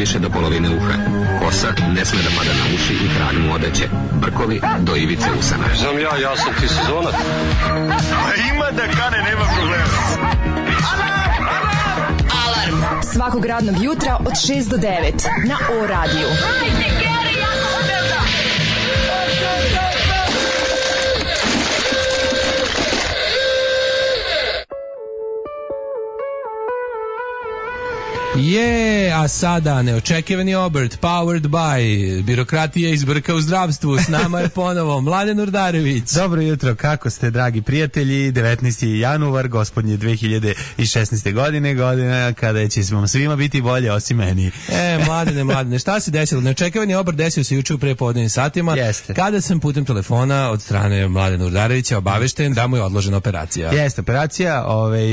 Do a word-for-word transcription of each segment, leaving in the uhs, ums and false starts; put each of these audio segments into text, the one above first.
više do polovine uha. Kosa ne sme da pada na uši i hranu mu odeće. Brkovi do ivice usana. Znam ja, ja sam ti sezonac. A ima da kane, nema problema. Alarm svakog radnog jutra od šest do devet na O radiju. Je, a sada neočekivani obrt, powered by birokratija iz brka u zdravstvu. S nama je ponovo Mladen Urdarević. Dobro jutro, kako ste, dragi prijatelji? devetnaesti januar, gospodnje dve hiljade šesnaeste. godine, godina kada će vam svima biti bolje, osim meni. E, Mladene, Mladene, šta se desilo? Neočekivani obrt desio se juče u prepodnevnim satima. Jeste. Kada sam putem telefona od strane Mladena Urdarevića obavešten da mu je odložena operacija. Jeste, operacija, ovaj,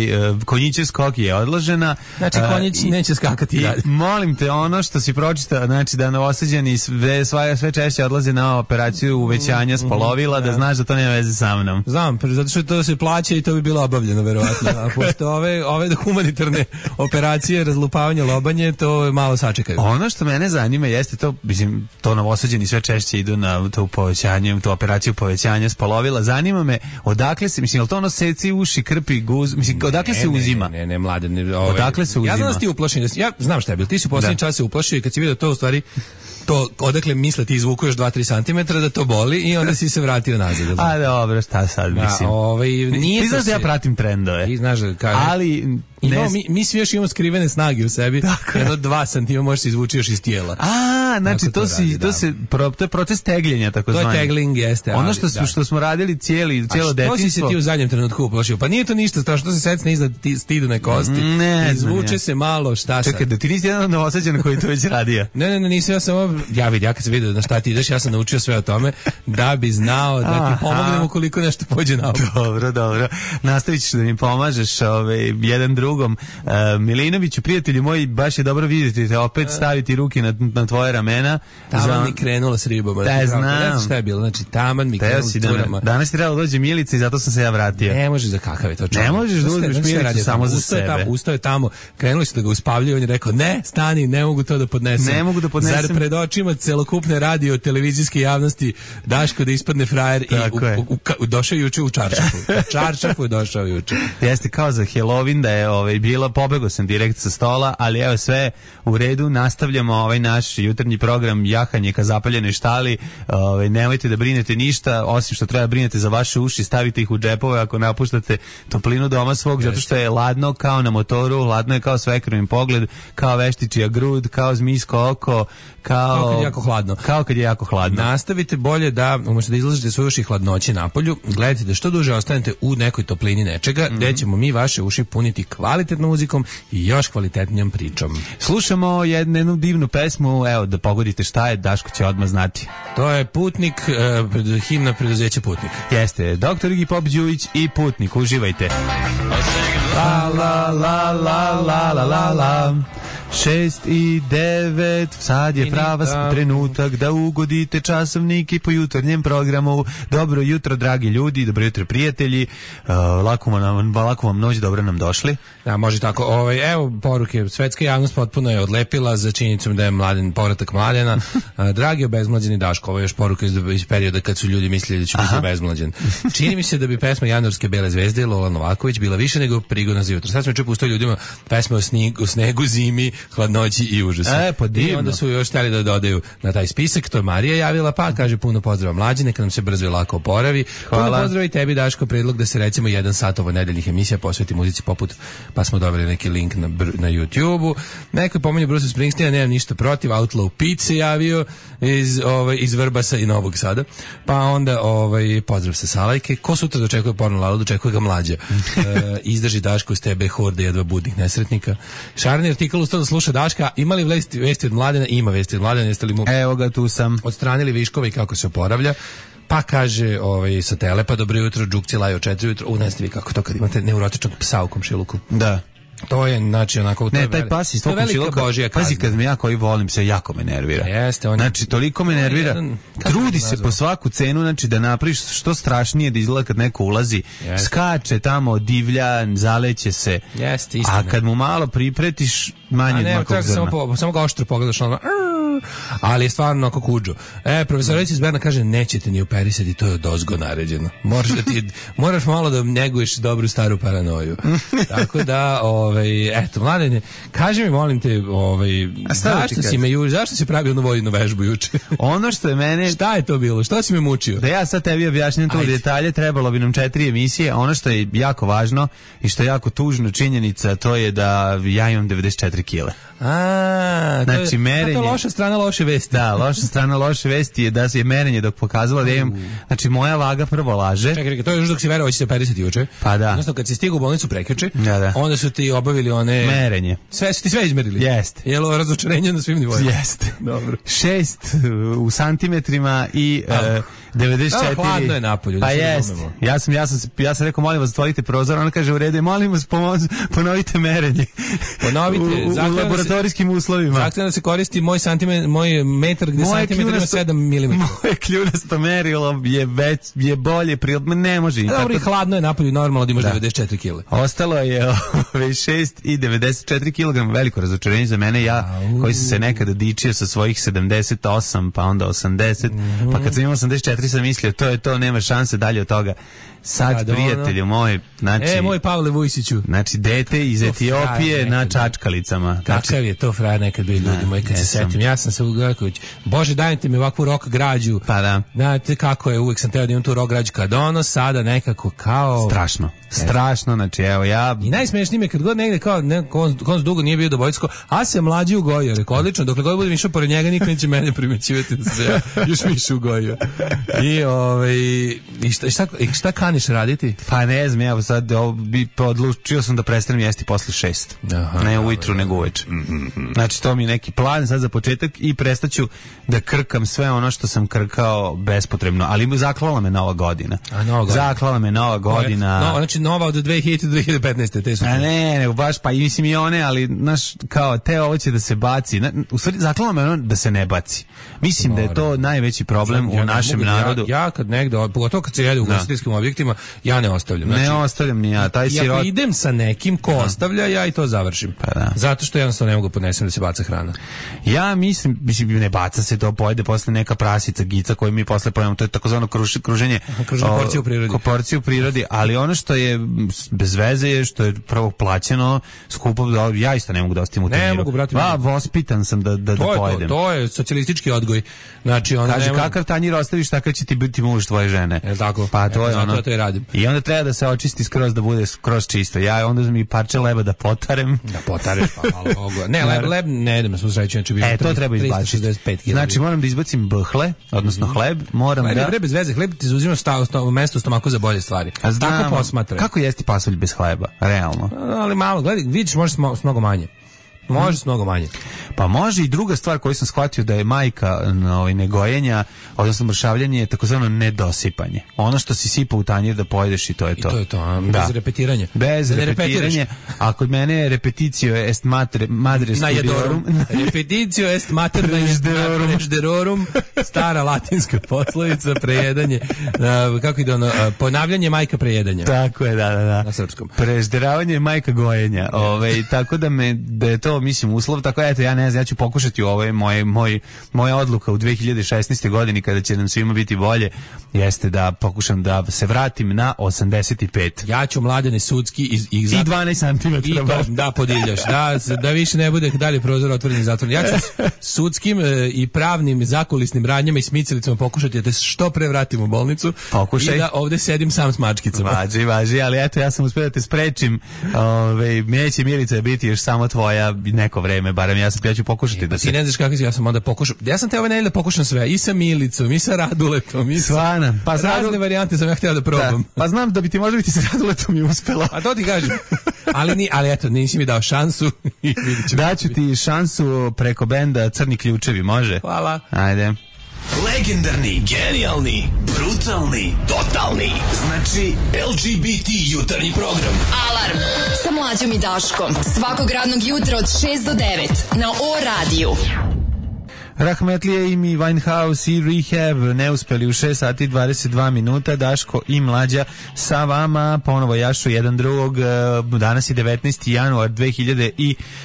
konjićev skok je odložena. Znači, konjić uh, neće skakati i, dalje. Molim te, ono što si pročitao, znači da novosađeni sve, sve češće odlaze na operaciju uvećanja spolovila, mm, da znaš da to nema veze sa mnom. Znam, zato što to se plaća i to bi bilo obavljeno, verovatno. A pošto ove, ove humanitarne operacije, razlupavanje, lobanje, to malo sačekaju. Ono što mene zanima jeste to, mislim, to novosađeni sve češće idu na to povećanje, tu operaciju povećanja spolovila. Zanima me, odakle se, mislim, je li to ono seci uši, krpi, guz, mislim, odakle ne, se uzima? Ne, ne, ne, Mlade, ne, ove, odakle se uzima? Ja znam da ti uplašen, ja znam šta je bilo, ti si u posljednji čas se uplašio i kad si vidio to u stvari, to odakle misle ti izvuku još dva do tri centimetra da to boli i onda si se vratio nazad. A dobro, šta sad mislim? A, ovaj, nije ti znaš da ja pratim trendove. Ti znaš da kažem. Ali Imamo, mi, mi svi još imamo skrivene snage u sebi. Jedno dva santima možeš se izvući još iz tijela. A, znači to, to, si, radi, to, da. se, pro, to je proces tegljenja, tako zvani. To je tegling, jeste. Ono što, da. što smo radili cijeli, cijelo detinjstvo. A što si se ti u zadnjem trenutku uplašio? Pa nije to ništa strašno, to se secne iznad stidune kosti. Ne, izvuče ne. se malo, šta sad? Čekaj, da ti nisi jedan novosađen koji to već radio. Ne, ne, ne, nisam ja samo, ja vidim, ja kad sam vidio na šta ti ideš, ja sam naučio sve o tome, da bi znao da ti pomognem ukoliko nešto pođe na ovo. Dobro, dobro. Nastavit ćeš da mi pomažeš ovaj, jedan drugom. Uh, Milinoviću, prijatelju moji, baš je dobro vidjeti te opet staviti ruke na, na tvoje ramena. Taman Zna... mi krenula s ribama. Da, znam. Ne znam šta je bilo, znači taman mi krenula s ribama. Danas ti trebalo dođe Milica i zato sam se ja vratio. Ne možeš za kakav je to čovjek. Ne možeš da uzmeš Milicu samo za ustao sebe. Tamo, ustao je tamo, krenuli su da ga uspavljaju, on je rekao, ne, stani, ne mogu to da podnesem. Ne mogu da podnesem. Zar pred očima celokupne radio, televizijske javnosti Daško da ispadne frajer i u, u, u, došao juče u čaršafu. U čaršafu je došao juče. Jeste kao za Halloween da je ovaj, bila, pobegao sam direkt sa stola, ali evo sve u redu, nastavljamo ovaj naš jutarnji program jahanje ka zapaljenoj štali. Ovaj, nemojte da brinete ništa, osim što treba brinete za vaše uši, stavite ih u džepove ako napuštate toplinu doma svog, zato što je ladno kao na motoru, ladno je kao svekrvin pogled, kao veštičija grud, kao zmijsko oko, kao, kao kad je jako hladno. Kao kad je jako hladno. Nastavite bolje da, umjesto da izlažete svoje uši hladnoći napolju, gledajte da što duže ostanete u nekoj toplini nečega, mm-hmm. gde ćemo mi vaše uši puniti kvalitetnom muzikom i još kvalitetnijom pričom. Slušamo jednu, jednu divnu pesmu, evo da pogodite šta je, Daško će odmah znati. To je Putnik, uh, himna preduzeća Putnik. Jeste, doktor Iggy Pop Đujić i Putnik, uživajte. La la la la la la la la. Šest i devet, sad je prava trenutak da ugodite časovnike po jutarnjem programu. Dobro jutro, dragi ljudi, dobro jutro, prijatelji. Uh, lako, vam, lako vam noć, dobro nam došli. Da, može tako. Ovaj, evo poruke, svetska javnost potpuno je odlepila za činjenicom da je Mladen, povratak Mladena. Uh, dragi obezmlađeni Daško, ovo je još poruka iz, iz perioda kad su ljudi mislili da će biti obezmlađen. Čini mi se da bi pesma Januarske bele zvezde Lola Novaković bila više nego prigodna za jutro. Sad smo čuo pustio ljudima pesme o snegu, snegu, zimi, hladnoći i užasu. E, pa i onda su još htjeli da dodaju na taj spisak, to je Marija javila, pa kaže puno pozdrava Mlađe, neka nam se brzo i lako oporavi. Hvala. Puno pozdrava i tebi, Daško, predlog da se recimo jedan sat ovo nedeljnih emisija posveti muzici poput, pa smo dobili neki link na, na YouTube-u. Neko je pomenio Bruce Springsteena, nemam ništa protiv, Outlaw Pete se javio iz, ovaj, iz Vrbasa i Novog Sada. Pa onda ovaj, pozdrav sa Salajke. Ko sutra dočekuje porno lalu, dočekuje ga Mlađa. E, izdrži Daško s tebe horde jedva budnih nesretnika. Šarni artikal ustao da sluša Daška. Ima li vesti, vesti od Mladena? Ima vesti od Mladena. Jeste li mu Evo ga, tu sam. odstranili viškove i kako se oporavlja? Pa kaže ovaj, sa Telepa, dobro jutro, Džukci laju od četiri jutro. U, ne ste vi kako to kad imate neurotičnog psa u komšiluku. Da. To je, znači, onako... Ne, taj pas iz tvoj komšiluka, pazi, kad me ja koji volim se, jako me nervira. Jeste, on... Znači, toliko me nervira, jedan, trudi se po svaku cenu, znači, da napraviš što strašnije da izgleda kad neko ulazi, Jeste. skače tamo, divlja, zaleće se, Jeste, istina. A kad mu malo pripretiš, manje od makog zrna. Samo, samo ga oštro pogledaš, ono... ali je stvarno oko kuđu. E, profesor iz Berna kaže, nećete ni operisati, to je od ozgo naređeno. Moraš, da ti, moraš malo da neguješ dobru staru paranoju. Tako da, ovaj, eto, Mladene, kaži mi, molim te, ovaj, zašto si me juče, zašto si pravio jednu vojnu vežbu juče? Ono što je mene... Šta je to bilo? Što si me mučio? Da ja sad tebi objašnjam tu detalje, trebalo bi nam četiri emisije. Ono što je jako važno i što je jako tužno činjenica, to je da ja imam devedeset četiri kile. A, znači, to je, merenje, to je loša strana loše vesti. Da, loša strana loše vesti je da se je merenje dok pokazalo da imam, znači moja vaga prvo laže. Čekaj, čekaj, to je još dok si verovao će se operisati juče. Pa da. Odnosno kad si stigao u bolnicu prekjuče, da, da. onda su ti obavili one... Merenje. Sve su ti sve izmerili. Jeste. Jelo razočarenje na svim nivoima. Jeste. Dobro. Šest u santimetrima i uh, devedeset četiri. Da, hladno je napolju. Pa jest. Ja sam, ja, sam, ja sam rekao, molim vas, otvorite prozor. Ona kaže, u redu, molim vas, ponovite merenje. Ponovite. u, u laboratorijskim uslovima. Zahtevno da se koristi moj, santime, moj metar gde moje santimetar ima sedam milimetara. Moje kljunasto merilo je, već, je bolje, ne može. Dobro, i hladno je napolju, normalno da imaš da. devedeset četiri kile. Ostalo je šest i devedeset četiri kilograma, veliko razočarenje za mene. Ja, koji sam se nekada dičio sa svojih sedamdeset osam, pa onda osamdeset, mm-hmm. pa kad sam imao osamdeset četiri sam mislio, to je to, nema šanse dalje od toga. Sad, da, prijatelju moj, znači... E, moj Pavle Vujsiću. Znači, dete iz Etiopije na čačkalicama. Kakav znači, je to frajer nekad bio, ljudi moji, kad se setim. Ja sam se ugledao, Bože, dajte mi ovakvu rock građu. Pa da. Znate kako je, uvijek sam teo da imam tu rock građu kad ono, sada nekako kao... Strašno. Strašno, znači, evo ja... I najsmešnije mi je kad god negde kao, ne, konc dugo nije bio do Bojsko, a se mlađi ugojio, rekao, odlično, dokle god budem išao pored njega, niko neće mene primećivati da se ja još više ugojio. I, ovaj, i šta, šta, šta kaniš raditi? Pa ne znam, evo sad bi odlučio sam da prestanem jesti posle šest. Aha, ne ujutru, nego uveče. Znači, to mi je neki plan sad za početak i prestaću da krkam sve ono što sam krkao bespotrebno, ali zaklala me nova godina. A, nova godina. Zaklala me nova godina. No, znači, nova od dve hiljade do dve hiljade petnaeste. Te su. A ne, nego baš, pa i mislim i one, ali, znaš, kao, te ovo će da se baci. Na, u stvari, zaklala me ono da se ne baci. Mislim Moram. da je to najveći problem ja, u našem ja, narodu. Ja, ja kad negde, pogotovo kad se jede u ugostiteljskim objektima, ja ne ostavljam. Znači, ne ostavljam ni ja. Taj sirot... Ako idem sa nekim ko da. ostavlja, ja i to završim. Pa da. Zato što jednostavno ne mogu podnesem da se baca hrana. Ja mislim, mislim, ne baca se to, pojede posle neka prasica, gica koju mi posle pojemo. To je takozvano kruž, kruženje. Kruženje porcije u prirodi. Porcije u prirodi, ali ono što je bez veze je što je prvo plaćeno, skupo, ja isto ne mogu da ostavim u tanjiru. Ne mogu, brati. Va, vospitan sam da, da, da to pojedem. To, to je socijalistički odgoj. Znači, ona kaže, nema... kakav tanjir ostaviš, takav će ti biti muž tvoje žene. Je tako? Pa to je ono. To je radim. I onda treba da se očisti skroz, da bude skroz čisto. Ja onda mi parče leba da potarem. Da potareš, pa malo mogu. Ne, leb, leb ne idem, smo sreći, znači bio e, to treba izbaciti. Znači, moram da izbacim hle, odnosno hleb, moram ne, da... Ne, bez veze, hleb ti zauzima mesto u stomaku za bolje stvari. A znam, tako posmatraj. Kako jesti pasulj bez hleba, realno? Ali malo, gledaj, vidiš, može s mnogo manje. Može s mnogo manje. Pa može i druga stvar koju sam shvatio da je majka ovaj, negojenja, odnosno mršavljanje je takozvano nedosipanje. Ono što si sipa u tanjir da pojedeš i to je to. I to je to, a, bez da. repetiranja. Bez da repetiranja. A kod mene je repeticio est madre, madre studiorum. Repeticio est mater prežderorum. Stara latinska poslovica, prejedanje. Uh, kako ide ono? Uh, ponavljanje majka prejedanja. Tako je, da, da, da. Na srpskom. Prežderavanje je majka gojenja. Ovaj, tako da me, da je to mislim uslov, tako eto ja ne znam, ja ću pokušati ovo moj moj moja odluka u dve hiljade šesnaestoj godini kada će nam svima biti bolje jeste da pokušam da se vratim na osamdeset pet. Ja ću Mladene sudski iz, iz i dvanaest centimetara da podiljaš, da da više ne bude dalje prozor otvoren i zatvoren. Ja ću sudskim e, i pravnim zakulisnim radnjama i smicalicama pokušati da te što pre vratim u bolnicu. Pokušaj. I da ovde sedim sam s mačkicama. Važi, važi, ali eto ja sam uspeo da te sprečim. Ovaj neće Milica biti još samo tvoja neko vreme, barem ja sam ja ću pokušati e, da se... Ti ne znaš kako si, ja sam onda pokušao. Ja sam te ove nedelje da pokušam sve, i sa Milicom, i sa Raduletom, i sa... Svana. Pa razne Radul... varijante sam ja htio da probam. Da. Pa znam da bi ti možda biti sa Raduletom i uspelo. A to ti kažem. Ali, ni, ali eto, nisi mi dao šansu. Daću ti šansu preko benda Crni ključevi, može? Hvala. Ajde. Legendarni, genijalni, brutalni, totalni. Znači L G B T jutarnji program. Alarm sa Mlađom i Daškom. Svakog radnog jutra od šest do devet na O radiju. Rahmetlije, Amy Winehouse i Rehab neuspeli u šest sati dvadeset dva minuta. Daško i Mlađa sa vama ponovo jašu jedan drugog. Danas je devetnaesti januar dve hiljade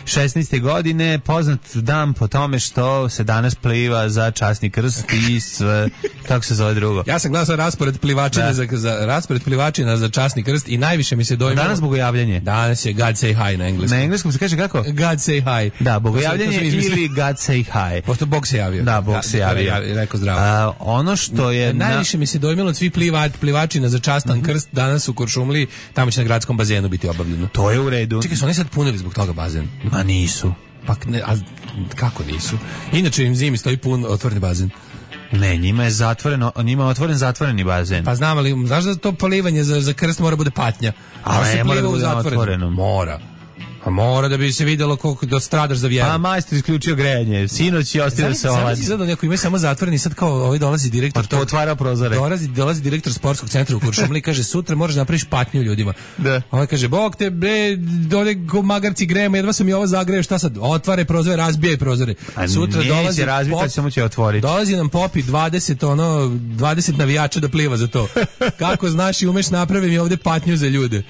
šesnaeste. godine, poznat dan po tome što se danas pliva za časni krst i sve, kako se zove drugo. Ja sam gledao raspored plivačina za, za raspored plivačina za časni krst i najviše mi se dojmilo. Danas bogojavljanje. Danas je God Say Hi na engleskom. Na engleskom se kaže kako? God Say Hi. Da, bogojavljanje ili God Say Hi. Pošto Bog se javio. Da, Bog da, se javio. javio. Rekao zdravo. A, ono što je... Najviše na... mi se dojmilo od svih pliva, plivačina za častan mm-hmm. krst danas u Kuršumliji, tamo će na gradskom bazenu biti obavljeno. To je u redu. Čekaj, su oni sad punili zbog toga bazen? Ma nisu. Pa ne, a kako nisu? Inače im zimi stoji pun otvoreni bazen. Ne, njima je zatvoreno, njima je otvoren zatvoreni bazen. Pa znam, ali znaš da to polivanje za, za krst mora bude patnja? A ne, mora da bude otvoreno. Mora. A mora da bi se vidjelo koliko da stradaš za vjeru. Pa majstor isključio grejanje. Sinoć je ostavio se ovaj. Znači sad neko ima samo zatvoreni, sad kao ovaj dolazi direktor. Pa otvara prozore. Dolazi dolazi direktor sportskog centra u Kuršumliji i kaže sutra moraš da napraviš patnju ljudima. Da. Ovaj kaže bog te bre, dole go magarci grejemo, jedva sam i ovo zagreo, šta sad? Otvare prozore, razbijaj prozore. A sutra dolazi razbiti, samo će otvoriti. Dolazi nam popi dvadeset ono dvadeset navijača da pliva za to. Kako znaš i umeš napravim i ovde patnju za ljude.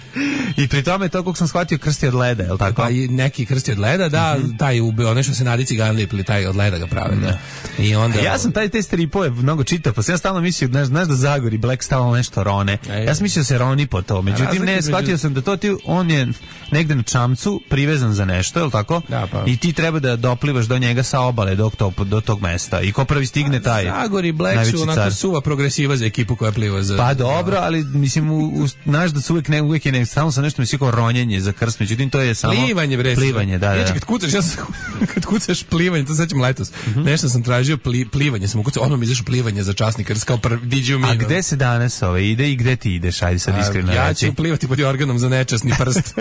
I pri tome to kako sam shvatio krsti od leda, je l' tako? Pa i neki krsti od leda, da, mm-hmm. taj ubio, ono što se nadici ga lipili, taj od leda ga prave, da. I onda... Ja sam taj te stripove mnogo čitao, pa sam ja stalno mislio, znaš, znaš da Zagori Black stalno nešto rone. E, ja sam mislio da se roni po to, međutim ne, shvatio među... sam da to ti, on je negde na čamcu privezan za nešto, je li tako? Da, pa. I ti treba da doplivaš do njega sa obale, do, to, do tog mesta. I ko prvi stigne taj Zagori Black su onako suva progresiva za ekipu koja pliva za... Pa dobro, ali mislim, u, u, znaš da su uvijek, ne, uvijek je ne, stalno sam nešto mislio kao ronjenje za krst, međutim to je samo... Plivanje, bre. Plivanje, da, da. Znači, kad kucaš, ja sam, kad kucaš plivanje, to sećam letos. Mm-hmm. Nešto sam tražio pli, plivanje, sam ukucao, ono mi izašao plivanje za časni krst, kao prvi diđu mi. A gde se danas ove ide i gde ti ideš? Ajde sad iskreno. Ja ću plivati pod jorganom za nečasni prst.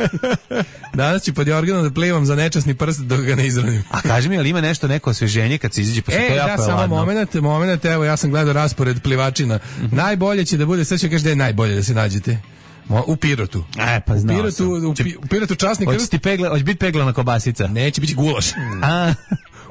Danas ću pod jorganom da plivam za nečasni prst dok ga ne izranim. A kaži mi, ali ima nešto, neko osveženje kad se izađe, pa se e, to jako da, je samo ladno. moment, moment, evo, ja sam gledao raspored plivačina. Mm-hmm. Najbolje će da bude, sad ću kaži da je najbolje da se nađete. U Pirotu. E, pa znao u Pirotu, sam. U, pi, u Pirotu časni krst. Hoće ti pegla, hoće biti peglana kobasica? Neće biti gulaš. A...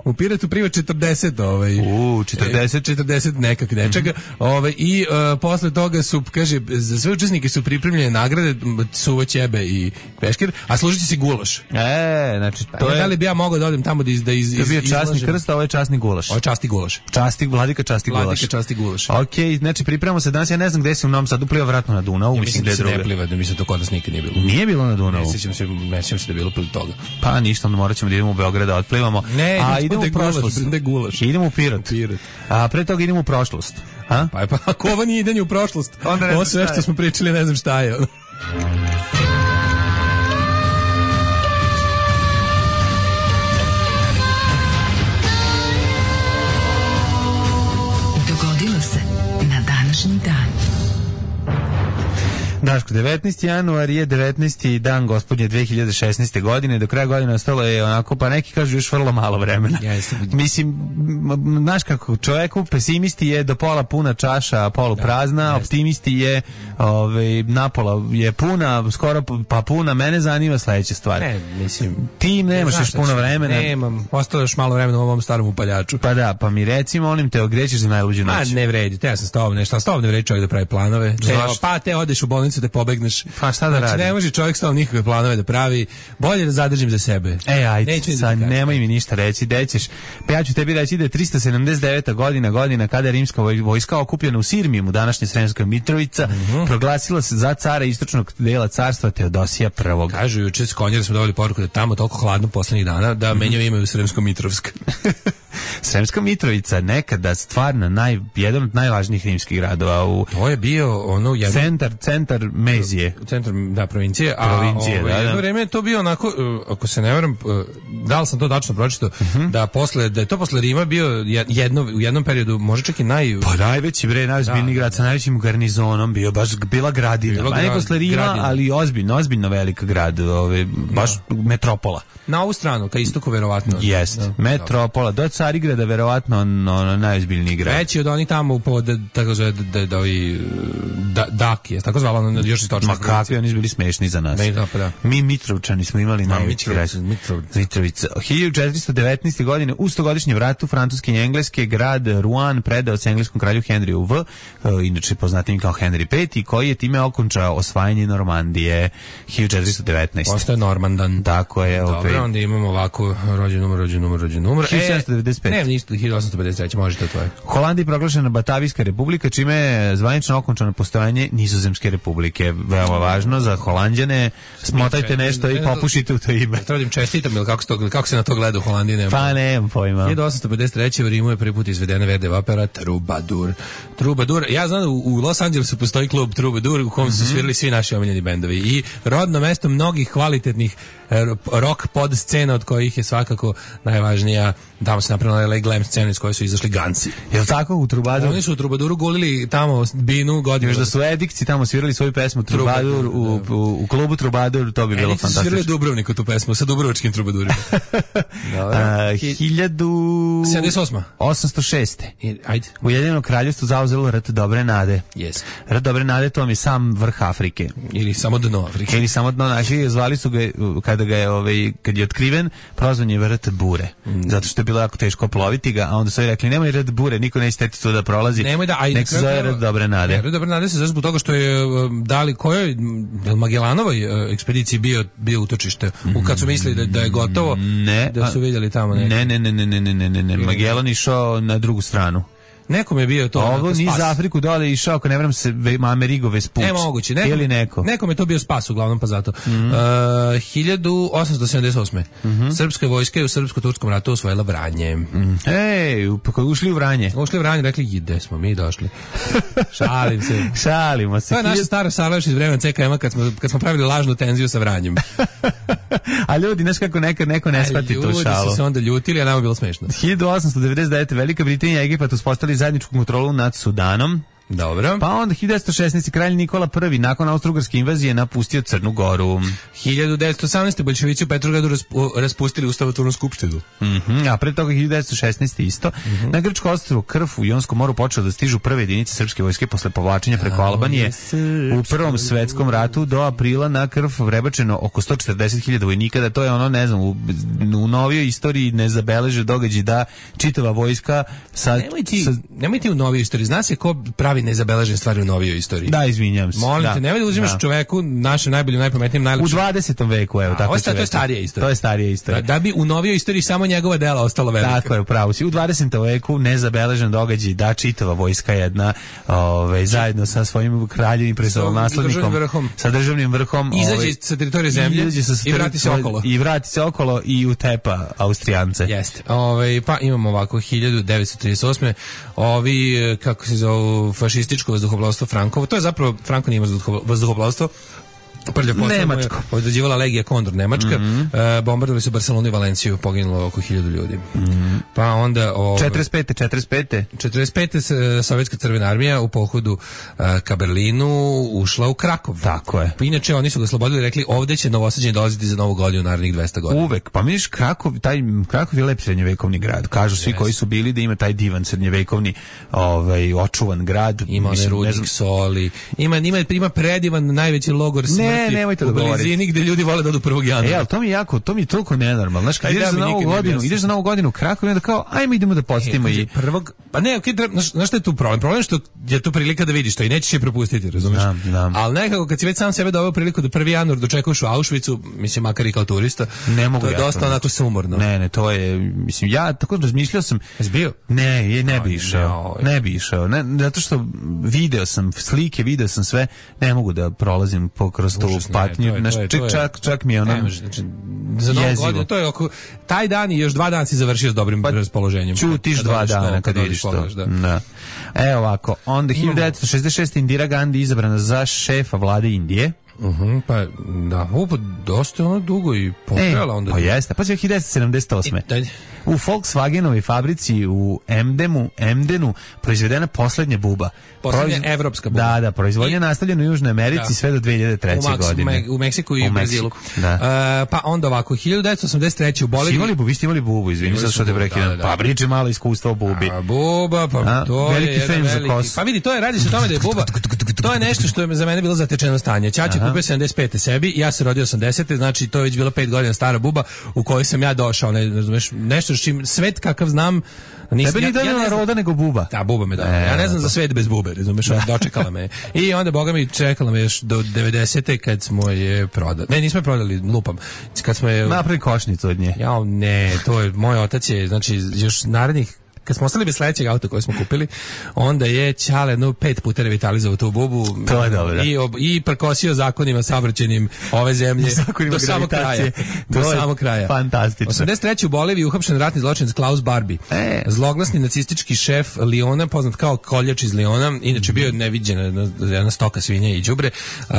U Piretu priva četrdeset, ovaj. U, četrdeset, četrdeset nekak nečega. Mm-hmm. Ovaj i uh, posle toga su, kaže, za sve učesnike su pripremljene nagrade, suvo ćebe i peškir, a služit će se gulaš. E, znači to je... Da li bi ja mogao da odem tamo da iz da iz, to je bio iz, časni izlažem. krst, a ovo je časni gulaš. Ovo je časti gulaš. Časti, vladika časti gulaš. Vladika časti gulaš. Okej, znači pripremamo se danas, ja ne znam gde se u Novom Sadu pliva, vratno na Dunavu, ja mislim da je druga. Ne pliva, da mislim to kod nas nikad nije bilo. Nije bilo na Dunavu. Ne sećam se, ne sećam se da je bilo pili toga. Pa ništa, onda morat ćemo da idemo u Beograd da otplivamo. Ne, a idemo u prošlost. Da gulaš. Idemo u Pirot. Pirot. A pre toga idemo u prošlost. A? Pa, pa ako ovo nije idanje u prošlost, onda ovo sve što smo pričali, ne znam šta je. Dogodilo se na današnji dan. Daško, devetnaesti januar je devetnaesti dan gospodnje dve hiljade šesnaeste. godine, do kraja godine ostalo je onako, pa neki kažu još vrlo malo vremena. Yes. Mislim, znaš kako, čovjeku pesimisti je do pola puna čaša, polu prazna, da, optimisti je ovaj, napola je puna, skoro pa puna, mene zanima sledeća stvar. Ne, mislim, ti nemaš još puno vremena. Nemam, ostalo još malo vremena u ovom starom upaljaču. Pa da, pa mi reci, molim te, gde ćeš za najluđu noć? A ne vredi, te ja sam s tobom nešto, s tobom ne vredi čovjek da pravi planove. Te, pa te odeš u bolnicu da pobegneš. Pa šta da znači, radi? Ne može čovjek s tobom nikakve planove da pravi. Bolje da zadržim za sebe. E, ajde, sad da nemoj mi ništa reći, gde ćeš. Pa ja ću tebi reći da je tristo sedamdeset deveta. godina, godina kada je rimska vojska okupljena u Sirmijumu, današnja Sremska Mitrovica, mm-hmm. proglasila se za cara istočnog dela carstva Teodosija prvog. Kažu, juče s Konjera smo dobili poruku da tamo toliko hladno poslednjih dana da mm-hmm. menjaju ime u Sremsko-Mitrovsk. Sremska Mitrovica, nekada stvarno naj, jedan od najvažnijih rimskih gradova. U to je bio ono jedan... centar, centar Mezije. Centar, da, provincije. Provincije, a ovo, da, jedno da. vreme je to bio onako, ako se ne varam, da li sam to tačno pročitao, uh-huh. da, posle, da je to posle Rima bio jedno, u jednom periodu, može čak i naj... Pa najveći bre, najozbiljniji da, grad sa najvećim garnizonom, bio baš bila gradina. Bila grad, ne posle Rima, gradina. Ali ozbiljno, ozbiljno velika grad, ove, baš da. Metropola. Na ovu stranu, ka istoku verovatno. Jest, da, metropola, do Carigrada verovatno ono najozbiljniji grad. Veći od onih tamo pod tako zove da da ovi da Dak je tako zvala ono još istočna. Ma kakvi oni su bili smešni za nas. Ne, da, pa da. Mi Mitrovčani smo imali najveći grad. Mitrovica. hiljadu četiristo devetnaeste. godine u stogodišnjem ratu Francuske i Engleske grad Rouen predao se engleskom kralju Henriju V, inače poznatim kao Henry peti, koji je time okončao osvajanje Normandije hiljadu četiristo devetnaeste. Postaje Normandan. Tako je. Dobro, opet. Onda imamo ovako rođen numer, rođen numer, rođen numer. hiljadu sedamsto devedeset pete. Ne, ništa, hiljadu osamsto pedeset treće. Može to tvoje. Holandija proglašena Batavijska republika, čime je zvanično okončano postojanje Nizozemske republike. Veoma važno za Holanđane. Smotajte nešto i popušite u to ime. Tradim čestitam, ili kako se, to, kako se na to gleda u Holandiji? Nema pa nemam pojma. hiljadu osamsto pedeset treće. u Rimu je prvi put izvedena Verdijeva opera Troubadour. Troubadour. Ja znam da u, u Los Angelesu postoji klub Troubadour u kom su mm-hmm. svirali svi naši omiljeni bendovi i rodno mesto mnogih kvalitetnih rock pod scena od kojih je svakako najvažnija, tamo se napravila L A glam scena iz koje su izašli Ganci. Je li tako u Troubadour? Oni su u Troubadouru gulili tamo binu godinu. Još da su Edikci tamo svirali svoju pesmu Troubadour u, u, u klubu Troubadour, to bi bilo Edikci fantastično. Edikci su svirali Dubrovniku tu pesmu sa dubrovačkim Troubadourima. hiljadu sedamdeset osma. osamsto šeste. I, ajde. Ujedinjeno kraljevstvo zauzelo rat Dobre nade. Yes. Rat Dobre nade, to vam je sam vrh Afrike. Ili samo dno Afrike. Ili samo dno naši, zvali su ga, kada ga je, ovaj, kad je otkriven, prozvan je rat Bure. Mm. Zato što je bilo jako teško ploviti ga, a onda su rekli, nemoj rat Bure, niko neće teti tu da prolazi. Nemoj da, ajde. Nek se zove rat Dobre nade. Ne, rat Dobre nade se zove zbog toga što je dali kojoj Magellanovoj ekspediciji bio, bio utočište. U kad su mislili da, da je gotovo, ne, da su vidjeli tamo neki. Ne, ne, ne, ne, ne, ne, ne, ne, ne. Magellan išao na drugu stranu. Nekom je bio to. Ovo ni za Afriku dole išao, ako ne vrem se Amerigo Vespuć. Ne moguće. Nekom, ili neko. Nekom je to bio spas uglavnom, pa zato. Mm-hmm. Uh, hiljadu osamsto sedamdeset osme. Mm-hmm. Srpska vojska je u Srpsko-turskom ratu osvojila Vranje. Mm. Ej, ušli u Vranje. Ušli u Vranje, rekli, gde smo mi došli. Šalim se. Šalimo se. To je naša stara Sarlaš iz vremena C K M-a kad smo, kad smo pravili lažnu tenziju sa Vranjem. A ljudi, znaš kako neko, neko ne shvati tu šalu. Ljudi su se onda ljutili, a nama je bilo smešno. hiljadu osamsto devedeset devete. Velika Britanija i Egipat uspostavili zajedničku kontrolu nad Sudanom. Dobro. Pa onda hiljadu devetsto šesnaeste. kralj Nikola prvi nakon austrougarske invazije napustio Crnu Goru. hiljadu devetsto osamnaeste. bolševici u Petrogradu raspu, raspustili ustavotvornu skupštinu. Mm-hmm. A pre toga hiljadu devetsto šesnaeste. isto. Mm-hmm. Na grčko ostrvo Krf u Jonskom moru počeo da stižu prve jedinice srpske vojske posle povlačenja preko Albanije. U Prvom svetskom ratu do aprila na Krf vrebačeno oko sto četrdeset hiljada vojnika, da to je ono, ne znam, u, u novijoj istoriji ne zabeleže događaj da čitava vojska sa... Nemoj ti, sa... nemoj ti u novijoj istoriji. Zna se ko pravi nezabeležene stvari u novijoj istoriji. Da, izvinjam se. Molim da. te, nemoj da uzimaš da. čoveku našem najboljim, najpametnijem, najlepšem. U dvadesetom veku, evo, tako će. To je starija istorija. To je starija istorija. Da, da bi u novijoj istoriji samo njegova dela ostala velika. Tako je, upravo si. U dvadesetom veku nezabeležen događaj da čitava vojska jedna, ovaj zajedno sa svojim kraljevim prestolonaslednikom, sa državnim vrhom, izađe ovaj, sa teritorije zemlje i, sa i vrati se okolo. I vrati se okolo i utepa Austrijance. Jeste. Ovaj pa imamo ovako hiljadu devetsto trideset osme. Ovi, kako se zove, fašističko vazduhoplovstvo Frankovo. To je zapravo, Franko nije vazduhoplovstvo, prljav posao. Nemačko. Određivala Legija Kondor, Nemačka. Mm-hmm. E, bombardovali su Barcelonu i Valenciju, poginulo oko hiljadu ljudi. Mm-hmm. Pa onda... O, četrdeset pete. četrdeset pete. četrdeset pete. Sovjetska crvena armija u pohodu a, ka Berlinu ušla u Krakov. Tako je. Pa inače, oni su ga slobodili i rekli, ovde će novosađeni dolaziti za novu godinu narednih dvesta godina. Uvek. Pa misliš, Krakov, taj, Krakov je lep srednjevekovni grad. Kažu svi yes. koji su bili da ima taj divan srednjevekovni ovaj, očuvan grad. Ima one rudnik soli. Ima, ima, ima predivan najveći logor smrti. Ne, nemojte da govorite. U blizini gde ljudi vole da odu prvog januara. E, ali to mi je jako, to mi je toliko nenormalno. Znaš, kad ideš za novu godinu, ideš za novu godinu u Krakovu i onda kao, ajmo idemo da posjetimo i prvog, pa ne, okay, znaš, znaš šta je tu problem? Problem je što je tu prilika da vidiš to i nećeš je propustiti, razumiješ? Znam, znam. Ali nekako kad si već sam sebe doveo priliku da prvi januar dočekuješ u Auschwitzu, mislim, makar i kao turista, ne mogu to je ja dosta to onako sumorno. Ne, ne, to je, mislim, ja tako razmišljao sam. Jesi bio? Ne, je, ne bi išao. Ne bi išao. Ne, zato što video sam slike, video sam sve, ne mogu da prolazim po kroz tu patnju. Znaš, čak, čak mi je ono ne, znači, za novu godinu, to je oko, taj dan i još dva dana si završio s dobrim pa, raspoloženjem. Čutiš dva dana kad vidiš to. Da. Da. Evo ovako, onda hiljadu devetsto šezdeset šeste. Indira Gandhi izabrana za šefa vlade Indije. Uh-huh, pa da, upo, dosta ono dugo i potrela e, onda. Pa jeste, pa će hiljadu devetsto sedamdeset osme. I, U Volkswagenovoj fabrici u Emdenu, Emdenu proizvedena poslednja buba. Poslednja Proiz... evropska buba. Da, da, proizvodnja nastavljena u Južnoj Americi da. sve do dve hiljade treće. U godine. Me, u Meksiku i u, u Brazilu. Da. Uh, pa onda ovako, hiljadu devetsto osamdeset treće u Boliviji. Imali bubu, vi ste imali bubu, izvini sad što te prekidam. Da, da. Pa priče malo iskustva o bubi. A, buba, pa A, to veliki je jedan veliki. Pa vidi, to je, radi se o tome da je buba, to je nešto što je za mene bilo zatečeno stanje. Ćaća kupio sedamdeset pete sebi, ja se rodio osamdesete, znači to je već bilo pet godina stara buba u kojoj sam ja došao, ne razumeš, nešto s čim svet kakav znam. Nis, Tebe nije ja, ja roda nego buba. Da, buba me da. E, ja ne znam za svet bez bube, razumeš, dočekala me. I onda boga mi čekala me još do devedesete kad smo je prodali. Ne, nismo je prodali, lupam. Kad smo je napravi košnicu od nje. Ja, ne, to je moj otac je, znači još narednih kad smo ostali bez sledećeg auta koje smo kupili, onda je Ćale no pet puta revitalizovao tu bubu. To je dobro. I, ob, i prkosio zakonima saobraćajnim ove zemlje do samog kraja. Do samog kraja. Fantastično. osamdeset treće u Boliviji uhapšen ratni zločinac Klaus Barbie. E. Zloglasni nacistički šef Liona, poznat kao koljač iz Liona, inače bio neviđena jedna stoka svinja i đubre. Uh,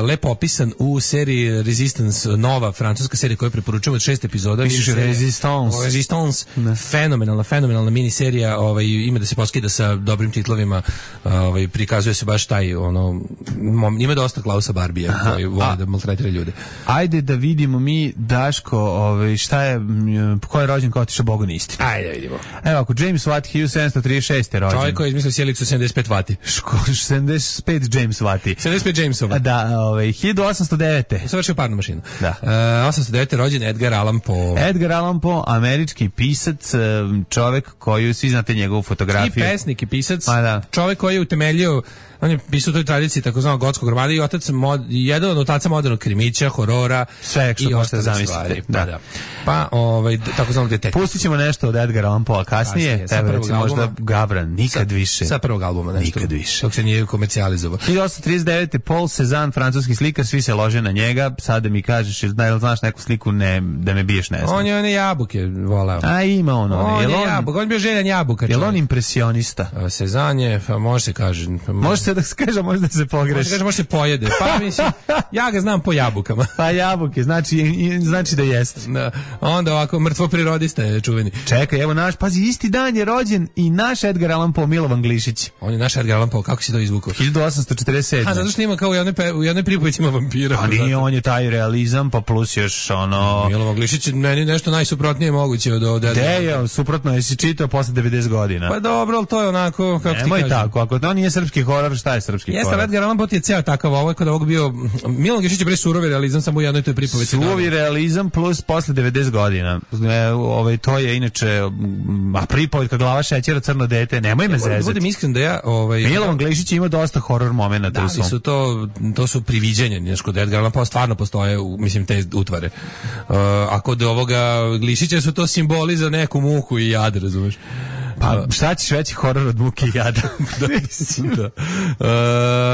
lepo opisan u seriji Resistance, nova francuska serija koju preporučujemo od šest epizoda. Piše Resistance. Resistance. Fenomenalna, fenomenalna miniserija, ovaj ima da se poskida sa dobrim titlovima, ovaj prikazuje se baš taj ono ima dosta Klausa Barbija koji voli da maltretira ljude. Ajde da vidimo mi Daško, ovaj šta je ko je rođen kao otišao Bogu na istinu. Ajde da vidimo. Evo ako James Watt hiljadu sedamsto trideset šeste rođen. Čovjek koji je izmislio sjelicu sedamdeset pet vati. sedamdeset pet James Watti. sedamdeset pet Jamesova. Da, ovaj hiljadu osamsto devete. Savršio parnu mašinu. Da. Uh, osamsto devete rođen Edgar Allan Poe. Edgar Allan Poe, američki pisac, čovjek koji svi znate njegovu fotografiju. I pesnik i pisac. Pa da. Čovjek koji je utemeljio, on je pisao u toj tradiciji takozvanog gotskog romana i otac mod, jedan od otaca modernog krimića, horora sve što i možete zamisliti. Da. Da. Pa ovaj takozvanog detektiva. Pustit ćemo nešto od Edgara Allan Poe kasnije. Tebe recimo možda Gabran, nikad sa, više. Sa prvog albuma. Nešto, nikad više. Dok se nije komercijalizovao. hiljadu osamsto trideset devete Paul Cézanne, francuski slikar, svi se lože na njega. Sad da mi kažeš, da znaš neku sliku, ne, da me biješ, ne znam. On je one jabuke volao. A ima on. On je jabuk, on je bio željan jabuka. Je li on impresionista? Cézanne je, pa može se kaže. Može se da se kaže, može da se pogreši. Može kaže, može se pojede. Pa mislim, ja ga znam po jabukama. Pa jabuke, znači, znači da jeste. Da. Onda ovako, mrtvo prirodista je čuveni. Čekaj, evo naš, pazi, isti dan je rođen i naš Edgar Allan Poe, Milovan Glišić. On je naš Edgar Allan Poe, kako si to izvukao? hiljadu osamsto četrdeset sedme. A, zato što ima kao u jednoj, pe, u jednoj pripovici ima vampira. Pa nije, on je taj realizam, pa plus još ono... Milovan Glišić je meni nešto najsuprotnije moguće od ovdje. De je, suprotno, jesi čitao posle devedeset godina. Pa dobro, ali to je onako, kako Nemoj ti kažem. tako, ako to nije srpski horor, šta je srpski Jeste, horor? Edgar Allan Poe je ceo takav, ovo je kod ovog bio... Milovan Glišić je bre surovi realizam, samo u jednoj toj pripovici. Surovi realizam plus posle devedeset godina. E, ovaj, to je inače, a pripovitka Glava šećera, Crno dete, nemoj me zezati. Budem iskren da ja... Ovaj, Milovan Glišić ima dosta horor momenata. Da, su to, to su priviđenja, znaš, kod Edgar Allan Poe stvarno postoje, mislim, te utvare. Uh, a kod ovoga Glišića su to simboli za neku muku i jad, razumeš? Pa šta ćeš veći horor od muke i jada? da.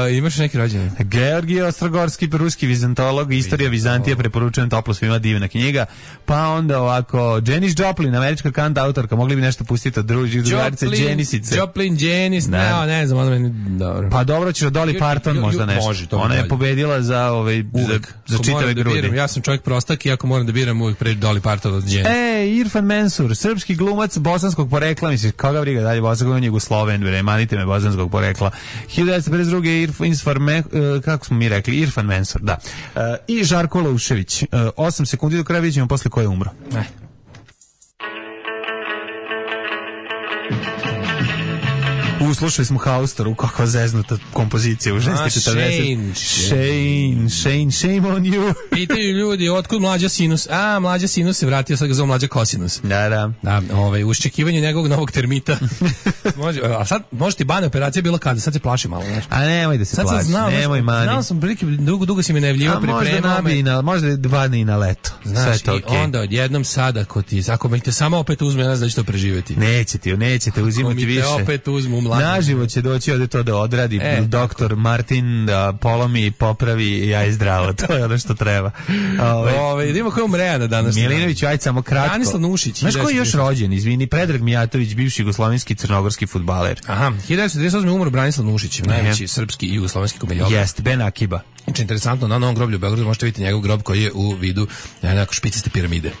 Uh, imaš neki rođendan? Georgije Ostrogorski, ruski vizantolog, istorija Vizantije, preporučujem toplo svima, divna knjiga. Pa onda ovako, Janis Joplin, američka kant autorka, mogli bi nešto pustiti od drugih drugarice Janisice. Joplin, Janis, ne, ne znam, ono meni, dobro. Pa dobro ćeš od Dolly Parton možda nešto. Može, to ona je pobedila za, ovaj, za, za čitave da grudi. Biram, ja sam čovjek prostak i ako moram da biram uvijek pre Dolly Parton od Janis. E, Irfan Mensur, srpski glumac bosanskog porekla, misliš, koga briga dalje bosanskog, on je Jugosloven, bre, manite me bosanskog porekla. hiljadu devetsto pedeset druge Irfan, uh, kako smo mi rekli, Irfan Mensur, da. Uh, I Žarko Laušević. Uh, osam sekundi do kraja, vidjet ćemo posle ko je umro. Ne. Uslušali smo Haustoru, kakva zeznuta kompozicija u ženski četrdeset. Shane, Shane, shame on you. Pitaju ljudi, otkud mlađa sinus? A, mlađa sinus se vratio, sad ga zove mlađa kosinus. Da, da. Da, ovaj, u iščekivanju njegovog novog termita. Može, a sad, može ti bane operacija bilo kada, sad se plaši malo, znaš. A nemoj da se sad plaši, znao, nemoj mani. Znao sam, prilike, dugo, dugo si me najavljivao, pripremao me. Na, možda dvane i na leto. Znaš, to i okay. Onda odjednom sada, ako ti, ako mi te samo opet uzme, ja ne znam da će to preživjeti. Neće ti, neće te uzimati više. Ako mi te opet uzmu, naživo će doći ovdje to da odradi e, doktor tako. Martin da polomi, popravi i ja i zdravo. To je ono što treba. Ove, Ove, idemo ko je umrejana danas. Milinović, ajde samo kratko. Branislav Nušić. Znaš ko je još rođen? Izvini, Predrag Mijatović, bivši jugoslovenski crnogorski fudbaler. Aha, hiljadu devetsto trideset osme umro Branislav Nušić, najveći srpski i jugoslovenski komedijalog. Jeste, Ben Akiba. Znači, interesantno, na Novom groblju u Beogradu možete vidjeti njegov grob koji je u vidu nekako špiciste piramide.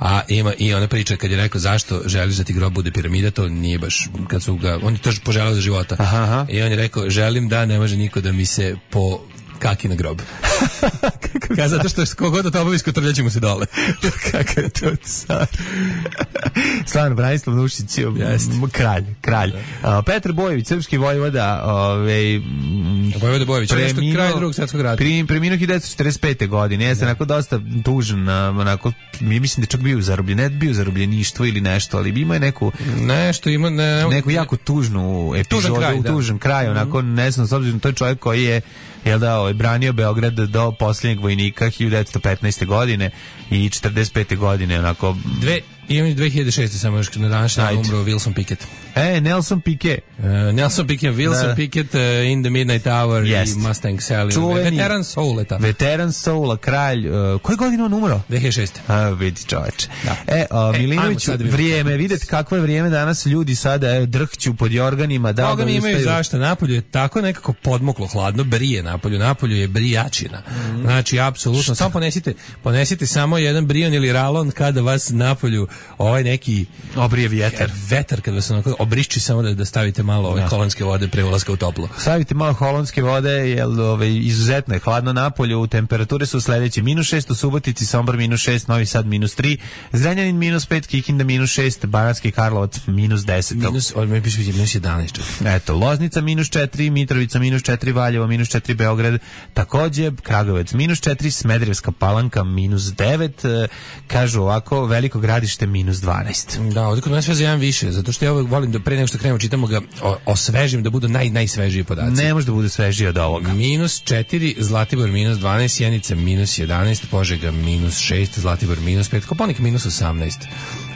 A ima i ona priča kad je rekao zašto želiš da ti grob bude piramida, to nije baš kad su ga, on je to poželeo za života. Aha, aha. I on je rekao želim da ne može niko da mi se po kaki na grob. Kada zato što kogod da to obavi skotrljaće mu se dole. Kakav je to car. Stvarno, Branislav Nušić, kralj, kralj. Uh, Petar Bojević, srpski vojvoda, ovaj Vojvoda Bojević, preminuo kraj Drugog svjetskog rata. Preminuo preminuo hiljadu devetsto četrdeset pete. godine. Jeste onako dosta tužan, onako mi mislim da čak bio zarobljen, ne bio zarobljeništvo ili nešto, ali ima je neku nešto ima ne, neku jako tužnu epizodu, tužan kraj, tužan kraj onako ne znam, s obzirom to je čovjek koji je jel da, ovaj, branio Beograd do posljednjeg vojnika hiljadu devetsto petnaeste. godine i četrdeset pete. godine, onako... Dve, imam dve hiljade šeste. samo još na današnji dan umro Wilson Pickett. E, Nelson Piquet. Uh, Nelson Piquet, Wilson da. Pickett, uh, In the Midnight Hour yes. i Mustang Sally. Čuveni, veteran souleta. Veteran soula, kralj. Uh, koje godine on umro? dve hiljade šeste. A, vidi čoveče. Da. E, uh, e Milinović, vrijeme, vidite kakvo je vrijeme danas, ljudi sada e, drhću pod jorganima. Da, Boga mi imaju zašto, napolju je tako nekako podmoklo hladno, brije napolju, napolju je brijačina. Mm. Znači, apsolutno, samo ponesite, ponesite samo jedan brion ili ralon kada vas napolju ovaj neki obrije vjetar. Vetar kada vas onako obrišči samo da, da stavite malo ove holandske vode pre ulaska u toplo. Stavite malo holandske vode, jer ove, izuzetno je hladno napolju, temperature su sledeće: minus šest u Subotici, Sombor minus šest, Novi Sad minus tri, Zrenjanin minus pet, Kikinda minus šest, Banatski Karlovac minus deset. Minus, ovdje piše minus jedanaest. Eto, Loznica minus četiri, Mitrovica minus četiri, Valjevo minus četiri, Beograd takođe, Kragujevac minus četiri, Smederevska Palanka minus devet, kažu ovako, Veliko Gradište minus dvanaest. Da, ovdje kod nas sve za jedan više, zato što ja uvek volim da pre nego što krenemo čitamo ga o, osvežim, da budu naj, najsvežiji podaci. Ne može da bude svežiji od ovoga. Minus četiri, Zlatibor minus dvanaest, Sjenica minus jedanaest, Požega minus šest, Zlatibor minus pet, Kopaonik minus osamnaest.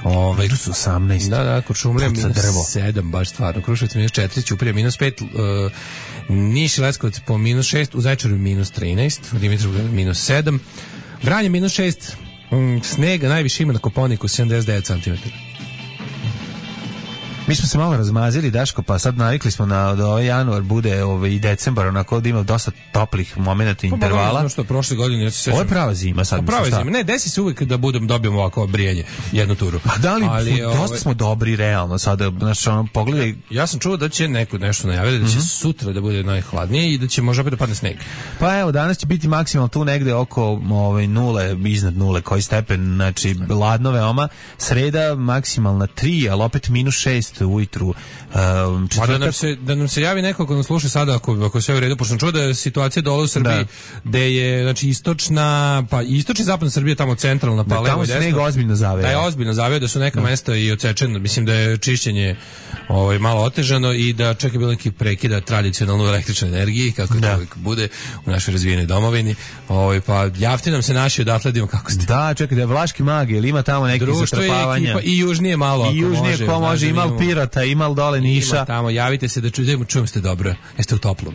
Ove, minus osamnaest. Da, da, Kuršumlija minus sedam, baš stvarno. Kruševac minus četiri, Ćuprija minus pet, uh, Niš i Leskovac po minus šest, u Zaječaru minus trinaest, u Dimitrovgradu minus sedam, Vranje minus šest, um, snega najviše ima na Kopaoniku sedamdeset devet centimetara. Mi smo se malo razmazili, Daško, pa sad navikli smo na da ovaj januar bude ovaj, i decembar, onako da ima dosta toplih momenata i pa, intervala. Pa, što prošle godine, ja se sećam. Ovo je prava zima sad. Prava zima, ne, desi se uvijek da budem, dobijemo ovako brijanje jednu turu. Pa da li, ali, smo, dosta ovaj, smo dobri, realno, sada, znači, ono, pogledaj. Ja sam čuo da će neko nešto najaviti, da će mm-hmm. sutra da bude najhladnije i da će možda opet da padne sneg. Pa evo, danas će biti maksimalno tu negde oko ovaj, nule, iznad nule, koji stepen, znači, ladno veoma. Sreda maksimalna tri, ali opet minus šest ujutru. Um, da, nam se, da nam se javi neko ko nas sluša sada ako, ako sve u redu, pošto sam čuo da je situacija dole u Srbiji da. Gde je znači, istočna, pa istočna i zapadna Srbija tamo centralna, pa da, levo i desno. Tamo se ozbiljno zaveo. Da je ozbiljno zaveo, da su neka da. Mesta i odsečeno, mislim da je čišćenje ovaj, malo otežano i da čak je bilo neki prekida tradicionalnu električnu energiju, kako da. To uvijek bude u našoj razvijenoj domovini. Ovaj, pa javite nam se naši odatle da kako ste. Da, čekaj, da je Vlaški Magi, ili ima tamo neki zatrpavanja. I južnije malo, I južnije može, ko može, ima li Pirota, ima li dole Niša. Ima tamo, javite se da čujemo, čujem ste dobro. Jeste u toplom.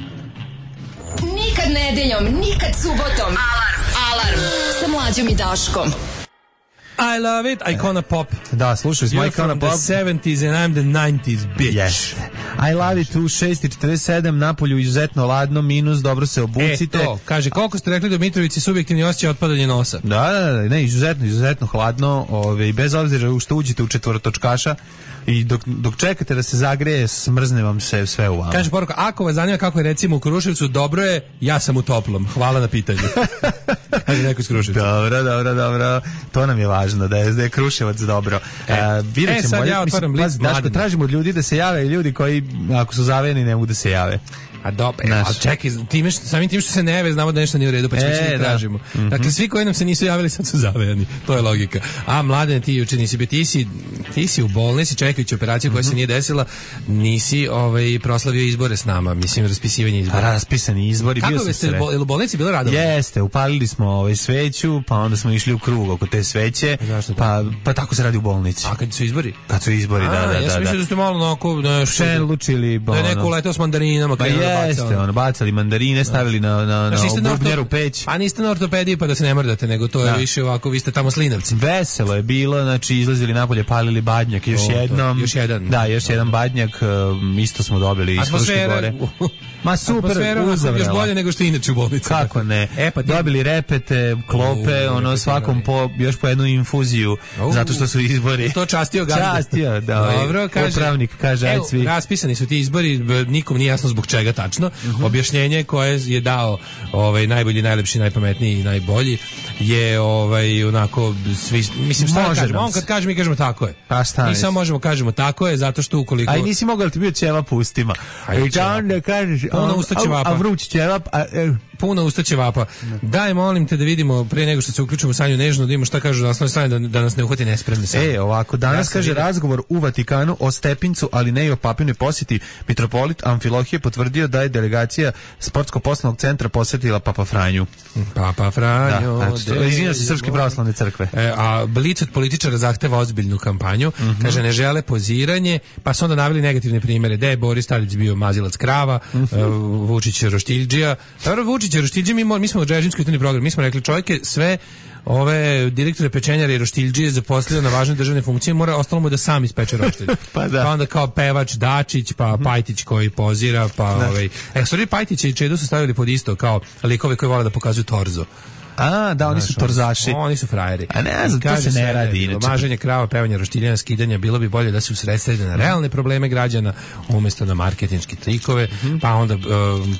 Nikad nedeljom, nikad subotom. Alarm, alarm. Sa Mlađom i Daškom. I love it, Icona Pop. Da, slušaj, smo Icona Pop. You're from the seventies and I'm the nineties, bitch. Yes. I love it, u šest i četrdeset sedam, napolju izuzetno ladno, minus, dobro se obucite. E, to, kaže, koliko ste rekli da u Mitrovici subjektivni osjećaj otpadanje nosa? Da, da, da, ne, izuzetno, izuzetno hladno, ove, bez obzira što uđete u četvorotočkaša, i dok, dok čekate da se zagreje, smrzne vam se sve u vama. Kaže poruka, ako vas zanima kako je recimo u Kruševcu, dobro je, ja sam u toplom. Hvala na pitanju. Kaže neko iz Kruševca. Dobro, dobro, dobro. To nam je važno, da je, da je Kruševac dobro. E, uh, e sad bolje, ja otvaram list Daško, tražimo od ljudi da se jave i ljudi koji, ako su zavejeni, ne mogu da se jave. A dobro, ali čekaj, time što, samim tim što se ne jave, znamo da nešto nije u redu, pa ćemo e, da tražimo. Mm-hmm. Dakle, svi koji nam se nisu javili, sad su zavejani. To je logika. A, Mladen, ti juče nisi bio, ti si, ti si u bolnici čekajući operaciju koja mm-hmm. se nije desila, nisi ovaj, proslavio izbore s nama, mislim, raspisivanje izbora. Raspisani izbori, bio sam ste, bo, je li u bolnici bilo radovno? Jeste, upalili smo ovaj, sveću, pa onda smo išli u krug oko te sveće, pa, pa tako se radi u bolnici. A kad su izbori? Kad su izbori, A, da, da, ja da. Ja sam mislio da ste malo onako, nešto, šelučili, da je neko uletao s mandarinama. Pa Jeste, bacao. ono, bacali mandarine, stavili na, na, na bubnjaru peć. A niste na ortopediji pa da se ne mrdate, nego to je da. više ovako, vi ste tamo slinavci. Veselo je bilo, znači izlazili napolje, palili badnjak, još o, jednom. Još jedan. Da, još jedan badnjak, um, isto smo dobili iz Fruške gore. Ma super, uzavrela. Još bolje nego što je inače u bolnici. Kako ne? E, pa ti... Dobili repete, klope, u, ono svakom po, još po jednu infuziju, u, zato što su izbori. To častio gazda. Častio, da. Dobro, kaže. Upravnik kaže, ajde svi. Raspisani su ti izbori, nikom nije jasno zbog čega tačno. Uh-huh. Objašnjenje koje je dao ovaj najbolji, najlepši, najpametniji i najbolji je ovaj onako svi, mislim šta kažemo, on kad kaže mi kažemo tako je. Pa šta? Mi samo možemo kažemo tako je zato što ukoliko aj nisi mogao ti bio ćeva pustima. I da onda kažeš puno usta ćevapa. A vruć ćevap, a puno usta ćevapa. Daj, molim te da vidimo pre nego što se uključimo u Sanju Nežnu, da vidimo šta kažu na osnovnoj strani, da, da nas ne uhvati nespremni sami. E, ovako, danas ja kaže vidim. Razgovor u Vatikanu o Stepincu, ali ne i o papinoj posjeti. Mitropolit Amfilohije potvrdio da je delegacija Sportsko-poslovnog centra posjetila Papa Franju. Papa Franjo. Da, znači, izvinjam se Srpske pravoslavne crkve. E, a Blic od političara zahteva ozbiljnu kampanju. Mm-hmm. Kaže, ne žele poziranje, pa su onda naveli negativne primjere. Da je Boris Tadić bio mazilac krava, mm-hmm. uh, Vučić Roštiljđija. Dobro, Vučić Roštiljđija, mi, mi smo u Džežinskoj jutni program, mi smo rekli čovjek je sve ove direktore pečenjara i roštiljđije zaposlio na važne državne funkcije, mora ostalo mu da sam ispeče roštilj. pa, da. Pa onda kao pevač Dačić, pa Pajtić koji pozira, pa da. ovaj... E, sorry, Pajtić i Čedo su stavili pod isto kao likove koji vole da pokazuju torzo. A, da, oni su torzaši. Oni su frajeri. A ne znam, to se ne radi inače. Maženje krava, pevanje roštiljanja, skidanja, bilo bi bolje da se usredsrede na realne probleme građana umjesto na marketinške trikove, mm-hmm. pa onda uh,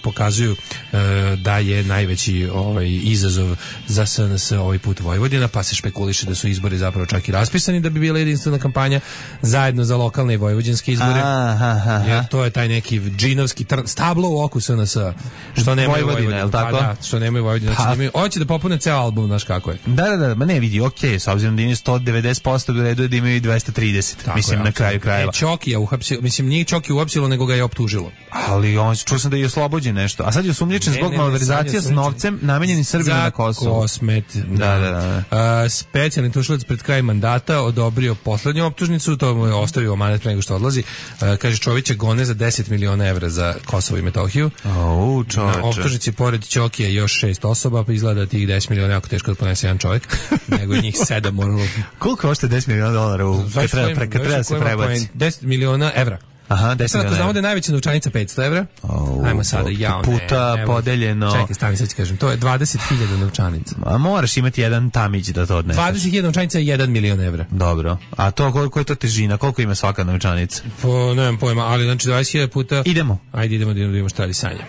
pokazuju uh, da je najveći ovaj izazov za S N S ovaj put Vojvodina, pa se špekuliše da su izbori zapravo čak i raspisani da bi bila jedinstvena kampanja zajedno za lokalne i vojvođanske izbore. Aha, jer to je taj neki džinovski tr- stablo u oku S N S-a. Što nemaju Vojvodina, je tako? Pa da, što nemaju Vojvodina. Pa. Hoće da popune ceo album, znaš kako je. Da, da, da, ma ne vidi, okej, okay, s obzirom da imaju sto devedeset posto u redu je da imaju i dvesta trideset, tako mislim, je, na kraju krajeva. E, Čokija uhapsilo, mislim, nije Čoki uhapsilo, nego ga je optužilo. Ali on, čuo sam da je oslobođen nešto, a sad je osumnjičen zbog malverzacija s novcem namenjenim Srbima na Kosovu. Kosmet, da, da, da. da. Uh, specijalni tužilac pred kraj mandata odobrio poslednju optužnicu, to mu je ostavio amanet pre nego što odlazi. Uh, kaže, Čovića gone za deset miliona evra za Kosovo i Metohiju. Au, čoveče. Na optužnici pored Čokija još šest osoba, pa izgleda da tih deset miliona jako teško da ponese jedan čovjek, nego njih sedam moralo. Koliko košta deset miliona dolara u kad treba, pre, kad treba se prebaci? deset miliona evra. Aha, deset miliona. Sad, ako znamo da je najveća novčanica petsto evra, oh, ajmo sada, ja, puta ne, podeljeno. Čekaj, stani, sad ću kažem, to je dvadeset hiljada novčanica. A moraš imati jedan tamić da to odneseš. dvadeset hiljada novčanica je jedan milion evra. Dobro. A to, koliko je to težina? Koliko ima svaka novčanica? Po, nemam pojma, ali znači dvadeset hiljada puta... Idemo. Ajde, idemo da vidimo šta radi Sanja.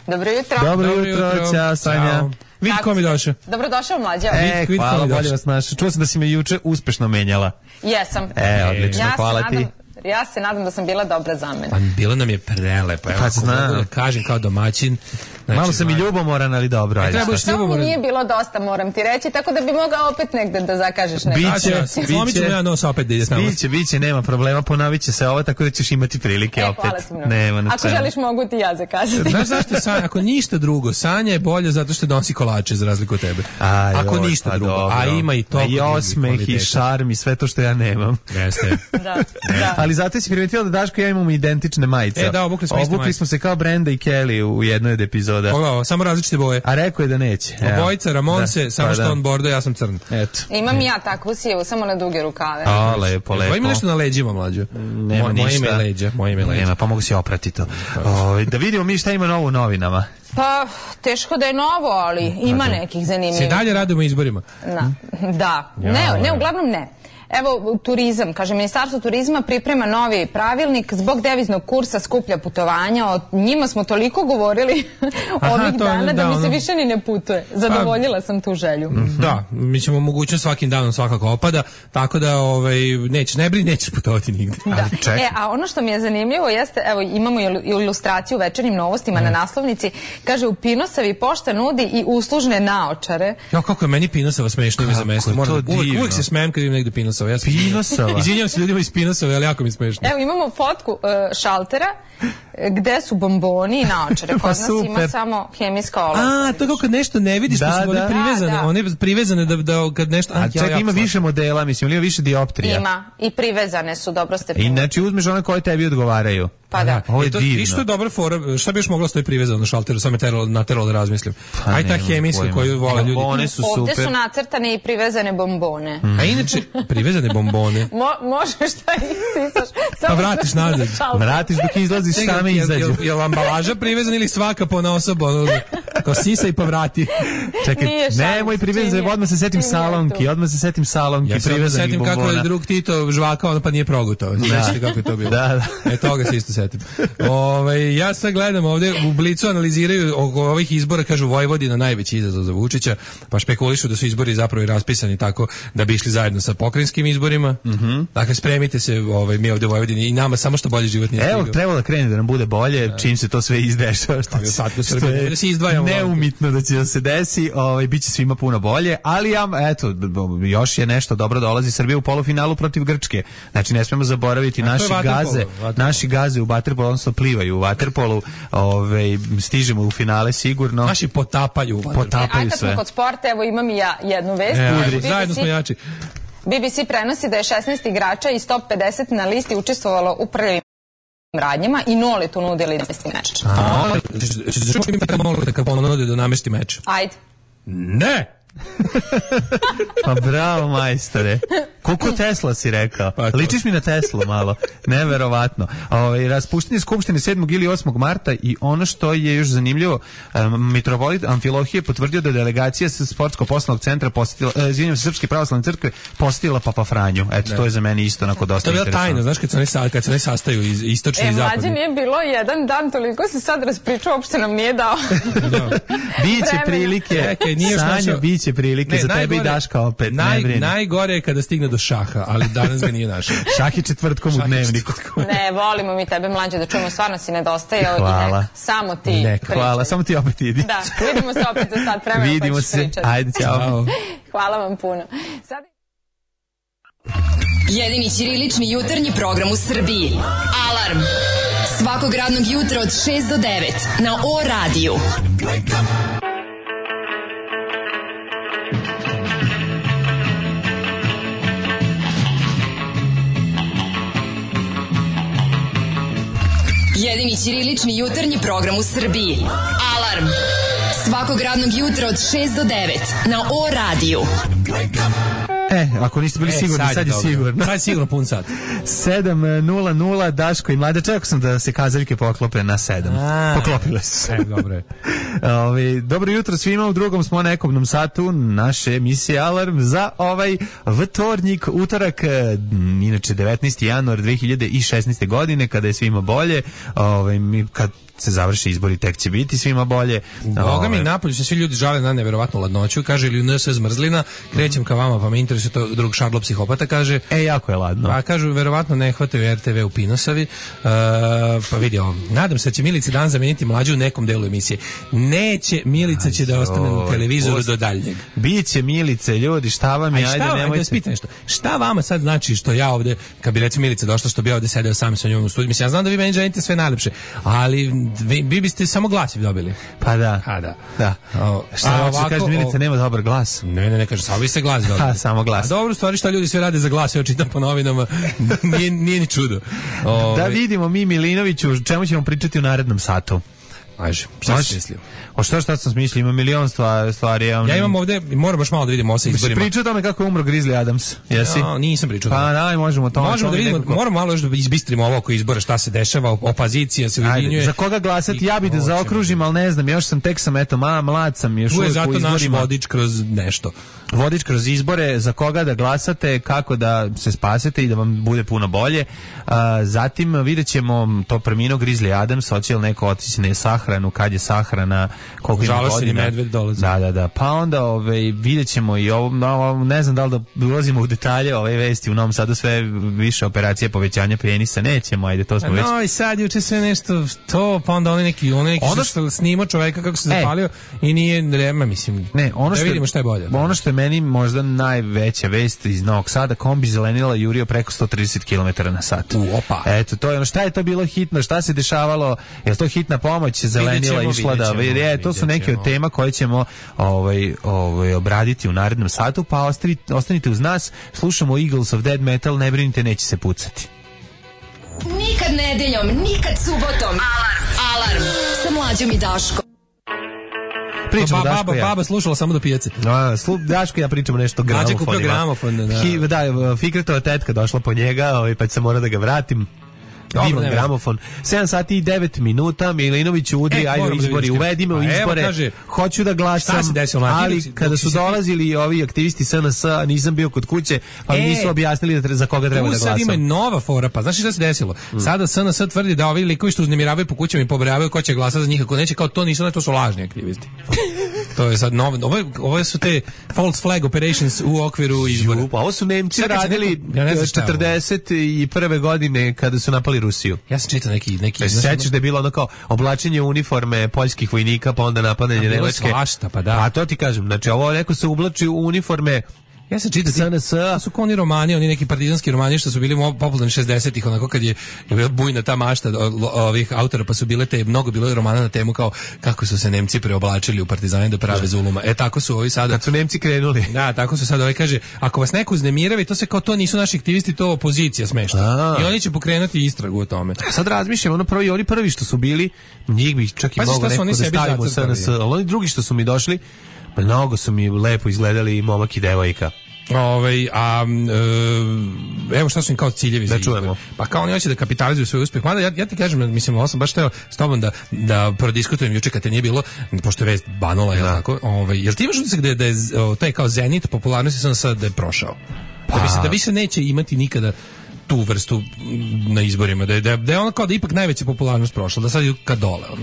Dobro jutro. Dobro, Dobro jutro, jutro. Ćao, Sanja. Vidi ko mi došao. Dobrodošao, Mlađa. E, vid, hvala, bolje vas naša. Čuo sam da si me juče uspešno menjala. Jesam. E, odlično, ja hvala ti. Nadam, ja se nadam da sam bila dobra za mene. Pa bila nam je prelepa. Evo, pa ako mogu da kažem kao domaćin. Znači, malo sam i ljubomoran, ali dobro. Ajde, što mi nije bilo dosta, moram ti reći, tako da bi mogao opet negde da zakažeš nešto. Biće, slomit ćemo ja nos opet da ide s nama. Biće, biće, nema problema, ponovit će se ovo, tako da ćeš imati prilike e, opet. Nema na ako želiš, mogu ti ja zakazati. Znaš zašto Sanja, ako ništa drugo, Sanja je bolje zato što donosi kolače za razliku od tebe. Aj, ako oj, ništa pa drugo, dobro. a ima i to. I osmeh i šarm i sve to što ja nemam. Jeste. da, da. Ali zato si primetila da Daško i ja imamo identične majice. E, da, obukli smo, obukli smo se kao Brenda i Kelly u jednoj od epizoda. Ovo, samo različite boje. A rekao je da neće. Obojica Ramonce, samo pa što da. On bordo, ja sam crn. Eto. Imam i ja takvu sijevu, samo na duge rukave. A, lepo, lepo. Ima nešto na leđima, Mlađo? Nema Mo, ništa. Moje ime leđa, moje ime leđa. Nema, pa mogu si oprati to. O, da vidimo mi šta ima novo u novinama. Pa, teško da je novo, ali ima nekih zanimljivih. Se dalje radimo izborima? Na, da. Ne, ne, uglavnom ne. Evo, turizam, kaže, Ministarstvo turizma priprema novi pravilnik zbog deviznog kursa skuplja putovanja. O njima smo toliko govorili ovih dana da mi se više ni ne putuje. Zadovoljila sam tu želju. Da, mi ćemo mogućnost svakim danom svakako opada, tako da ovaj, neće, ne brini, nećeš putovati nigde. Da. E, a ono što mi je zanimljivo jeste, evo, imamo ilustraciju u Večernjim novostima mm. na naslovnici, kaže, u Pinosavi pošta nudi i uslužne naočare. Ja, kako je meni Pinosava smešno ime za mesto. Moram, uvijek, uvijek se smejem kad im negde Pinosava. Ja Pinosava. Izvinjam se ljudima iz Pinosave, ali jako mi smešno. Evo, imamo fotku uh, šaltera gde su bomboni i naočare. Kod pa nas ima samo hemijska olovka. A, to kao kad nešto ne vidiš, da, pa su da. One privezane. Da, da. One privezane da, da kad nešto... A čak ja, ima ja, više modela, mislim, ili ima više dioptrija? Ima, i privezane su, dobro ste primili. I znači uzmeš one koje tebi odgovaraju. Pa da. Ovo je to, divno. Viš što je dobra fora, šta bi još mogla stoji privezano na šalteru, sam je teralo, nateralo da razmislim. Pa aj ta hemijska koju vole ljudi. Bombone su super. Ovde su nacrtane i privezane bombone. Mm. A inače, privezane bombone. Mo, možeš šta isisaš. Pa vratiš nazad. Vratiš dok izlaziš, same izađu. Je li ambalaža privezana ili svaka po osobu? Kao sisa i pa vrati. Čekaj, nemoj privezane, odmah se setim salonki, odmah se setim salonki. Ja se setim kako je drug Tito žvakao, pa nije progutao. Znači kako je to bilo. Da, da. E, toga se isto setim. Ove, ja sad gledam ovde, u Blicu analiziraju oko ovih izbora, kažu Vojvodina najveći izazov za Vučića, pa špekulišu da su izbori zapravo i raspisani tako da bi išli zajedno sa pokrajinskim izborima. Mm-hmm. Dakle, spremite se, ovaj, mi ovde u Vojvodini i nama samo što bolje život nije stigao. Evo, trebalo da krene da nam bude bolje, da. Čim se to sve izdešava. Što, što, što je da se izdvajamo neumitno da će da se desi, ovaj, bit će svima puno bolje, ali ja, eto, još je nešto dobro dolazi Srbija u polufinalu protiv Grčke. Znači, ne smemo zaboraviti A naši gaze, naši gaze u vaterpolu, odnosno plivaju u vaterpolu, ovaj, stižemo u finale sigurno. Naši potapaju u vaterpolu. Potapaju e, a kad sve. smo kod sporta, evo imam i ja jednu vest. E, B B C, zajedno smo jači. B B C prenosi da je šesnaest igrača iz top pedeset na listi učestvovalo u prljavim radnjama i noli tu nudili da namesti meč. A, ćeš čuti mi tako malo kad ponude da namesti meč? Ajde. Ne! Pa bravo, majstore. Koliko Tesla si rekao? Pa ličiš mi na Teslu malo. Neverovatno. Ovaj raspuštanje skupštine sedmog ili osmog marta i ono što je još zanimljivo, um, mitropolit Amfilohije potvrdio da je delegacija sa sportsko-poslovnog centra posjetila, uh, izvinjavam se, Srpske pravoslavne crkve posjetila Papa Franju. Eto, ne. To je za mene isto onako dosta interesantno. To je interesantno. tajno, znaš, kad se ne, kad se ne sastaju iz istočni e, i zapadni. E, mlađe nije bilo jedan dan, toliko se sad raspričao, uopšte nam nije dao. Biće prilike, Čekaj, nije Sanjo, našao... biće prilike ne, za tebe i Daška opet. Naj, najgore je kada stigne do šaha, ali danas ga nije našao. Šah je četvrtkom u dnevniku. Ne, volimo mi tebe, mlađe, da čujemo, stvarno si nedostaje. Hvala. I nek, samo ti nek, hvala, samo ti opet idi. Da, vidimo se opet za sat vremena. Vidimo se, pričati. Ajde, ćao. Hvala vam puno. Sad... Jedini ćirilični jutarnji program u Srbiji. Alarm. Svakog radnog jutra od šest do devet na O radiju. Jedini ćirilični jutarnji program u Srbiji. Alarm. Svakog radnog jutra od šest do devet na O radiju. E, ako niste bili e, sigurni, sad, sad je dobro. Sigurno. Sad je sigurno pun sat. sedam nula nula, Daško i Mlađa. Čekao sam da se kazaljke poklope na sedam. A, Poklopile su se. E, dobro je. Ove, dobro jutro svima, u drugom smo nekobnom satu naše emisije Alarm za ovaj vtornik, utorak, inače devetnaesti januar dve hiljade šesnaeste. godine, kada je svima bolje, ove, mi, kad se završi izbori, tek će biti svima bolje. Boga mi, napolju se svi ljudi žale na neverovatnu ladnoću, kaže ili u N S zmrzlina, krećem ka vama, pa me interesuje to, drug Šarlo psihopata kaže. E, jako je ladno. Pa kažu, verovatno ne hvataju R T V u Pinosavi, uh, pa vidio, nadam se da će Milica dan zameniti Mlađu u nekom delu emisije. Neće, Milica će da ostane na televizoru do daljnjeg. Biće Milice, ljudi, šta vam je, ajde, nemojte. Ajde, spitaj nešto. Šta vama sad znači što ja ovde, kad bi recimo Milica došla, što bi ja ovde sedeo sam sa njom u studiju, mislim, ja znam da vi meni želite sve najlepše, ali vi, vi biste samo glas dobili. Pa da. A da. Da. O, šta ovako, kaže Milica, nema dobar glas. Ne, ne, ne, kaže, samo vi ste glas dobili. Ha, samo glas. A dobro, stvari šta ljudi sve rade za glas, ja čitam po novinama, nije, nije ni čudo. O, da vidimo mi Milinoviću, čemu ćemo pričati u narednom satu. Ajde, šta si mislio? O što šta sam smislio, ima milion stvari. Ja, ja imam ovde, moram baš malo da vidimo ovo sa izborima. Pričao o tome kako je umro Grizzly Adams, jesi? No, nisam pričao. Pa daj, možemo to. Možemo da vidimo, nekako... moramo malo još da izbistrimo ovo oko izbora, šta se dešava, opozicija se ujedinjuje. Za koga glasati, ja bih da zaokružim, ali ne znam, još sam, tek sam, eto, ma, mlad sam, još uvijek u izborima. Tu je zato naš vodič kroz nešto. Vodič kroz izbore, za koga da glasate, kako da se spasete i da vam bude puno bolje. A, zatim vidjet ćemo to preminuo Grizzly Adams, hoće li neko otići na sahranu, kad je sahrana, koliko ima godina. Medved dolazi. Da, da, da. Pa onda ovaj, vidjet ćemo i ovo, no, ne znam da li da ulazimo u detalje ove vesti, u Novom Sadu sve više operacije povećanja penisa, nećemo, ajde, to smo no, već. No i sad juče sve nešto to, pa onda oni neki, oni neki ono što snimao čoveka kako se zapalio e, i nije rema, mislim, ne, ono što, da vidimo šta je bolje. Ono što je meni možda najveća vest iz Novog Sada, kombi zelenila jurio preko sto trideset kilometara na sat. U, opa. Eto, to je ono, šta je to bilo hitno, šta se dešavalo, je to hitna pomoć, zelenila išla da, je, to su neke od tema koje ćemo ovaj, ovaj, obraditi u narednom satu, pa ostanite, ostanite uz nas, slušamo Eagles of Dead Metal, ne brinite, neće se pucati. Nikad ne nedeljom, nikad subotom. Alarm! Alarm! Sa Mlađom i Daškom. Pričamo ba, Daško baba, ja. baba slušala samo do pijace. A, slu, Daško ja pričamo nešto o gramofonima. gramofonima. Kupio gramofon, da. Hi, da, Fikretova tetka došla po njega, ovaj, pa se mora da ga vratim. Divan gramofon. sedam sati i devet minuta, Milinović udri, e, ajde izbori, da uvedi me u izbore, evo, kaže, hoću da glasam, desilo, ali dok, kada dok su si dolazili ovi aktivisti S N S, nisam bio kod kuće, pa e, mi nisu objasnili da, za koga treba da glasam. Tu sad ima nova fora, pa znaš šta se desilo? Mm. Sada S N S tvrdi da ovi likovi što uznemiravaju po kućama i pobrajavaju ko će glasati za njih, ako neće, kao to nisu, to su lažni aktivisti. To je sad novo, ovo, ovo su te false flag operations u okviru izbora. Pa ovo su Nemci sad radili ja četrdeset prve godine kada su napali Rusiju. Ja sam čitao neki... neki se sećaš da je bilo ono kao oblačenje uniforme poljskih vojnika, pa onda napadanje Nemačke. Svašta, pa da. A to ti kažem, znači ovo neko se ublači u uniforme. Ja sam čitao S N S, to su oni romani, oni neki partizanski romani što su bili popularni šezdesetih, onako kad je, je bila bujna ta mašta ovih autora, pa su bile te, mnogo bilo romana na temu kao kako su se Nemci preoblačili u partizane da prave zuluma. E tako su ovi sada. Kad su Nemci krenuli. Da, tako su sada, ovaj kaže, ako vas neko uznemirava, to se kao to nisu naši aktivisti, to opozicija smešta. I oni će pokrenuti istragu o tome. Sad razmišljam, ono prvi, oni prvi što su bili, njih bi čak i pa mogo neko da stavimo u S N S, ali oni drugi što su mi došli, mnogo su mi lepo izgledali i momak i devojka. Ovaj a e, evo šta su im kao ciljevi da za čujemo. Pa kao oni hoće da kapitalizuju svoj uspeh. Mada ja, ja ti kažem, mislim, ovo sam baš teo s tobom da, da prodiskutujem juče kad te nije bilo, pošto je vest banula, jel tako? Ovaj, jel ti imaš utisak da je, da je taj kao zenit popularnosti sam sad da je prošao? Pa. Da, bi se, da više neće imati nikada tu vrstu na izborima, da je, da je ono kao da ipak najveća popularnost prošla, da sad idu ka dole. On.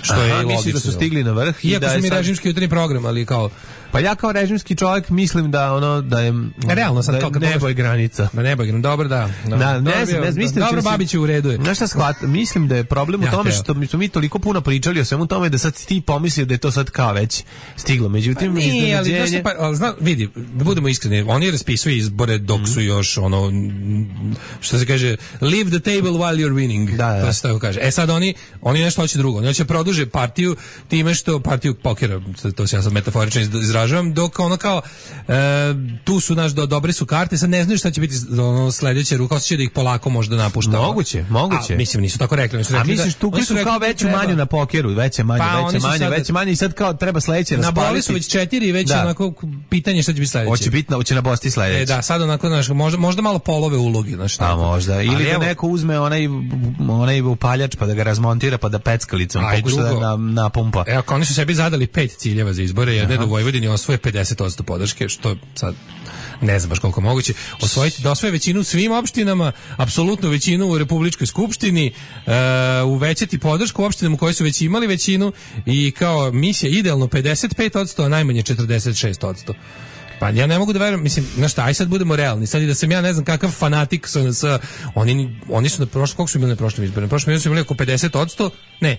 Što Aha, je logično. misliš da su stigli na vrh? Iako da su mi sad... režimski jutarnji program, ali kao... Pa ja kao režimski čovjek mislim da ono da je realno sad da kao nebo je granica. Da nebo je granica. Dobro, da. Da, da ne znam, ne mislim dobro, da Babić je u redu. Znaš šta shvat, mislim da je problem u tome što mi smo mi toliko puno pričali o svemu tome da sad ti pomislio da je to sad kao već stiglo. Međutim, pa nije, ali, znaš, pa, ali zna, vidi, da budemo iskreni, oni raspisuju izbore dok su još ono, što se kaže, leave the table while you're winning. Da, da. To se tako kaže. E sad oni, oni nešto hoće drugo. Oni hoće produže partiju time što partiju pokera, to se ja sad metaforično izražavam, dok ono kao e, tu su naš do, dobre su karte, sad ne znaju šta će biti ono sledeće, ruka osjeća da ih polako možda napušta. Moguće, moguće. A, mislim nisu tako rekli, oni su rekli. A misliš da, tu su, su kao veću manju na pokeru, veće manje, pa, veće manje, veće manje i sad kao treba sledeće raspaliti. Nabrali su već četiri, već da. Onako pitanje šta će biti sledeće. Hoće biti, hoće na Bosti sledeće. E, da, sad onako znaš, možda možda malo polove ulogi, znači tako. A možda ili ali da evo, neko uzme onaj onaj upaljač pa da ga razmontira pa da peckalicom pokuša da na, napumpa. Evo, oni su sebi zadali pet ciljeva za izbore, jedne da u Vojvodini osvoje pedeset posto podrške, što sad ne znam baš koliko moguće, osvojiti da osvoje većinu u svim opštinama, apsolutnu većinu u Republičkoj skupštini, uh, uvećati podršku opštinama koje su već imali većinu i kao misija idealno pedeset pet posto, a najmanje četrdeset šest posto. Pa ja ne mogu da verujem, mislim, znaš šta, aj sad budemo realni, sad i da sam ja ne znam kakav fanatik sa, sa oni, oni su na prošlom, koliko su bili na prošlom izboru? Na prošlom izboru su imali oko pedeset posto, ne,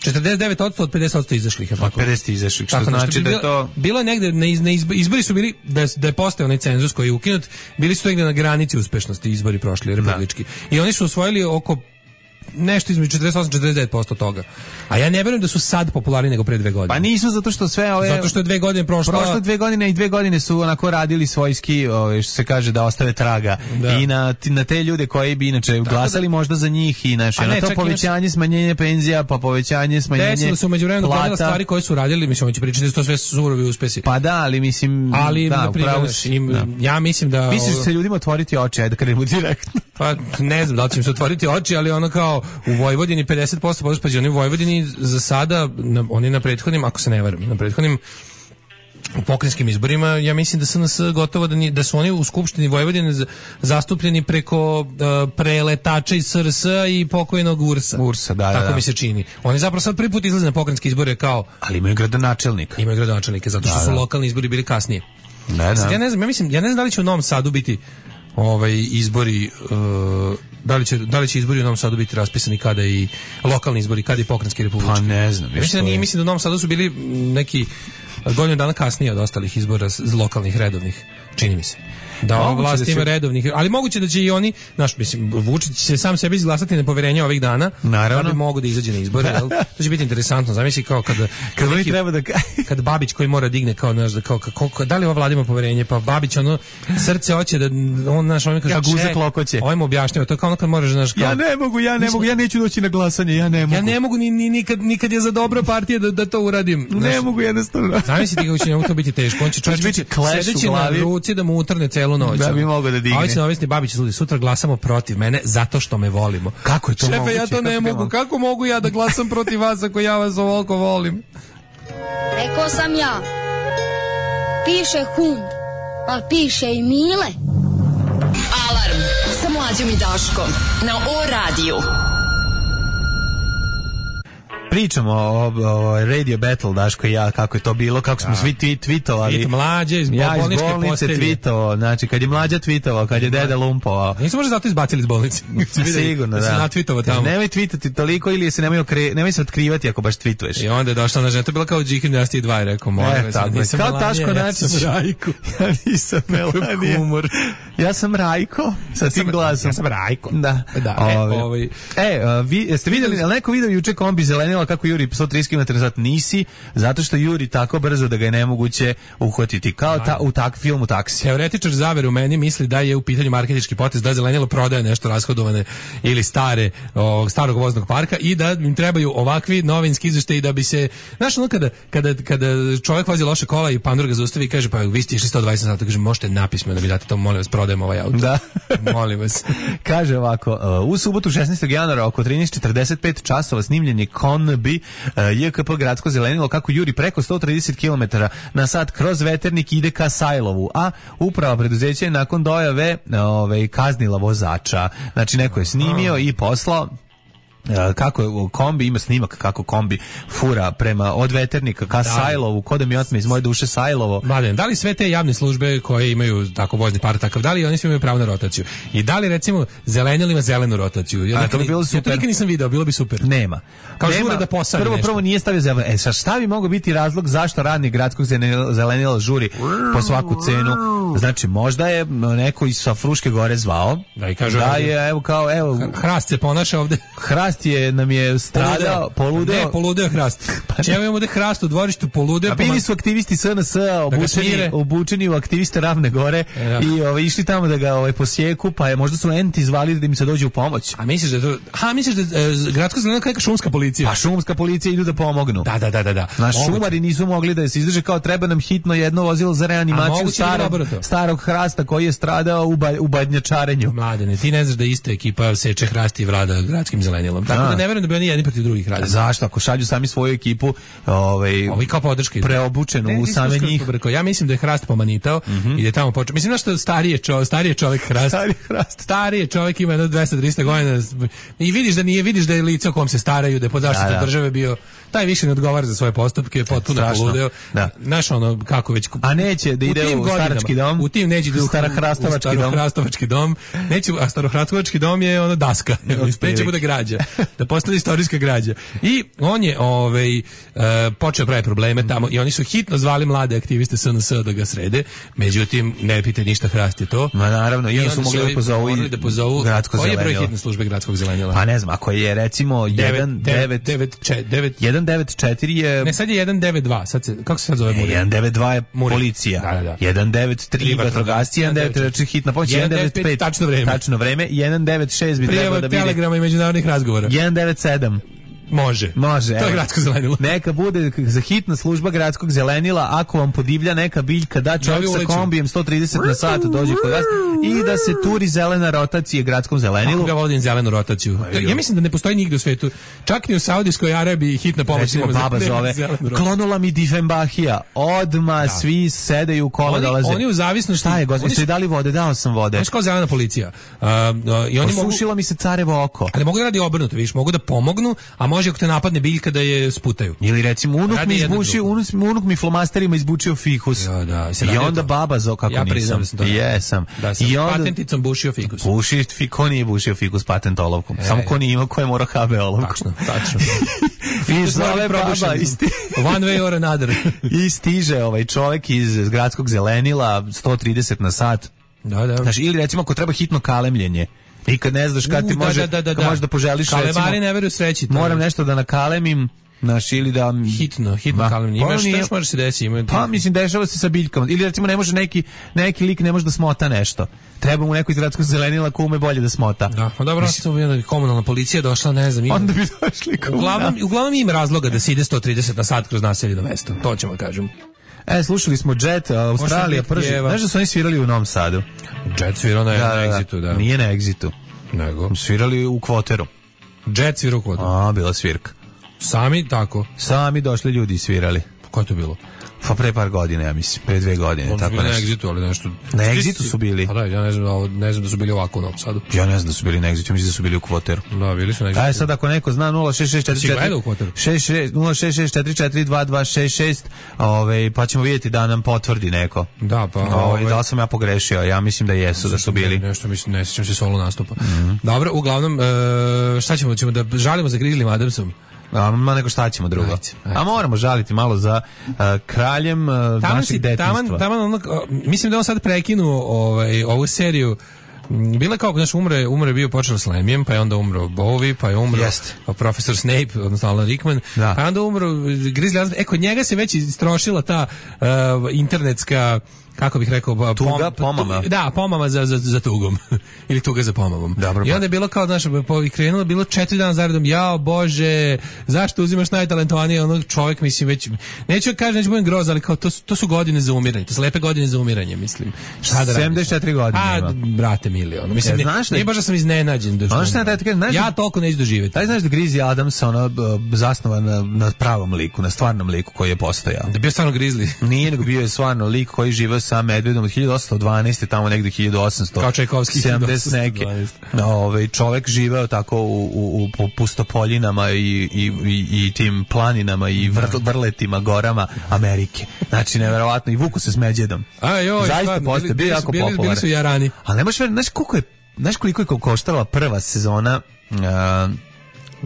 četrdeset devet posto od pedeset posto izašlih, je tako? Od pedeset izašlih, što tako, znači da je to... Bilo je negde, na, iz, na izbori su bili, da je, da je postao onaj cenzus koji je ukinut, bili su negde na granici uspešnosti izbori prošli, republički. Da. I oni su osvojili oko nešto između četrdeset osam do četrdeset devet posto toga. A ja ne verujem da su sad popularni nego pre dve godine. Pa nisu, zato što sve ove... Zato što je dve godine prošlo. Prošle dve godine i dve godine su onako radili svojski, ove, što se kaže, da ostave traga. Da. I na, na te ljude koji bi inače glasali da, možda za njih i naše. Na to povećanje, imaš... smanjenje penzija, pa povećanje, smanjenje plata. Desilo se u međuvremenu gledala stvari koje su radili, mislim, on će pričati da su to sve surovi uspesi. Pa da, ali mislim... Ali, da, na primjer, im, da. ja mislim da... Misliš da se ljudima otvoriti oči, ajde da krenemo direktno. Pa ne znam da li će im se otvoriti oči, ali ono kao u Vojvodini pedeset posto podrške, oni u Vojvodini za sada, na, oni na prethodnim, ako se ne varam, na prethodnim u pokrajinskim izborima, ja mislim da su nas gotovo da, ni, da su oni u Skupštini Vojvodine zastupljeni preko uh, preletača iz S R S i pokojnog Ursa. Ursa, da, tako da, da. mi se čini. Oni zapravo sad prvi put izlaze na pokrajinske izbore kao... Ali imaju gradonačelnika. Imaju gradonačelnike, zato što da, su da. lokalni izbori bili kasnije. Da, da. Sad, ja ne znam, ja mislim, ja ne znam da li će u Novom Sadu biti ovaj izbori uh, da li će da li će izbori u Novom Sadu biti raspisani kada i lokalni izbori, kada i pokrajinski republički. Pa ne znam. Mislim da nije, mislim da u Novom Sadu su bili neki godinu dana kasnije od ostalih izbora z- lokalnih redovnih, čini mi se. Da ova vlast ima redovnih, ali moguće da će i oni, naš mislim, Vučić će sam sebi izglasati nepoverenje ovih dana, naravno, da bi mogu da izađe na izbore, jel? To će biti interesantno. Zamisli kao kada kad neki, treba da kad Babić koji mora digne kao naš da kao, kao, kao da li ova vlada ima poverenje, pa Babić ono srce hoće da on naš on kaže ja guzak lokoće. Ovaj mu objašnjava, to je kao ono kad moraš znaš kao ja ne mogu, ja ne mogu, ja neću doći na glasanje, ja ne mogu. Ja ne mogu ni, ni nikad nikad je za dobro partije da da to uradim. Ne znaš, mogu jednostavno. Zamislite kako će njemu to biti teško. On će čovjek biti sedeći na ruci da mu utrne celu noć. Da bi mogao da digne. A ovaj će navesti Babić ljudi, sutra glasamo protiv mene zato što me volimo. Kako je to Šefe, moguće? ja to ne kako mogu. Kako mogu ja da glasam protiv vas ako ja vas ovoliko volim? Rekao sam ja. Piše hum, pa piše i Mile. Alarm sa Mlađom i Daškom na O radiju. Pričamo o, o Radio Battle, Daško i ja, kako je to bilo, kako smo da. svi tweet, tweetovali. Tweet Mlađe iz ja bolničke iz bolnice tweetovao, znači kad je Mlađa tweetovao, kad je deda lumpovao. Nisu možda zato izbacili iz bolnice. Sigurno, da. Da se natweetovao tamo. Nemoj tweetati toliko ili se nemoj, okre, nemoj se otkrivati ako baš tweetuješ. I onda je došla na žena, to je bila kao Džikin Dynasty dva i rekao, molim vas, e, nisam kao Melanija, Taško ja Načić. sam Rajko. Ja nisam Melanija. Humor. Ja sam Rajko, sa tim glasom. Ja sam Rajko. Da. da Ove, e, ovaj, e vi, jeste vidjeli, ali neko video juče kombi zelenila kako juri sto trideset kilometara na sat? Nisi, zato što juri tako brzo da ga je nemoguće uhvatiti. Kao ta, u tak filmu Taksi. Teoretičar zavere u meni misli da je u pitanju marketinški potez, da zelenilo prodaje nešto rashodovane ili stare, o, starog voznog parka i da im trebaju ovakvi novinski izveštaji da bi se, znaš ono kada, kada, kada čovjek vozi loše kola i pandur ga zaustavi i kaže pa vi ste išli sto dvadeset sata, kaže možete napismeno da mi date to, molim vas, prodajem ovaj auto. Da. Molim vas. Kaže ovako, u subotu šesnaestog januara oko trinaest četrdeset pet časova snimljen je Konbi J K P gradsko zelenilo kako juri preko sto trideset kilometara na sat kroz Veternik ide ka Sajlovu, a uprava preduzeća je nakon dojave ove, kaznila vozača. Znači neko je snimio i poslao kako kombi, ima snimak kako kombi fura prema od Veternika ka da. Sajlovu, ko da mi otme iz moje duše Sajlovo. Mladen, da li sve te javne službe koje imaju tako vozni par takav, da li oni svi imaju pravo na rotaciju? I da li recimo zelenilo ima zelenu rotaciju? Ja, a, to bi bilo super. Ja to nikad nisam video, bilo bi super. Nema. Kao Nema. žure da posadi prvo, nešto. Prvo nije stavio zeleno. E, sa šta bi mogao biti razlog zašto radnik gradskog zelenila žuri po svaku cenu? Znači, možda je neko iz sa Fruške gore zvao. Da, i kaže da je, evo kao, evo. Hrast se ponaša ovde. Hrast je, nam je stradao, poludeo. Ne, poludeo Hrast. Znači, evo imamo ovde Hrast u dvorištu, poludeo. A bili su aktivisti S N S-a obučeni, da obučeni u aktiviste Ravne Gore ja. i ovaj, išli tamo da ga ovaj, posjeku, pa je možda su enti zvali da im se dođe u pomoć. A misliš da to, a misliš da e, gradsko zelenilo kao neka šumska policija? Pa šumska policija idu da pomognu. Da, da, da, da. da. Naš šumari nisu mogli da se izdrže, kao treba nam hitno jedno vozilo za reanimaciju starog, starog hrasta koji je stradao u, ba, u badnjačarenju. Mladene, ti ne znaš da ista ekipa seče hrast i vlada gradskim zelenilom. Tako da ne verujem da bi oni jedni protiv drugih radili. Zašto? Ako šalju sami svoju ekipu, ovaj, ovi kao podrške preobučenu ne, u same njih. Ja mislim da je hrast pomanitao mm -hmm. i da je tamo počeo. Mislim da što starije čovjek, starije čovjek hrast. Stari hrast. Starije čovjek ima dvesta do trista godina i vidiš da nije, vidiš da je lice o kom se staraju, da je pod zaštitom da, da. države bio, taj više ne odgovara za svoje postupke, potpuno poludeo. Da. Znaš ono kako već. A neće da ide u, u starački dom. U tim neće da u starohrastovački dom. Starohrastovački dom. Neće, a starohrastovački dom je ono daska. Neće bude građa. Da postane istorijska građa. I on je ovaj uh, počeo pravi probleme tamo i oni su hitno zvali mlade aktiviste S N S da ga srede. Međutim ne pite ništa, hrast je to. Ma naravno, i oni su mogli da pozovu i da pozovu gradsko zelenilo. Koji je broj hitne službe gradskog zelenila? Pa ne znam, ako je recimo jedan devet četiri je ne, sad je jedan devet dva. Sad se kako se sad zove Muri? jedan devet dva je policija. Da, da, da. jedan devet tri vatrogasci, jedan devet četiri hitna pomoć, jedan devet pet tačno vreme. Tačno vreme, jedan devet šest bi trebalo da bude telegrama i međunarodnih razgovora. jedan devet sedam Može. Može. To je gradsko zelenilo. Neka bude za hitna služba gradskog zelenila, ako vam podivlja neka biljka, da čovjek sa kombijem sto trideset na sat dođe kod vas i da se turi zelena rotacija gradskom zelenilu. Kako ga vodim zelenu rotaciju? Ja mislim da ne postoji nigde u svetu. Čak ni u Saudijskoj Arabiji hitna pomoć. Recimo baba zove, klonula mi Difenbahija. Odma da. Svi sedaju u kola, oni, dolaze. Oni u zavisnosti... Šta je, gospodin, ste dali vode? Dao sam vode. Oni su kao zelena policija. Uh, uh, i oni Osušilo mogu, mi se carevo oko. Ali mogu da radi obrnuto, vidiš, mogu da pomognu, a može ako te napadne biljka da je sputaju. Ili recimo unuk mi izbučio, unuk, unuk mi flomasterima izbučio fikus. Ja, da, i onda to. Baba zo kako ja nisam. Da Jesam. Da sam I onda patenticom bušio fikus. Buši, ko nije bušio fikus patent olovkom. E, Samo ko nije imao ko je morao ha be olovku. Tačno, tačno. I zove baba isti. One way or another. I stiže ovaj čovjek iz gradskog zelenila sto trideset na sat. Da, da. Znači, ili recimo ako treba hitno kalemljenje. I kad ne znaš kad ti U, može, da, da, da, kad možeš da poželiš kalemari recimo. Kalemari ne veruju sreći. Moram nešto da nakalemim. Naš, ili da hitno, hitno kalemljenje. Imaš šta još može se desiti? Ima... Pa mislim dešava se sa biljkama. Ili recimo ne može neki neki lik ne može da smota nešto. Treba mu neko iz gradskog zelenila ko ume bolje da smota. Da, pa dobro, mislim da komunalna policija došla, ne znam, ima. Onda bi došli uglavnom, uglavnom ima razloga da se ide sto trideset na sat kroz naseljeno mesto. To ćemo kažem. E, slušali smo Jet, Australija, prži. Znaš da su oni svirali u Novom Sadu? Jet svirao na, da, na Exitu, da. Nije na Exitu. Nego? Svirali u Kvoteru. Jet svirao u Kvoteru. A, bila svirka. Sami tako? Sami došli ljudi i svirali. Ko je to bilo? Pa pre par godina, ja mislim, pre dve godine. Oni su bili na Exitu, ali nešto... Na Exitu su bili. Pa da, ja ne znam, da, ne znam da su bili ovako u Novom Sadu. Ja ne znam da su bili na Exitu, mislim da su bili u Kvoteru. Da, bili su na Exitu. Aj sad ako neko zna nula šest šest četiri četiri nula šest šest četiri četiri dva dva šest šest, ovaj pa ćemo vidjeti da nam potvrdi neko. Da, pa ovaj da li sam ja pogrešio, ja mislim da jesu, da su bili. Nešto mislim, ne sjećam se solo nastupa. Mm-hmm. Dobro, uglavnom e, šta ćemo, ćemo da žalimo za Grizzlym Adamsom. A ma nego šta ćemo drugo. Ajde, ajde. A moramo žaliti malo za uh, kraljem uh, naših detinjstva. Taman, taman ono, mislim da on sad prekinuo ovaj, ovu seriju. Bila kao, znaš, umre, umre bio počeo s Lemijem, pa je onda umro Bowie, pa je umro pa profesor Snape, odnosno Alan Rickman, da. Pa je onda umro Grizzly Adams. E, kod njega se već istrošila ta uh, internetska, kako bih rekao, tuga, pom, pomama. Tu, da, pomama za, za, za tugom. Ili tuga za pomamom. Dobro, i onda je bilo kao, znaš, i krenulo, bilo četiri dana zaredom, jao Bože, zašto uzimaš najtalentovanije onog čovjek, mislim, već, neću kažem, neću budem groz, ali kao, to, to su godine za umiranje, to su lepe godine za umiranje, mislim. Šta da sedamdeset četiri godine a, ima. Brate, milion. Mislim, ja, znaš, nije baš da sam iznenađen. Da znaš, šta, taj, znaš, ja toliko neću doživjeti. Taj znaš da Grizzly Adams ono, zasnovan na, na pravom liku, na stvarnom liku koji je postojao. Da bio stvarno Grizzly. Nije, nego bio je stvarno lik koji živeo sa medvedom od hiljadu osamsto dvanaeste tamo negde hiljadu osamsto sedamdeset neke. Ovaj čovjek živeo tako u, u, u pustopoljinama i, i, i, i tim planinama i vr, vrletima, gorama Amerike. Znači, neverovatno. I vuku se s Međedom. A joj, zaista postoje, bio jako popularan. Bili su jarani. Ali ne možeš, znaš koliko je, znaš koliko je koštala prva sezona uh,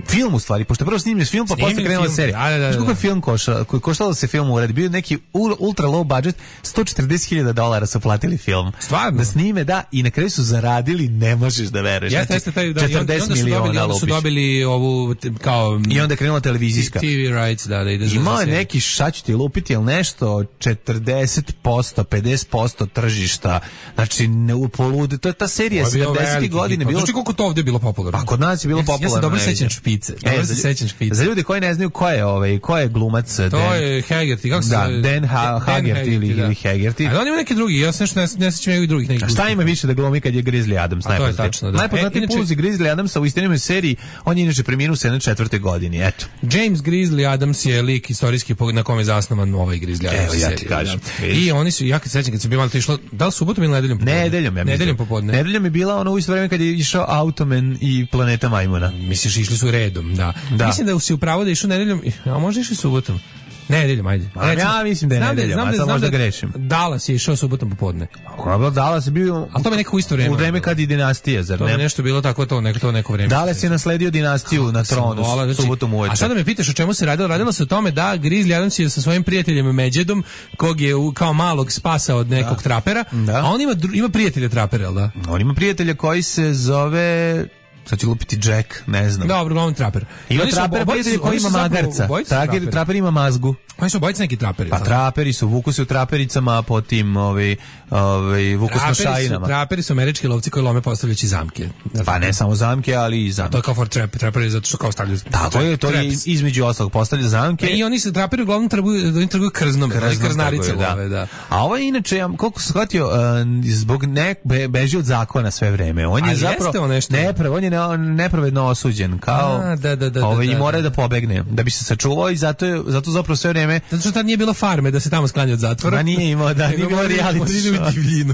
film u stvari, pošto prvo snimio film, pa posle krenula serija. Da, da, da. Kako je film koštao? Koštalo da se film uradi? Bio neki ultra low budget, sto četrdeset hiljada dolara su platili film. Stvarno? Da snime, da, i na kraju su zaradili, ne možeš da veruješ. Jeste, jeste, taj, da, četrdeset miliona. Onda su dobili ovu, kao... I onda je krenula televizijska. T V rights, da, da ide za imao je neki, šta ću ti lupiti, ili nešto, četrdeset posto, pedeset posto tržišta, znači, ne u polude, to je ta serija sedamdesetih godine. Znači, koliko to ovdje bilo popularno? A kod nas je bilo popularno. Ja se dobro sećam Špice. E, za, sećam Špice. Za ljudi koji ne znaju ko je ovaj, ko je glumac to Dan, je Haggerty, kako se da, Dan ha, Haggerty ili, ili Haggerty. A on ima neki drugi, ja se nešto ne, ne sećam i drugih nekih. A šta ima više da glumi kad je Grizzly Adams? A to je tačno, da. Najpoznatiji e, poluzi Grizzly Adamsa u istinimoj seriji, on je inače preminuo u sedamdeset četvrtoj godini, eto. James Grizzly Adams je lik istorijski na kome je zasnovan ovaj Grizzly Adams. Evo, ja ti kažem. Da. I oni su, ja kad sećam kad se bilo to išlo, da li subotom ili nedeljom popodne? Nedeljom, ja mislim. Nedeljom popodne. Nedeljom je bila ono u isto vreme kad je išao Automan i Planeta Majmuna. Misliš, išli su redom, da. da. Mislim da si upravo da išao nedeljom, a možda išli subotom. Nedeljom, ajde. A recimo, ja mislim da je nedeljom, a sad možda grešim. Dallas je išao subotom popodne. Kako Dallas je bio... A to mi nekako isto vreme. U vreme kad je dinastija, zar ne? To je nešto bilo tako to, neko, to neko vreme. Dallas je nasledio dinastiju na tronu znači, subotom uveče. A sada me pitaš o čemu se radilo? Radilo se o tome da Grizzly Adams je sa svojim prijateljem Međedom, kog je kao malog spasao od nekog da. trapera, da. a on ima, ima prijatelja trapera, da? On ima prijatelja koji se zove... Sad će lupiti Jack, ne znam. Dobro, glavno traper. Ima traper prijatelj koji ima magarca. Traper, traper ima mazgu. Oni su obojice neki traperi. Pa traperi su, vuku se u trapericama, po tim ovaj, ovaj, vuku se na šajinama. Traperi su američki lovci koji lome postavljajući zamke. Pa ne samo zamke, ali i zamke. A to je kao for trap, traperi zato što kao stavljaju tako je, to je između ostalog postavlja zamke. E, i oni se traperi uglavnom trguju, oni trguju krznom, Krznom krznarice da. love, da. A ovo je inače, ja, koliko sam shvatio, uh, zbog nek, be, beži od zakona sve vreme. On je a zapravo, nešto? ne, prvo, on je ne, nepravedno osuđen, kao A, da, da, da, ovaj, da, i da, mora da. da pobegne, da bi se sačuvao i zato, je, zato zapravo sve vreme... Zato što tad nije bilo farme da se tamo sklanja od zatvora. Ma nije imao, da, nije bilo reality show. Mora u divljinu.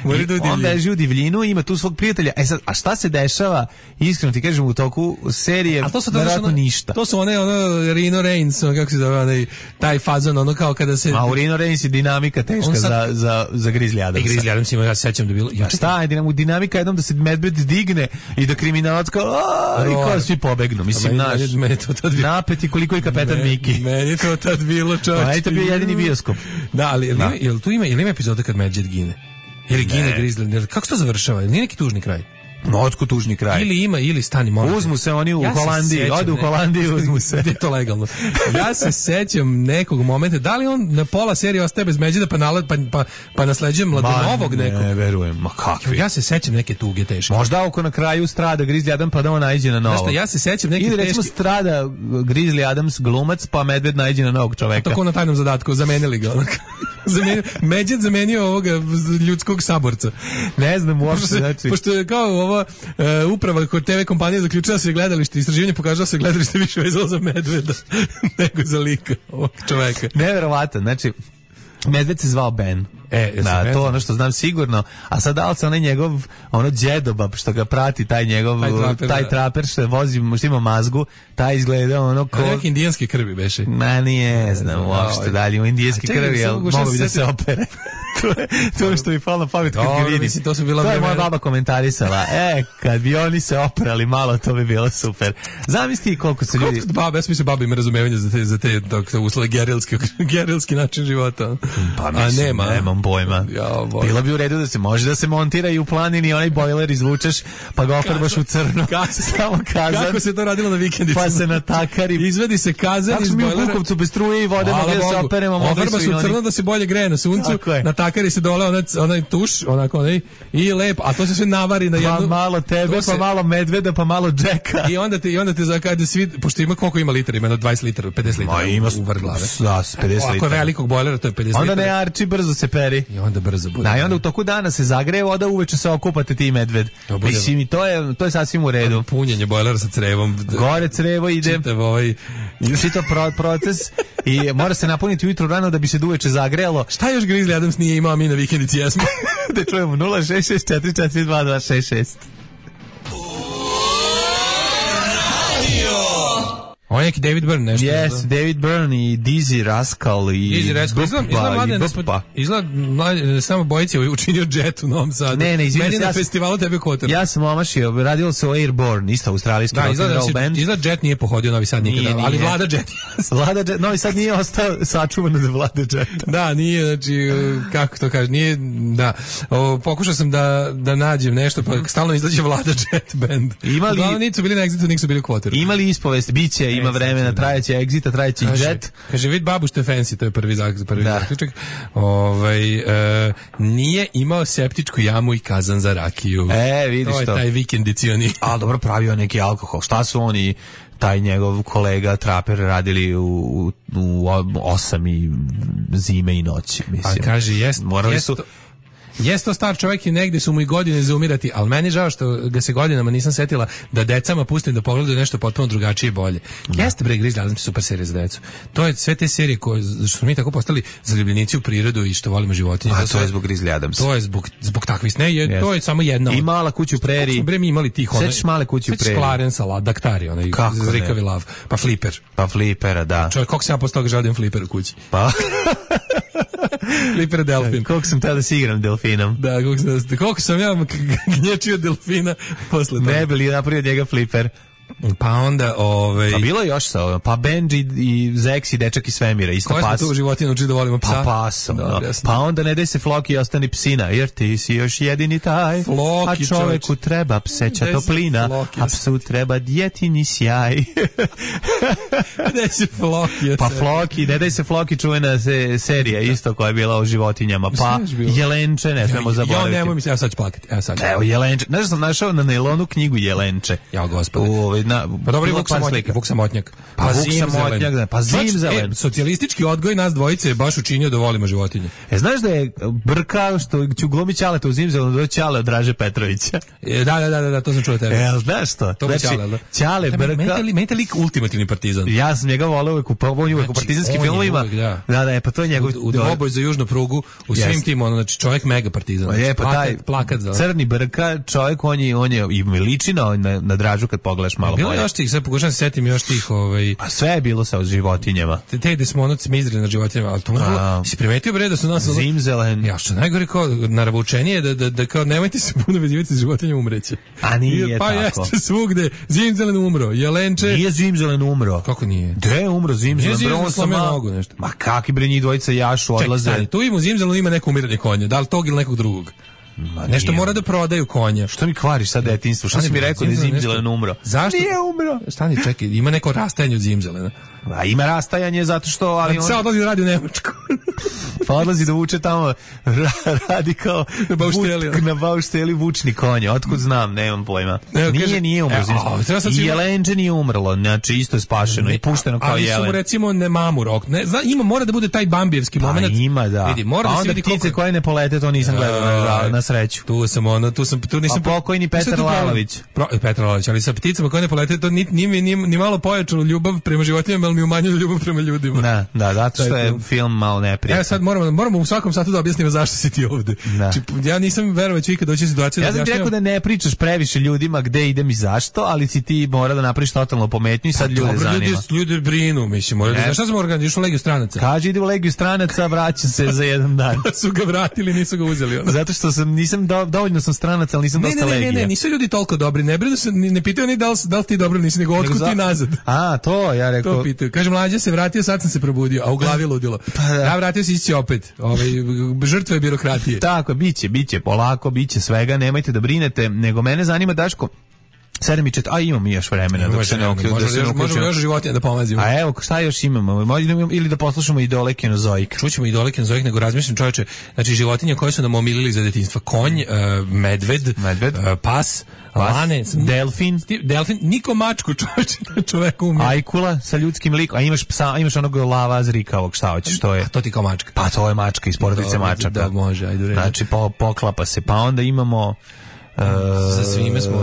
Mora u divljinu. On beži u divljinu, ima tu svog prijatelja. E sad, a šta se dešava, iskreno ti kažem, u toku serije, verovatno ništa. To su one, ono, Rino Reigns, ono, kako se zove, onaj, taj fazon, ono kao kada se... A u Rino Reigns je dinamika teška sad, za, za, za Grizzly Adamsa. I Grizzly Adams ima, ja se sećam da bilo... Ja, šta je dinamika? Dinamika jednom da se medved digne i da kriminalac kao, aaa, i kao svi pobegnu. Mislim, naš, napeti koliko je kapetan Miki. Meni to tad bilo, čovječ. Pa je to bio jedini bioskop. Da, ali jel, da. Ima, jel tu ima, jel ima epizoda kad Medved gine? Ili gine Grizzly? Kako se to završava? Nije neki tužni kraj? No, otko tužni kraj. Ili ima, ili stani molim. Uzmu se oni u ja Holandiji, odu u Holandiji, uzmu se. Gde je to legalno? Ja se sećam nekog momenta, da li on na pola serije ostaje bez Međida pa, nalad, pa, pa, pa nasleđuje mladonovog nekog? Ne, verujem, ma kakvi. Ja se sećam neke tuge teške. Možda oko na kraju strada Grizzly Adams pa da on najđe na novog. Znaš šta, ja se sećam neke ili recimo teške... strada Grizzly Adams glumac pa Medved najđe na novog čoveka. Tako na tajnom zadatku, zamenili ga. Zamenio, Međed zamenio ovoga ljudskog saborca. Ne znam uopšte, znači. Pošto je kao ovo uh, uprava kod te ve kompanije zaključila se gledalište, istraživanje pokazalo se gledalište više vezalo za Medveda nego za lika ovog čoveka. Neverovatno, znači Medved se zvao Ben. E, da, to ono što znam sigurno. A sad da li se onaj njegov, ono džedobab što ga prati, taj njegov, taj traper, taj traper što vozi, što ima mazgu, taj izgleda ono ko... Neki indijanske krvi beše. Ma nije, znam uopšte dalje, u indijanske krvi, ali mogu bi da se opere. to je to ono što mi palo na pamet kad ga vidim. To, su bila to je moja baba komentarisala. E, kad bi oni se oprali malo, to bi bilo super. Zamisli koliko se ljudi... Koliko baba, ja sam mislio baba ima razumevanja za te, za te uslove gerilski, gerilski način života. Pa mislim, nema. nemam pojma. Ja, bilo bi u redu da se može da se montira i u planini onaj bojler izvučeš, pa ga ofarbaš u crno. Samo kazan. Kako se to radilo na vikendicama? Pa se natakari. Izvedi se kazan iz bojlera. Tako mi u Bukovcu bez struje i vode mogli da se operemo. Ofarba se u crno da se bolje greje na suncu. Natakari se dole onaj, onaj tuš, onako onaj, i lepo, a to se sve navari na jednu... Pa malo tebe, se, pa malo medveda, pa malo džeka. I onda te, i onda te zakade svi, pošto ima koliko ima litara, ima dvadeset litara, pedeset litara ima u vrh glave. Da, pedeset litara. Ako je velikog bojlera, to je pedeset onda litara. Onda ne arči, brzo se peri. I onda brzo bude. Da, i onda u toku dana se zagreje voda, uveče se okupate ti medved. Mislim, i to je, to je sasvim u redu. Punjenje bojlera sa crevom. Gore crevo ide. Čitav ovaj... Čitav pro, proces i mora se napuniti ujutro rano da bi se duveče zagrejalo. Šta još Grizzly Adams nije imao, mi na vikendici jesmo? Da čujemo nula šest šest četiri četiri dva dva šest šest. On je neki David Byrne nešto. Yes, da? David Byrne i Dizzy Rascal i Dizzy Rascal. Izgleda, izgleda mladen, izgleda mladen, samo bojici je učinio Jet u Novom Sadu. Ne, ne, izvinite. Meni na festivalu tebe Kotor. Ja sam omašio, radilo se o Airborne, isto australijski rock and roll band. Izgleda Jet nije pohodio Novi Sad nikada, nije, ali Vlada Jet. Vlada Jet, Novi Sad nije ostao sačuvan od Vlada Jet. Da, nije, znači, kako to kaže, nije, da, o, pokušao sam da, da nađem nešto, pa stalno izlađe Vlada Jet band. Imali, uglavnom nisu bili na Exitu, nisu bili u Kotoru. Imali ispovest, biće, ima vremena, trajeće Exita, trajeće i Jet. Kaže, vid babu što je fancy, to je prvi, prvi zaključak. Ovaj, e, nije imao septičku jamu i kazan za rakiju. E, vidiš to. To je taj vikendicioni. A dobro, pravio neki alkohol. Šta su oni, taj njegov kolega Traper, radili u, u, u osam i zime i noći, mislim. A kaže, jest, morali jest su... To... Jeste star čovjek i negdje su mu i godine za umirati, ali meni žao što ga se godinama nisam setila da decama pustim da pogledaju nešto potpuno drugačije i bolje. Da. Jeste bre Grizzly Adams super serija za decu. To je sve te serije koje što smo mi tako postali zaljubljenici u prirodu i što volimo životinje. A to je zbog Grizzly Adams. To je zbog zbog takvih ne, je, to je samo jedna. I Mala kuća u preriji. Bre mi imali tih one. Sećaš Male kuće u preriji. Clarence Daktari, onaj Zrikavi lav, pa Flipper. Pa Flippera, da. Čovjek kako se ja postao želim Flipper u kući. Pa Flipper delfin. Koliko sam tada si igram delfinom. Da, koliko sam, koliko sam ja gnječio delfina posle toga. Ne, bili napravio njega Flipper. Pa onda, ovaj... Pa bilo je još sa, pa Benji i Zex i dečak iz svemira, isto pas. Koja smo tu u životinu učili da volimo psa? Pa pas, no. Pa onda ne daj se Floki i ostani psina, jer ti si još jedini taj. Floki, a čoveku čovječ. Treba pseća toplina, Floki, a psu treba djetini sjaj. Ne daj se Floki. Pa Floki, ne daj se Floki, čuvena se, serija isto koja je bila o životinjama. Pa Jelenče, ne smemo zaboraviti. Ja nemoj mi se, evo sad ću plakati. Evo sad ću. Evo Jelenče, znaš sam našao na nailonu knjigu Jelenče. Ja, gospode. U, na, pa dobro, Vuk Samotnjak, Vuk Samotnjak. Pa, pa Vuk Samotnjak, pa Zimzelen. E, socijalistički odgoj nas dvojice je baš učinio da volimo životinje. E, znaš da je Brka, što ću glumi Ćaleta u Zimzelenu, do Ćale od Draže Petrovića. E, da, da, da, da, to sam čuo tebe. E, znaš što? To znači, Ćale, da? Ćale, Brka... Meni je lik ultimativni partizan. Ja sam njega voleo uvek u, uvek u partizanskim filmovima. Da. da, da, je, pa to je njegov... U, u dvoboj za južnu prugu, u svim yes. tim, ono, znači čovjek mega partizan. Je, pa plakat, taj plakat za... crni Brka, čovjek, on je, on je i liči na, na, na Dražu kad pogledaš malo bilo bolje. Još tih, sad pokušam se setim još tih... Ovaj... Pa sve je bilo sa životinjama. Te, te gde smo ono cmizdri na životinjama, ali to možda... Si primetio bre da su nas... Zimzelen. Ja, što najgore kao naravučenije da, da, da kao nemojte se puno vezivati s životinjama, umreće. A nije pa tako. Pa jeste svugde. Zimzelen umro, jelenče... Nije Zimzelen umro. Kako nije? Gde je umro Zimzelen? Nije Zimzelen slomio nogu nešto. Ma kakvi bre njih dvojica jašu odlaze. Čekaj, stani, tu ima u Zimzelenu ima neko umiranje konja, da li tog ili nekog drugog? Ma nešto mora da prodaju konja. Što mi kvariš sad detinjstvo? Šta si mi rekao da je Zimzelen umro? Zašto? Nije umro. Stani, čekaj, ima neko rastajanje od Zimzelena. A ima rastajanje zato što... Ali on... Sad odlazi da radi u Nemačku. Pa odlazi da vuče tamo, radi kao na baušteli, vuk, na baušteli vučni konja. Otkud znam, nemam pojma. Evo, nije, kaže, nije umro. I jelenče nije umrlo, znači isto je spašeno ne, i pušteno kao jelen. Ali su mu recimo ne mamu rok. Ne, zna, ima, mora da bude taj bambijevski pa moment. Ima, da. Vidi, mora pa da onda vidi ptice koliko... koje ne polete, to nisam gledao na, na sreću. Tu sam ono, tu sam... Tu nisam a pokojni Petar Lalović. Pro, Petar Lalović, ali sa pticama koje ne polete, to ni, ni, ni, ni malo pojačalo ljubav prema životinjama, ali mi umanjilo ljubav prema ljudima. Da, da, zato što je film malo neprijatan. Ja sad moramo, moramo u svakom satu da objasnimo zašto si ti ovde. Či, ja nisam verovao će ikad doći u situaciju ja da sam ti rekao da ne pričaš previše ljudima gde idem i zašto, ali si ti mora da napraviš totalno pometnju i sad ljude dobro, zanima. Ljudi, ljudi brinu, mislim, mora da znaš šta smo organizirali u Legiju stranaca. Kaže ide u Legiju stranaca, vraća se za jedan dan. Su ga vratili, nisu ga uzeli. Ono. Zato što sam nisam do, dovoljno sam stranaca, ali nisam ne, dosta ne, ne, Legija. Ne, ne, nisu ljudi toliko dobri, ne brinu se, ne pitaju ni da li, da li ti dobro nisi, nego otkud ti nazad. A, to ja rekao. To pitaju. Kaže mlađa se vratio, sad sam se probudio, a u glavi ludilo. Pa da. Ja vratio se ići opet. Ovaj žrtve birokratije. Tako, biće, biće polako, biće svega, nemojte da brinete, nego mene zanima Daško. sedam i četiri, a imamo mi još vremena dok se ne uključimo. Možemo možemo još životinje da pomazimo. A evo, šta još imamo? Možemo ili da poslušamo Idole Kenozoik. Čućemo Idole Kenozoik, nego razmišljam čoveče, znači životinje koje su nam omilili za detinjstvo. Konj, uh, medved, medved. Uh, pas, pas, lane, delfin, delfin, niko mačku čoveče, čovek umije. Ajkula sa ljudskim likom, a imaš psa, a imaš onog lava zrikavog, šta hoćeš, to je. A to ti kao mačka. Pa to je mačka iz porodice mačaka. Da, može, ajde. Znači po, poklapa se. Pa onda imamo Uh, za svime smo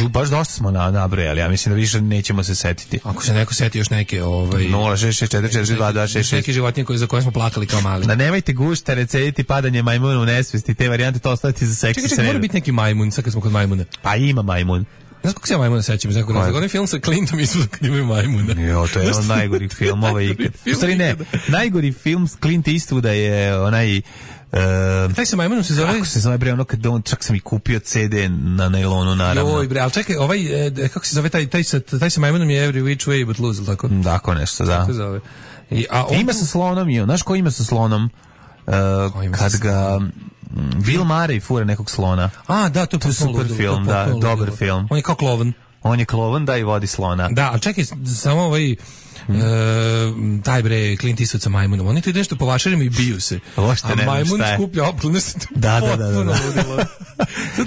uh, baš dosta smo na nabrojali, ja mislim da više nećemo se setiti. Ako se neko seti još neke ovaj nula šest šest četiri četiri dva dva šest šest neke životinje koje za koje smo plakali kao mali. Da nemojte guštere, cediti padanje majmuna u nesvesti, te varijante to ostaviti za seksi. Čekaj, čekaj, mora biti neki majmun, sad kad smo kod majmuna. Pa ima majmun. Znaš kako se ja majmuna sećam? Znaš kako razlog? Onaj film sa Clintom Eastwoodom kad imaju majmuna. Jo, to je jedan od najgorih filmova ikad. U stvari ne, najgori film s Clint Eastwooda je onaj Uh, taj se majmunom se zove? Kako se zove bre, ono kad on, čak sam i kupio ce de na nailonu, naravno. Joj bre, ali čekaj, ovaj, eh, kako se zove, taj, taj, taj, taj se majmunom je Every Which Way But Loose, tako? Tako nešto, da. Tako zove. I, a on... Ima sa slonom, jo, znaš ko ima sa slonom? Uh, kad ga Bill Murray fura nekog slona. A, da, to je, to je super ludilo, film, da, dobar ludilo. Film. On je kao klovan. On je klovan, da, i vodi slona. Da, ali čekaj, samo ovaj... Mm. E, taj bre Clint Eastwood sa majmunom, oni tu nešto po vašarima i biju se, a majmun skuplja oplune se da, da, da, da, da.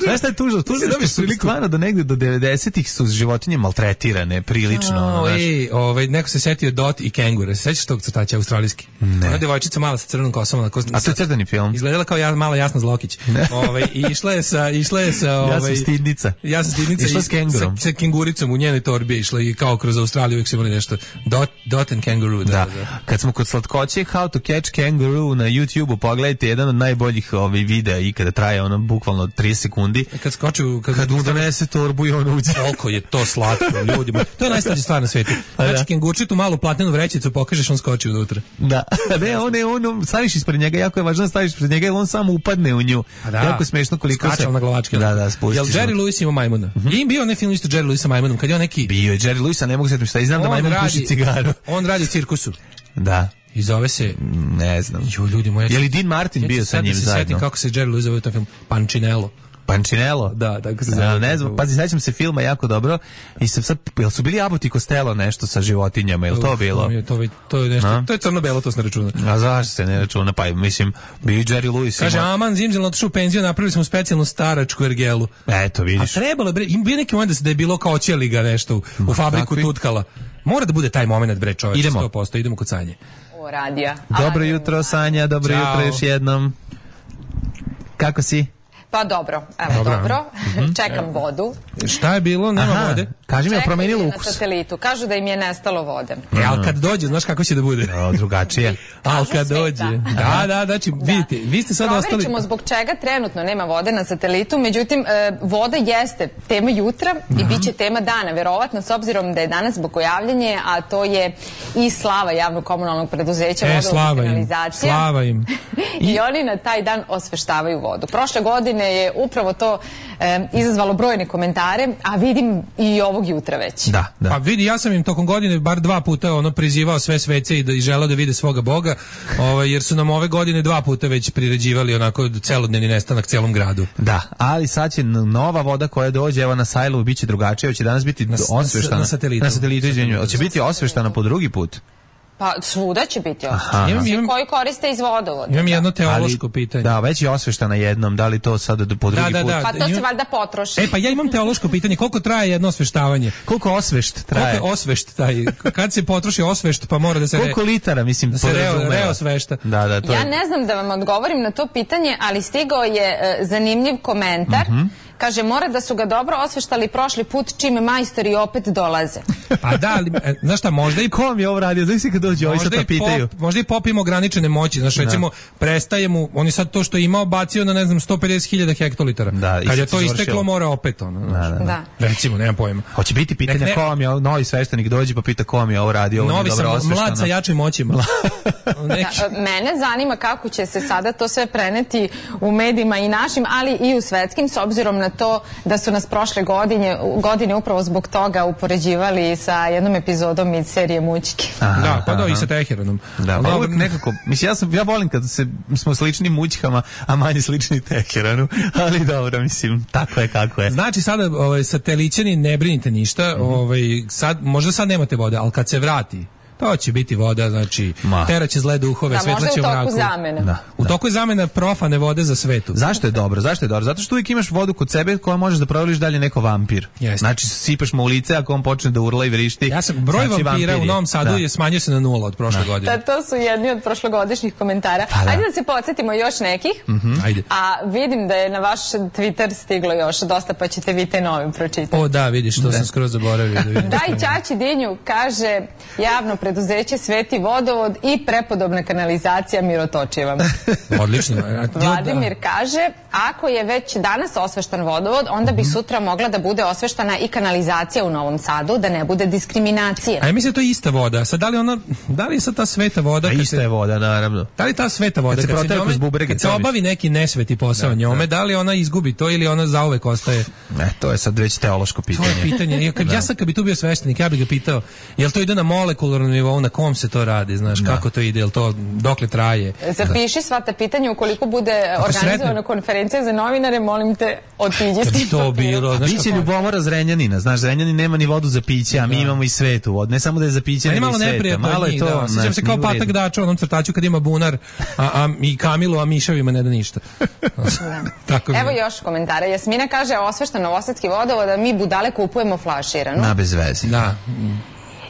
Znaš šta je tužno? Tužno što su stvarno do negde do devedesetih su životinje maltretirane prilično. Oh, ej, ovaj, neko se setio Dot i Kengura, se sećaš tog crtača australijski? Ne. Ona devojčica mala sa crvenom kosom. Na a to je crtani film? Izgledala kao ja, mala Jasna Zlokić. Ovaj, i išla je sa... Išla je sa ovaj, ja sam stidnica. Ja sam stidnica. Išla s kengurom. Sa, sa kenguricom u njenoj torbi išla i kao kroz Australiju uvijek su imali nešto. Dot, Dot and Kangaroo. Da, da. da. Kad smo kod slatkoće How to Catch Kangaroo na YouTubeu, pogledajte jedan od najboljih ovih videa i kada traje ono bukvalno trideset sekundi. Kad skoču, kad, kad mu donese torbu i on uđe. Koliko je to slatko ljudima. To je najslađa stvar na svetu. Znači, kengurčitu malu platnenu vrećicu pokažeš, on skoči unutra. Da. Ne, on je, on, staviš ispred njega, jako je važno da staviš ispred njega, jer on samo upadne u nju. Da. Jako smešno koliko skačal se... na glavačke. Da, da, spustiš. Jel Jerry Lewis ima majmuna? Mm-hmm. Je im bio onaj film isto Jerry Lewis sa majmunom, kad je on neki... Bio je Jerry Lewis, a ne mogu se šta, i znam da majmun puši cigaru. On radi u cirkusu. Da. I zove se... Ne znam. Jo, ljudi moji... Je li Dean Martin bio sa njim zajedno? Ja se setim kako se Jerry Lewis zove u tom filmu. Pančinello. Pančinelo? Da, tako se zove. zove. Ne znam, pazi, sećam se filma jako dobro i sam sad, jel su bili Abbott i Costello nešto sa životinjama, jel to Uf, bilo? je to, to je nešto, A? to je crno-belo, to se ne računa. A zašto se ne računa? Pa mislim, bio i Jerry Lewis. Kaže, ima... aman, Zimzel otišao u penziju, napravili smo specijalnu staračku ergelu. Eto, vidiš. A trebalo, bre, im bio neki moment da, se, da je bilo kao ćeliga nešto u, u fabriku kakvi? tutkala. Mora da bude taj moment, bre, čoveče, Idemo. sto posto, idemo kod Sanje. O, radija. Dobro A, jutro, Sanja, dobro Ćao. jutro još jednom. Kako si? Pa dobro, evo Dobro. dobro. Čekam vodu. Šta je bilo? Nema Aha, vode. kaži mi, je Čekam promenilo je ukus? na satelitu. Kažu da im je nestalo vode. E, ali kad dođe, znaš kako će da bude? O, drugačije. Ali kad sve, dođe. da. Da, da, znači, vidite, vi ste sad Proverit ostali... ćemo zbog čega trenutno nema vode na satelitu, međutim, e, voda jeste tema jutra i bit će tema dana, verovatno, s obzirom da je danas bogojavljanje, a to je i slava javnog komunalnog preduzeća E, vodovodna slava im, kanalizacija. slava im. I oni na taj dan osveštavaju vodu. Prošle godine je upravo to e, izazvalo brojne komentare, a vidim i ovog jutra već. Da, da. Pa vidi, ja sam im tokom godine bar dva puta ono prizivao sve svece i da i želeo da vide svoga Boga, ovaj, jer su nam ove godine dva puta već priređivali onako celodnevni nestanak celom gradu. Da, ali sad će n- nova voda koja dođe, evo na Sajlovu, bit će drugačije, će danas biti Na s- osveštana. na satelitu. Na satelitu, izvinjujem. Hoće biti osveštana po drugi put. Pa svuda će biti Aha. osvešteno. Imam- Svi imam- koji koriste iz vodovoda. Imam jedno teološko Ali- pitanje. Da, već je osveštana jednom, da li to sad po drugi da, put? da. Pa to se Imam- valjda potroši. E, pa ja imam teološko pitanje, koliko traje jedno osveštavanje? Koliko osvešt Koliko traje? je osvešt taj? Kad se potroši osvešt, pa mora da se... Koliko litara, mislim, Da se reo, podrazumeva? reo svešta. Da, da, to Ja je... ne znam da vam odgovorim na to pitanje, ali stigao je e, zanimljiv komentar. Kaže, mora da su ga dobro osveštali prošli put čime majstori opet dolaze. A da, ali, e, znaš šta, možda i Ko vam je ovo radio? Znaš si kad dođe, ovi sad možda to i, pitaju. pop, možda i pop ima ograničene moći, znaš, recimo, prestaje mu, on je sad to što je imao bacio na, ne znam, sto pedeset hiljada hektolitara. Da, i Kad je sad to se isteklo, završilo. mora opet, ono, znaš. Da, da, da. Da. Recimo, nemam pojma. Hoće biti pitanje Nek ne- ko vam je, ovo- novi sveštenik dođe pa pita ko vam je ovo radio, ovo Novi nije dobro sam osveštano. mlad sa jačim moćima. Neki- Da, mene zanima kako će se sada to sve preneti u medijima i našim, ali i u svetskim, s obzirom na to da su nas prošle godine, godine upravo zbog toga upoređivali sa jednom epizodom iz serije Mućki. Da, pa da, i sa Teheranom. Da, Ali pa dobro, uvijek nekako, mislim, ja, sam, ja volim kad se, smo slični mućkama, a manje slični Teheranu, ali dobro, mislim, tako je kako je. Znači sada ovaj satelićani ne brinite ništa, ovaj sad možda sad nemate vode, ali kad se vrati to će biti voda, znači Ma. teraće zle duhove, Da, svetla možda je će u u toku mraku. zamena. Da. U toku je zamena profane vode za svetu. Zašto je dobro? Zašto je dobro? Zato što uvijek imaš vodu kod sebe koja možeš da provališ dalje neko vampir. Jeste. Znači sipaš mu u lice ako on počne da urla i vrišti. Ja sam broj znači vampira vampir u je. Novom Sadu Da. je smanjio se na nula od prošle godine. Da, to su jedni od prošlogodišnjih komentara. Pa da. Ajde da se podsjetimo još nekih. Ajde. A vidim da je na vaš Twitter stiglo još dosta, pa ćete vi te novim pročitati. O da, vidiš, to sam skroz zaboravio da vidim. Daj Ćaći Dinju, kaže javno preduzeće Sveti vodovod i prepodobna kanalizacija Mirotočiva. Odlično. Vladimir kaže, ako je već danas osveštan vodovod, onda bi sutra mogla da bude osveštana i kanalizacija u Novom Sadu, da ne bude diskriminacije. A ja mislim da je to ista voda. Sad da li ona, da li je sad ta sveta voda A kad ista se- je voda, naravno. Da li ta sveta voda, Kad se protera njome- kroz bubrege, kad se to obavi neki nesveti posao njome, da li ona izgubi to ili ona zauvek ostaje? E, to je sad već teološko To je pitanje. pitanje. Ja, kad, ja sad kad bi tu bio sveštenik, ja bih ga pitao, jel to ide na molekularnom nivou, na kom se to radi, znaš, kako to ide, jel to, dokle traje? Zapiši sva ta pitanja, ukoliko bude Ako organizovana sretnem- konferencija za novinare, molim te, otiđi Kad s bi tim to papirom. bilo, znaš Biće kako- ljubomora Zrenjanina, znaš, Zrenjanin nema ni vodu za piće, a mi imamo i svetu vodu. Ne samo da je za piće, Meni je nego malo i sveta. neprijatno Malo od je njih, to, da. Sjećam znaš, se kao nije u redu. Patak Dača u onom crtaču kad ima bunar, a, a i Kamilu, a miševima ne da ništa. Tako mi je. Evo još komentara. Jasmina kaže, osveštan novosadski vodovod, a mi budale kupujemo flaširanu. Na bez veze. Da.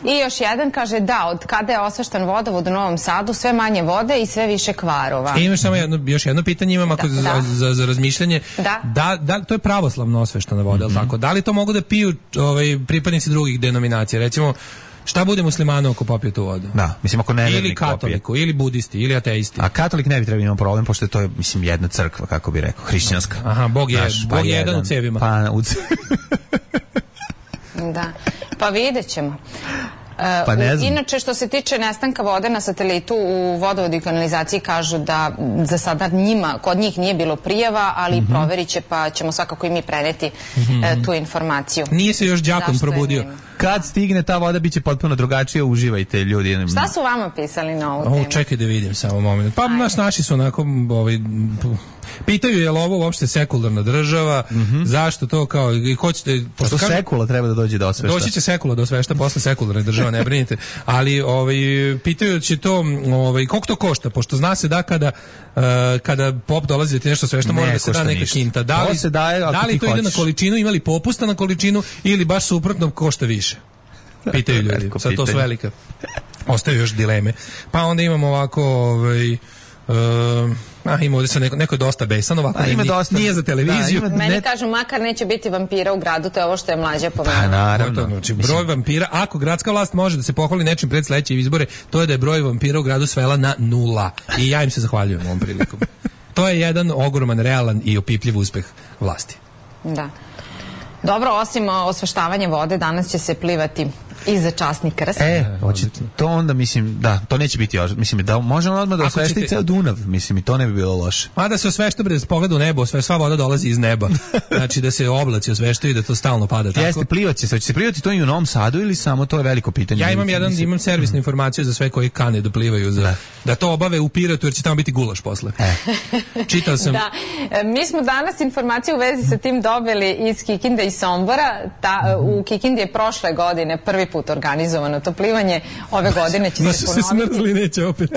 I još jedan kaže, da, od kada je osveštan vodovod u Novom Sadu, sve manje vode i sve više kvarova. E, imaš samo jedno, još jedno pitanje imam ako Da, za, da. za, za razmišljanje. Da. Da, da, to je pravoslavno osveštana voda, mm tako? Da li to mogu da piju ovaj, pripadnici drugih denominacija? Recimo, šta bude muslimanu ako popije tu vodu? Da, mislim ako ne Ili katoliku, ili budisti, ili ateisti. A katolik ne bi trebao imati problem, pošto je to, mislim, jedna crkva, kako bi rekao, hrišćanska. Aha, Bog je, Znaš, Bog je jedan u cevima. Pa, u ce- Da, pa vidjet ćemo. E, Pa ne znam. Inače, što se tiče nestanka vode na satelitu, u vodovodu i kanalizaciji kažu da za sada njima, kod njih nije bilo prijava, ali Mhm. proverit će, pa ćemo svakako i mi preneti e, tu informaciju. Nije se još đakon Zašto je probudio. nema? Kad stigne ta voda, bit će potpuno drugačije, uživajte ljudi. Šta su vama pisali na ovu O, temu? čekaj da vidim samo moment. Pa naš, naši su onako, ovaj, Pitaju je li ovo uopšte sekularna država, mm-hmm. zašto to kao, i hoćete... Pošto kažu, sekula treba da dođe do osvešta. Doći će sekula do osvešta posle sekularne države, ne brinite. Ali ovaj, pitaju će to, ovaj, koliko to košta, pošto zna se da kada, uh, kada pop dolazi da ti nešto svešta, mora da se da neka ništa. Kinta. Da li, to, daje, da li to ide na količinu, imali popusta na količinu ili baš suprotno košta više? Pitaju ljudi, sad to su velika. Ostaju još dileme. Pa onda imamo ovako, ovaj, uh, a, ima ovdje sad neko, neko je dosta besan, ovako a, ima nije, dosta, nije za televiziju. Da, ima, Meni ne... kažu, makar neće biti vampira u gradu, to je ovo što je mlađa pomenula. Pa naravno. Znači, broj vampira, ako gradska vlast može da se pohvali nečim pred sledeće izbore, to je da je broj vampira u gradu svela na nula. I ja im se zahvaljujem ovom prilikom. To je jedan ogroman, realan i opipljiv uspeh vlasti. Da. Dobro, osim osveštavanja vode, danas će se plivati i za časni krst. E, hoće, to onda, mislim, da, to neće biti još, mislim, da možemo odmah da osvešti ćete... ceo Dunav, mislim, i to ne bi bilo loše. A da se osvešta, bre, da se pogleda u nebo, sve, sva voda dolazi iz neba. Znači da se oblaci osveštaju i da to stalno pada tako. Jeste, plivat će se, hoće se plivati to i u Novom Sadu ili samo to je veliko pitanje? Ja imam jedan, imam servisnu informaciju za sve koji kane da plivaju, za, da. da to obave u Pirotu, jer će tamo biti gulaš posle. E. Čitao sam... Da, mi smo danas informaciju u vezi sa tim dobili iz Kikinde i Sombora. Ta, u Kikindi je prošle godine prvi put organizovano to plivanje, ove godine će se ponoviti. Se smrzli, neće opet.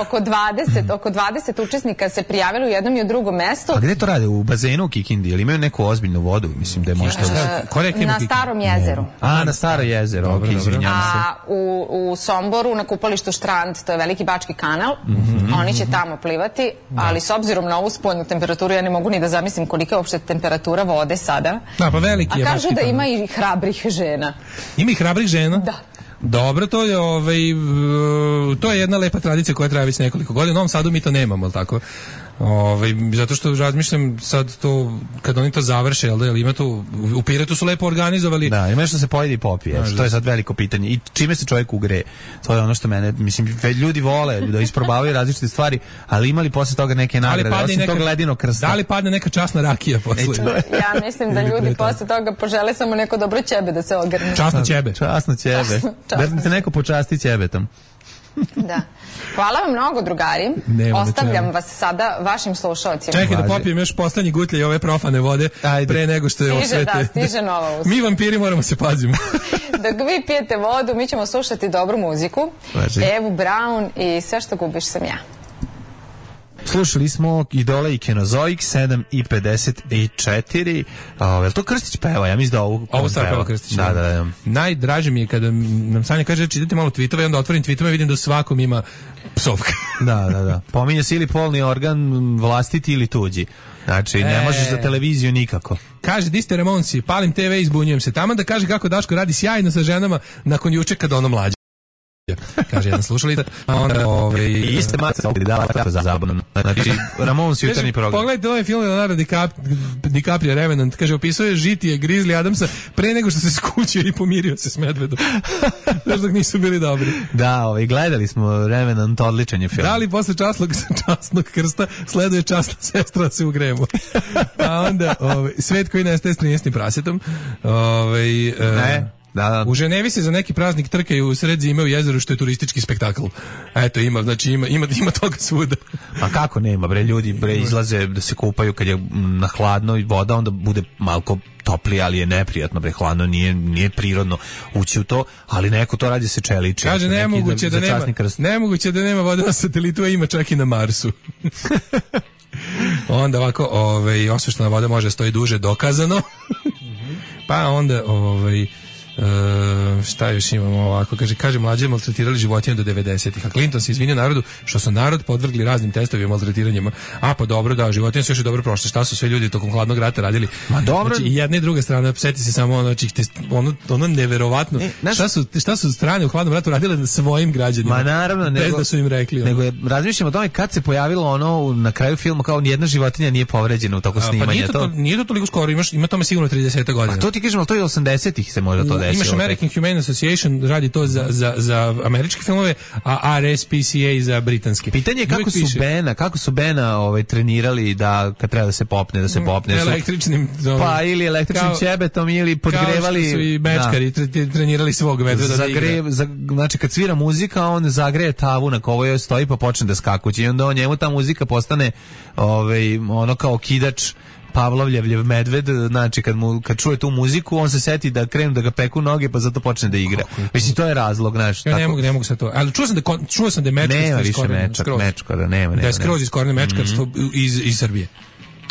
oko dvadeset, oko dvadeset učesnika se prijavilo u jednom i u drugom mestu. A gde to rade? U bazenu u Kikindi? Ili imaju neku ozbiljnu vodu? Mislim da je možda... E, na Starom jezeru. A, na Staro jezero, dobro, ok, izvinjam se. A u, u Somboru, na kupalištu Štrand, to je veliki bački kanal, mm-hmm. oni će tamo plivati, ali s obzirom na ovu spoljnu temperaturu, ja ne mogu ni da zamislim kolika je uopšte temperatura vode sada. Da, pa veliki je. A kažu da ima i hrabrih žena. Ima i hrabrih žena? Da. Dobro, to je ovaj to je jedna lepa tradicija koja traje već nekoliko godina. U Novom Sadu mi to nemamo, al tako. Ovaj zato što razmišljam sad to kad oni to završe, jel da, jel ima to u Pirotu su lepo organizovali. Da, ima što se pojedi i popije. To je sad veliko pitanje. I čime se čovjek ugreje? To je ono što mene, mislim, ljudi vole da isprobavaju različite stvari, ali imali posle toga neke nagrade, osim neka, tog ledinog krsta. Da li padne neka časna rakija posle? Ja mislim da ljudi posle toga požele samo neko dobro ćebe da se ogrnu. Časno ćebe. Časno ćebe. Da se neko počasti ćebetom. Da. Hvala vam mnogo, drugari. Nema Ostavljam vas sada vašim slušalcima. Čekaj da popijem još poslednji gutlje i ove profane vode. Ajde. Pre nego što je osvete. Da, stiže nova usta. Mi vampiri moramo se pazimo. Dok vi pijete vodu, mi ćemo slušati dobru muziku. Važi. Evu Braun i Sve što gubiš sam ja. Slušali smo Idole i Kenozoik, sedam i pedeset četiri. O, je li to Krstić peva? Ja mislim da ovu... Ovo sad peva Krstić. Da, da, da. Najdraže mi je kada nam Sanja kaže čitate malo tweetove i onda otvorim tweetove i vidim da svakom ima psovka. Da, da, da. Pominje se ili polni organ vlastiti ili tuđi. Znači, ne e... možeš za televiziju nikako. Kaže, di ste Ramonsi, palim te ve i zbunjujem se. Taman da kaže kako Daško radi sjajno sa ženama nakon juče kada ono mlađe. Kaže jedan slušalica, a onda ovaj i iste mace ovdje dala tako za zabavno. Znači Ramones jutarnji program. Pogledajte ovaj film Leonardo DiCaprio Revenant, kaže opisuje žitije Grizzly Adamsa pre nego što se skućio i pomirio se s medvedom. Znaš dok nisu bili dobri. Da, ovaj gledali smo Revenant, odličan je film. Da li posle časnog časnog krsta sleduje časna sestra se ugremo. A onda ovaj svet koji nestaje s trinaestim prasetom. Ovaj ne. Da, da. U Ženevi se za neki praznik trkaju u sred zime u jezeru što je turistički spektakl. Eto ima, znači ima ima ima toga svuda. A kako nema bre, ljudi bre izlaze da se kupaju kad je na hladno i voda onda bude malko toplije, ali je neprijatno bre, hladno nije nije prirodno ući u to, ali neko to radi se čeliči. Kaže nemoguće da, da nema nemoguće da nema vode na satelitu, a ima čak i na Marsu. Onda ovako, ovaj osveštena voda može stoji duže, dokazano. Pa onda ovaj Uh, šta još imamo ovako, kaže, kaže mlađe maltretirali životinje do devedesetih, a Clinton se izvinio narodu što su narod podvrgli raznim testovima i maltretiranjima. A pa dobro, da, životinje su još i dobro prošle. Šta su sve ljudi tokom hladnog rata radili? Ma dobro. Znači, i jedna i druga strana, sjeti se samo ono, znači, ono, ono neverovatno. E, naš... šta, su, šta su strane u hladnom ratu radile svojim građanima? Ma naravno, bez nego, da su im rekli. Nego je, razmišljam o tome kad se pojavilo ono na kraju filma kao nijedna životinja nije povređena u toku snimanja. Pa nije to, to, nije to toliko skoro, imaš, ima tome sigurno trideset godina. A to ti kažem, ali to je osamdesetih se možda to desilo. desilo. Imaš American Humane Association, radi to za, za, za američke filmove, a R S P C A za britanske. Pitanje je kako su piše. Bena, kako su Bena ovaj, trenirali da kad treba da se popne, da se popne. Električnim... Ovaj, pa ili električnim kao, ćebetom ili podgrevali... Kao što su i mečkari da. trenirali svog medveda Zagre, da za, znači kad svira muzika, on zagreje tavu na kojoj stoji pa počne da skakuće i onda on njemu ta muzika postane ovaj, ono kao kidač Pavlovljevljev medved, znači kad mu kad čuje tu muziku, on se seti da krenu da ga peku noge, pa zato počne da igra. Mislim to je razlog, znaš. Ja tako. ne mogu, ne mogu sa to. Ali čuo sam da čuo sam da je mečkar nema više mečkar, mečkar, da nema, nema. Da je skroz iz korene mečkarstvo mm-hmm. iz iz Srbije.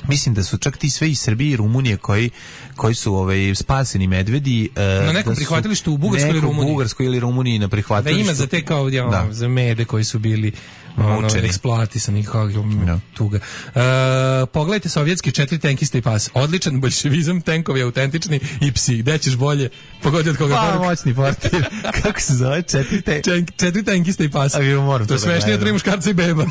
Mislim da su čak ti sve iz Srbije i Rumunije koji koji su ovaj spaseni medvedi uh, na nekom prihvatilištu u Bugarskoj ili Rumuniji. U Bugarskoj ili Rumuniji na prihvatilištu. Da ima za te kao ja, da. za mede koji su bili ono, eksploatisani kao no. tuga. Uh, pogledajte sovjetski četiri tenkista i pas. Odličan bolševizam, tenkovi autentični i psi. Gde ćeš bolje? Pogodi od koga pa, poruka. Moćni portir. Kako se zove? Četiri, te... Čen, četiri tenkista i pas. A vi moram to je smešnije od tri muškarca i beba.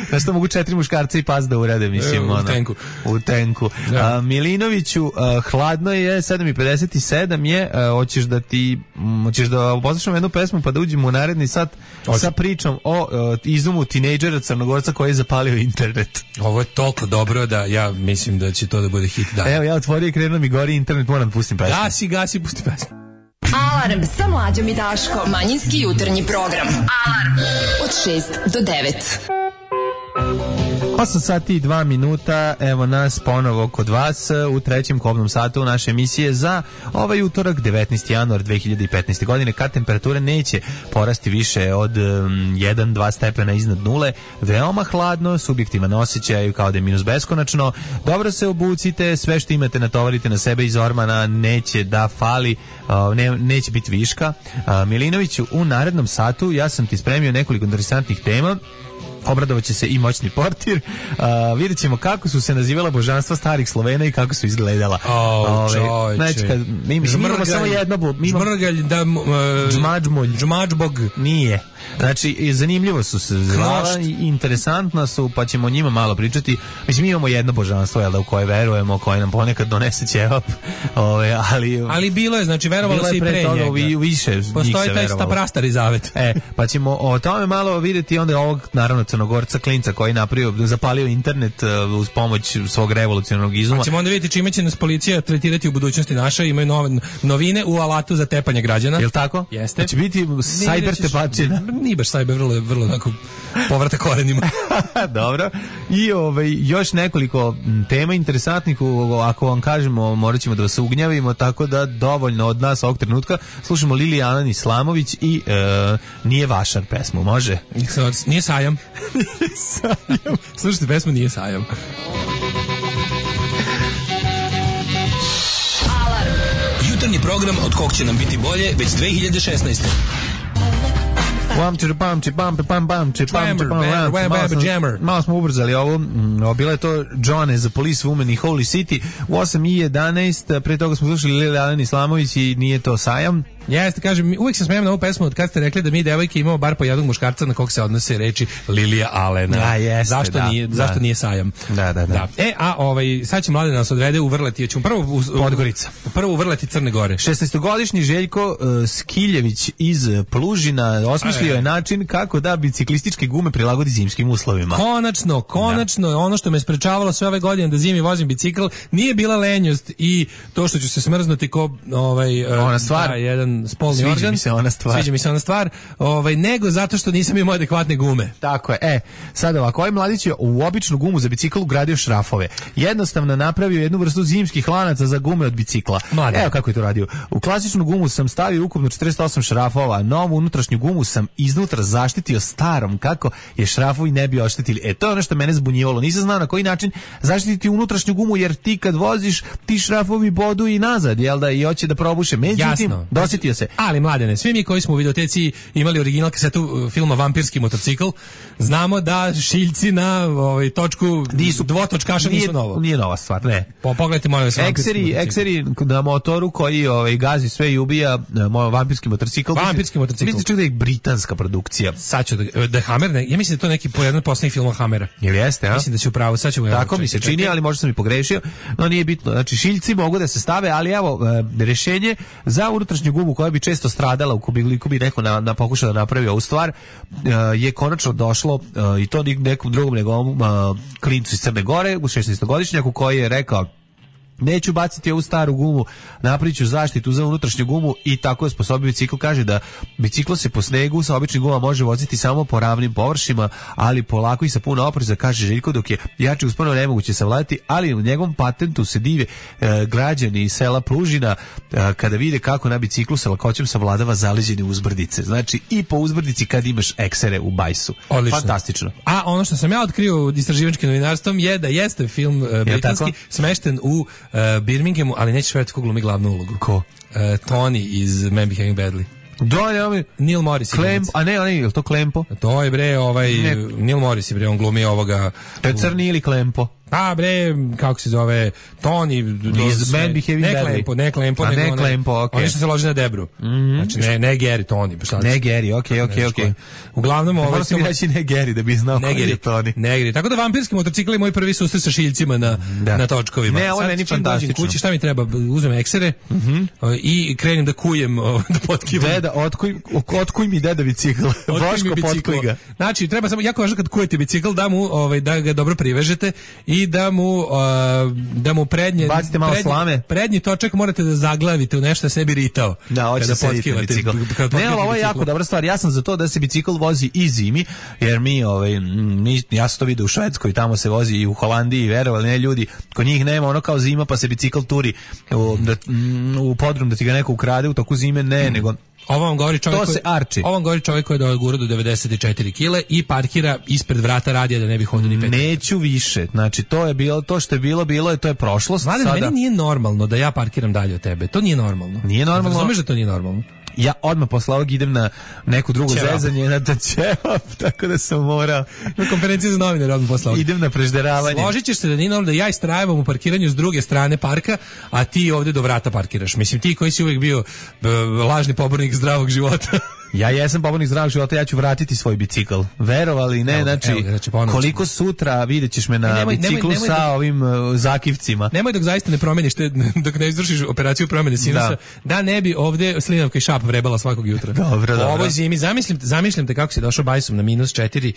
Znaš što mogu četiri muškarca i pas da urade, mislim. U ono, tenku. U tenku. Ja. Uh, Milinoviću, uh, hladno je, sedam i pedeset sedam je, uh, hoćeš da ti, um, hoćeš da poslušamo jednu pesmu pa da uđemo u naredni sat Oči. sa pričom o uh, izumu tinejdžera Crnogorca koji je zapalio internet. Ovo je toliko dobro da ja mislim da će to da bude hit dana. Evo, ja otvorio i krenuo mi gori internet, moram da pustim pesmu. Gasi, gasi, pusti pesmu. Alarm sa Mlađom i Daškom. Manjinski jutarnji program. Alarm od šest do devet. osam sati i dva minuta, evo nas ponovo kod vas u trećem kobnom satu naše emisije za ovaj utorak, devetnaesti januar dve hiljade petnaeste. godine, kad temperature neće porasti više od jedan do dva stepena iznad nule, veoma hladno, subjektivan osjećaj kao da je minus beskonačno, dobro se obucite, sve što imate natovarite na sebe iz ormana, neće da fali, ne, neće biti viška. Milinoviću, u narednom satu ja sam ti spremio nekoliko interesantnih tema. Obradovaće se i moćni portir. Uh, vidjet ćemo kako su se nazivala božanstva starih Slovena i kako su izgledala. Oh, Ove, znači, kad, mi, mi imamo samo jedno... Žmrgalj, da... Uh, Džmađmolj. Džmađbog. Nije. Znači, zanimljivo su se zvala i interesantna su, pa ćemo o njima malo pričati. Mislim, mi imamo jedno božanstvo, jel da, u koje verujemo, koje nam ponekad donese ćevap. Ove, ali, ali bilo je, znači, verovalo se i pre toga, njega. Vi, više postoji taj prastari zavet. E, pa ćemo o tome malo vidjeti onda ovog, naravno, Crnogorca klinca koji napravio, zapalio internet uh, uz pomoć svog revolucionarnog izuma. Pa ćemo onda vidjeti čime će nas policija tretirati u budućnosti naša, imaju nove novine u alatu za tepanje građana. Jel tako? Jeste. Će biti cyber tepačina. Nije baš cyber, vrlo, vrlo onako povrata korenima. Dobro. I ovaj, još nekoliko tema interesantnih, ako vam kažemo, morat ćemo da vas ugnjavimo, tako da dovoljno od nas ovog trenutka. Slušamo Lili Alan Islamović i uh, Nije vašar pesmu, može? Nije sajam. Nije sajam. Slušajte pesmu Nije sajam. Alarm. Jutarnji program od kog će nam biti bolje već dve hiljade šesnaeste. Pam či pam či pam pam pam či pam či pam. Malo smo ubrzali ovo. Bila je to John as a Police Woman i Holy City u osam i jedanaest. Pre toga smo slušali Lili Alan Islamović i Nije to sajam. Jeste, kažem, uvijek se smijem na ovu pesmu od kad ste rekli da mi devojke imamo bar po jednog muškarca na kog se odnose reči Lilija Alena. A, jeste, zašto, da, nije, da. zašto nije sajam? Da, da, da. da. E, a ovaj, sad će mlade nas odvede u Vrleti, ćemo prvo u, Podgorica. Prvo u Vrleti Crne Gore. šesnaestogodišnji Željko uh, Skiljević iz Plužina osmislio je način kako da biciklističke gume prilagodi zimskim uslovima. Konačno, konačno, da. Ono što me sprečavalo sve ove godine da zimi vozim bicikl, nije bila lenjost i to što ću se smrznuti ko ovaj, ona stvar, da, jedan spolni sviđa organ. Mi se ona stvar. Sviđa mi se ona stvar, ovaj, nego zato što nisam imao adekvatne gume. Tako je. E, sad ovako, ovaj mladić je u običnu gumu za bicikl ugradio šrafove. Jednostavno napravio jednu vrstu zimskih lanaca za gume od bicikla. Mlade. Evo kako je to radio. U klasičnu gumu sam stavio ukupno četrdeset osam šrafova, novu unutrašnju gumu sam iznutra zaštitio starom kako je šrafovi ne bi oštetili. E, to je ono što mene zbunjivalo. Nisam znao na koji način zaštititi unutrašnju gumu, jer ti kad voziš, ti šrafovi bodu i nazad, jel da, i hoće da probuše. Međutim, dosi setio se. Ali mladene, svi mi koji smo u videoteci imali original kasetu filma Vampirski motocikl, znamo da šiljci na ovaj točku nisu dvotočkaša nisu novo. Nije nova stvar, ne. Po pogledajte molim vas. Ekseri, ekseri na motoru koji ovaj gazi sve i ubija, moj vampirski motocikl. Vampirski motocikl. Mislim čak da je britanska produkcija. Sad ću da, da Hammer, ne, ja mislim da je to neki po jedan poslednjih filmova Hammera. Jel jeste, a? Mislim da će upravo, sad ćemo. Tako mi se čini, ali možda sam i pogrešio, no nije bitno. Znači šiljci mogu da se stave, ali evo e, rješenje za unutrašnju gumu koja bi često stradala ukoliko bi neko na, na pokušao da napravi ovu stvar, e, je konačno došlo e, i to nekom drugom nego e, klincu iz Crne Gore, u šesnaestogodišnjaku koji je rekao neću baciti ovu staru gumu, napravit ću zaštitu za unutrašnju gumu i tako je sposobio bicikl. Kaže da biciklo se po snegu sa običnim gumama može voziti samo po ravnim površima, ali polako i sa puno opreza, kaže Željko, dok je jače usponu nemoguće savladati, ali u njegovom patentu se dive e, građani iz sela Plužina e, kada vide kako na biciklu sa lakoćem savladava zaleđene uzbrdice. Znači i po uzbrdici kad imaš eksere u bajsu. Odlično. Fantastično. A ono što sam ja otkrio istraživačkim novinarstvom je da jeste film e, britanski smešten u Uh, Birminghamu, ali nećeš verati ko glumi glavnu ulogu. Ko? Uh, Tony iz Men Behaving Badly. Da, ne, ovi... Neil Morris. Klemp, a ne, ne, je li to Klempo? To je bre, ovaj, ne. Neil Morris je bre, on glumi ovoga... To je Crni ili Klempo? A bre, kako se zove, Tony iz Men Behaving Badly. Ne Klempo, ne Klempo, nego ne Klempo, okej. Oni što se loži na Debru. Mm -hmm. Znači ne, ne Gary, Tony, pa šta? Ne Gary, okej, okej, okej. Uglavnom ovaj moram mi reći ne Gary da bi znao ko je Tony. Ne Gary. Tako da vampirski motocikl je moj prvi susret sa šiljcima na da. na točkovima. Ne, ovo je meni fantastično. Kući šta mi treba? Uzmem eksere mm -hmm. i krenem da kujem, da potkivam. Deda, otkuj, otkuj mi deda bicikl. Boško potkuj ga. Znači, treba samo jako važno kad kujete bicikl da mu ovaj da ga dobro privežete i da mu da mu prednje bacite malo prednje, slame. Prednji točak morate da zaglavite u nešto da se ne bi ritao. Da, hoće se bicikl. Ne, ali ovo je jako dobra stvar. Ja sam za to da se bicikl vozi i zimi, jer mi, ovaj, mi, ja sam to vidio u Švedskoj, tamo se vozi i u Holandiji, verovali ne ljudi, kod njih nema ono kao zima pa se bicikl turi u, da, u podrum da ti ga neko ukrade u toku zime, ne, mm. nego Ovo vam govori čovjek to se arči. Ovo vam govori čovjek koji je dogurao do devedeset četiri kilograma i parkira ispred vrata radija da ne bi hodio ni pet. Neću više. Znači to je bilo to što je bilo, bilo je to je prošlost. Mladen, sada meni nije normalno da ja parkiram dalje od tebe. To nije normalno. Nije normalno. Razumeš da to nije normalno? Ja odmah posle ovog idem na neku drugu Ćevap. zezanje, na da ćevap, tako da sam morao. Na konferenciji za novinare odmah posle ovog. Idem na prežderavanje. Složit ćeš se da nije normalno da ja istrajavam u parkiranju s druge strane parka, a ti ovde do vrata parkiraš. Mislim, ti koji si uvijek bio uh, lažni pobornik zdravog života. Ja jesam pobornik zdravog života, ja ću vratiti svoj bicikl. Verovali, ne, evo, znači, evo, znači koliko sutra vidjet ćeš me na nemoj, biciklu nemoj, nemoj sa dok, ovim uh, zakivcima. Nemoj dok zaista ne promeniš, te, dok ne izvršiš operaciju promene sinusa, da. da ne bi ovde slinavka i šap vrebala svakog jutra. Dobro, dobro. U ovoj zimi, zamislim, zamišljam te kako si došao bajsom na minus četiri,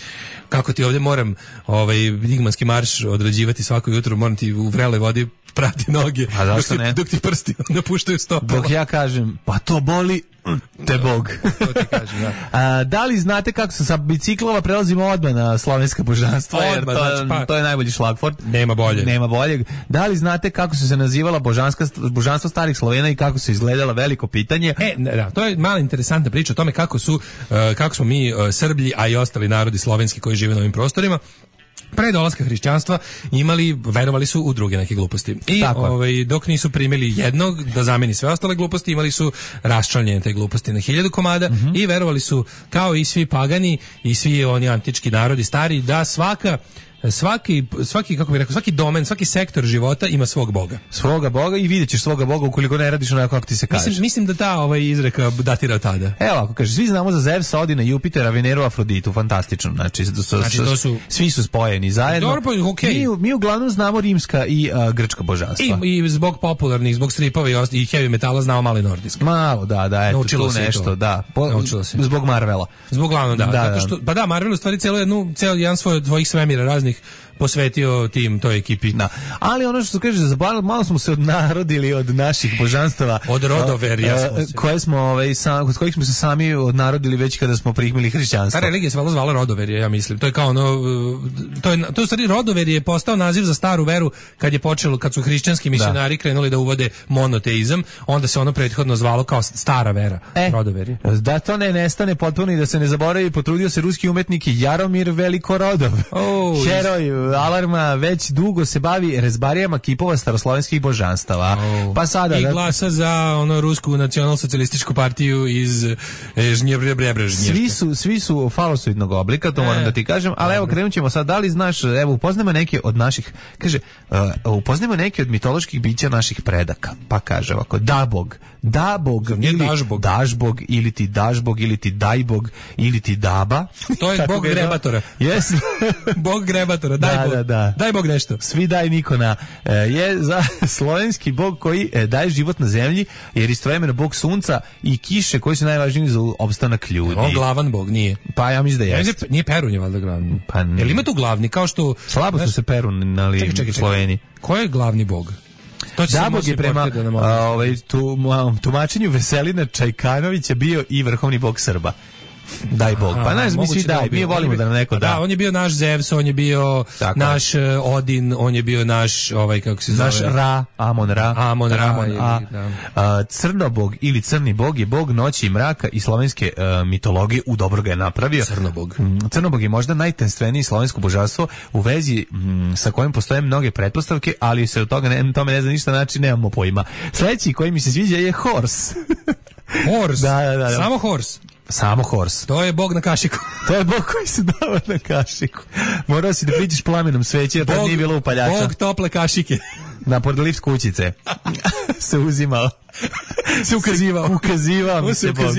kako ti ovde moram ovaj digmanski marš odrađivati svako jutro, moram ti u vreloj vodi prati noge, a dok, ne? dok ti prsti napuštaju stopala. Dok ja kažem, pa to boli, te Bog. To ti kažem, da. A, da li znate kako se sa biciklova prelazimo odmah na slovenska božanstva? Odmah, jer to, znači, pa, to je najbolji šlagvort. Nema bolje. Nema boljeg. Da li znate kako su se nazivala božanska, božanstva starih Slovena i kako su izgledala, veliko pitanje? E, da, to je mala interesantna priča o tome kako su, uh, kako smo mi uh, Srblji, a i ostali narodi slovenski koji žive na ovim prostorima, pre dolaska hrišćanstva imali, verovali su u druge neke gluposti. I ovaj, dok nisu primili jednog da zameni sve ostale gluposti, imali su raščlanjene te gluposti na hiljadu komada mm -hmm. i verovali su, kao i svi pagani i svi oni antički narodi stari, da svaka svaki svaki kako bih rekao svaki domen, svaki sektor života ima svog boga. Svoga boga i videćeš svoga boga ukoliko ne radiš onako kako ti se kaže. Mislim, mislim da ta ovaj izreka datira od tada. Evo, ako kaže, svi znamo za Zevsa, Odina, Jupitera, Veneru, Afroditu, fantastično. Znači, so, so, znači to su svi su spojeni zajedno. Dobro, pa, okay. mi, mi uglavnom znamo rimska i uh, grčka božanstva. I, I zbog popularnih, zbog stripova i, i heavy metala znamo malo i nordijski. Malo, da, da, eto, naučilo tu nešto, to. da. Po, naučilo se. Zbog Marvela. Zbog glavno, da. da, Zato što, pa da, Marvel u stvari cijelo jednu, cijel jedan svoj od svojih svemira raznih posvetio tim toj ekipi. Da. Ali ono što se kaže, malo smo se odnarodili od naših božanstava. Od rodoverja smo se. Koje smo, ovaj, sam, kod kojih smo se sami odnarodili već kada smo prihmili hrišćanstvo. Ta religija se valjda zvala rodoverje, ja mislim. To je kao ono, to je, to je stvari rodoverje je postao naziv za staru veru kad je počelo, kad su hrišćanski misionari da. krenuli da uvode monoteizam, onda se ono prethodno zvalo kao stara vera, e, rodoverje. Da to ne nestane potpuno i da se ne zaboravi, potrudio se ruski umetnik Jaromir Velikorodov. Oh, heroj Alarma već dugo se bavi rezbarijama kipova staroslovenskih božanstava. Oh. Pa sada... I glasa za ono rusku nacionalsocijalističku partiju iz e, Žnjebrebrebra. Svi su, svi su falosoidnog oblika, to e, moram da ti kažem, ali dobro. Evo krenut ćemo sad, da li znaš, evo upoznajmo neke od naših, kaže, uh, upoznajmo neke od mitoloških bića naših predaka, pa kaže ovako, Dabog, Dabog, ili Dažbog. Dažbog, ili ti Dažbog, ili ti Dajbog, ili ti Daba. To je bog grebatora. Yes. Bog grebatora, daj da, bog. Da, da. Daj bog nešto. Svi daj Nikona. E, je za slovenski bog koji e, daje život na zemlji, jer istovremeno bog sunca i kiše koji su najvažniji za opstanak ljudi. On glavan bog, nije. Pa ja mislim da jeste. Nije Perun je valjda glavni. Pa ne. Jel ima tu glavni, kao što... Slabo su se Perunali u Sloveniji. Ko je glavni bog? Dabog je prema a, ovaj, tu, tumačenju Veselina Čajkanovića bio i vrhovni bog Srba. Daj bog. Pa znaš, mi svi daj, mi volimo da nam neko da. Da, on je bio naš Zevs, on je bio tako. Naš uh, Odin, on je bio naš, ovaj, kako se zove? Naš Ra, Amon Ra. Amon Ra. Amon, a, a, Crnobog ili Crni bog je bog noći i mraka i slovenske uh, mitologije, u dobro ga je napravio. Crnobog. Crnobog je možda najtenstveniji slovensko božanstvo u vezi m, sa kojim postoje mnoge pretpostavke, ali se od toga ne, tome ne zna ništa, znači nemamo pojma. Sledeći koji mi se sviđa je Horse. Horse? Da, da, da, da. Samo Horse? Samo Horse. To je bog na kašiku. To je bog koji se dava na kašiku. Morao si da priđeš plamenom sveće, jer tad nije bilo upaljača. Bog tople kašike. Na pored lift kućice se uzimao. Se ukazivao. Ukazivao mi se bog.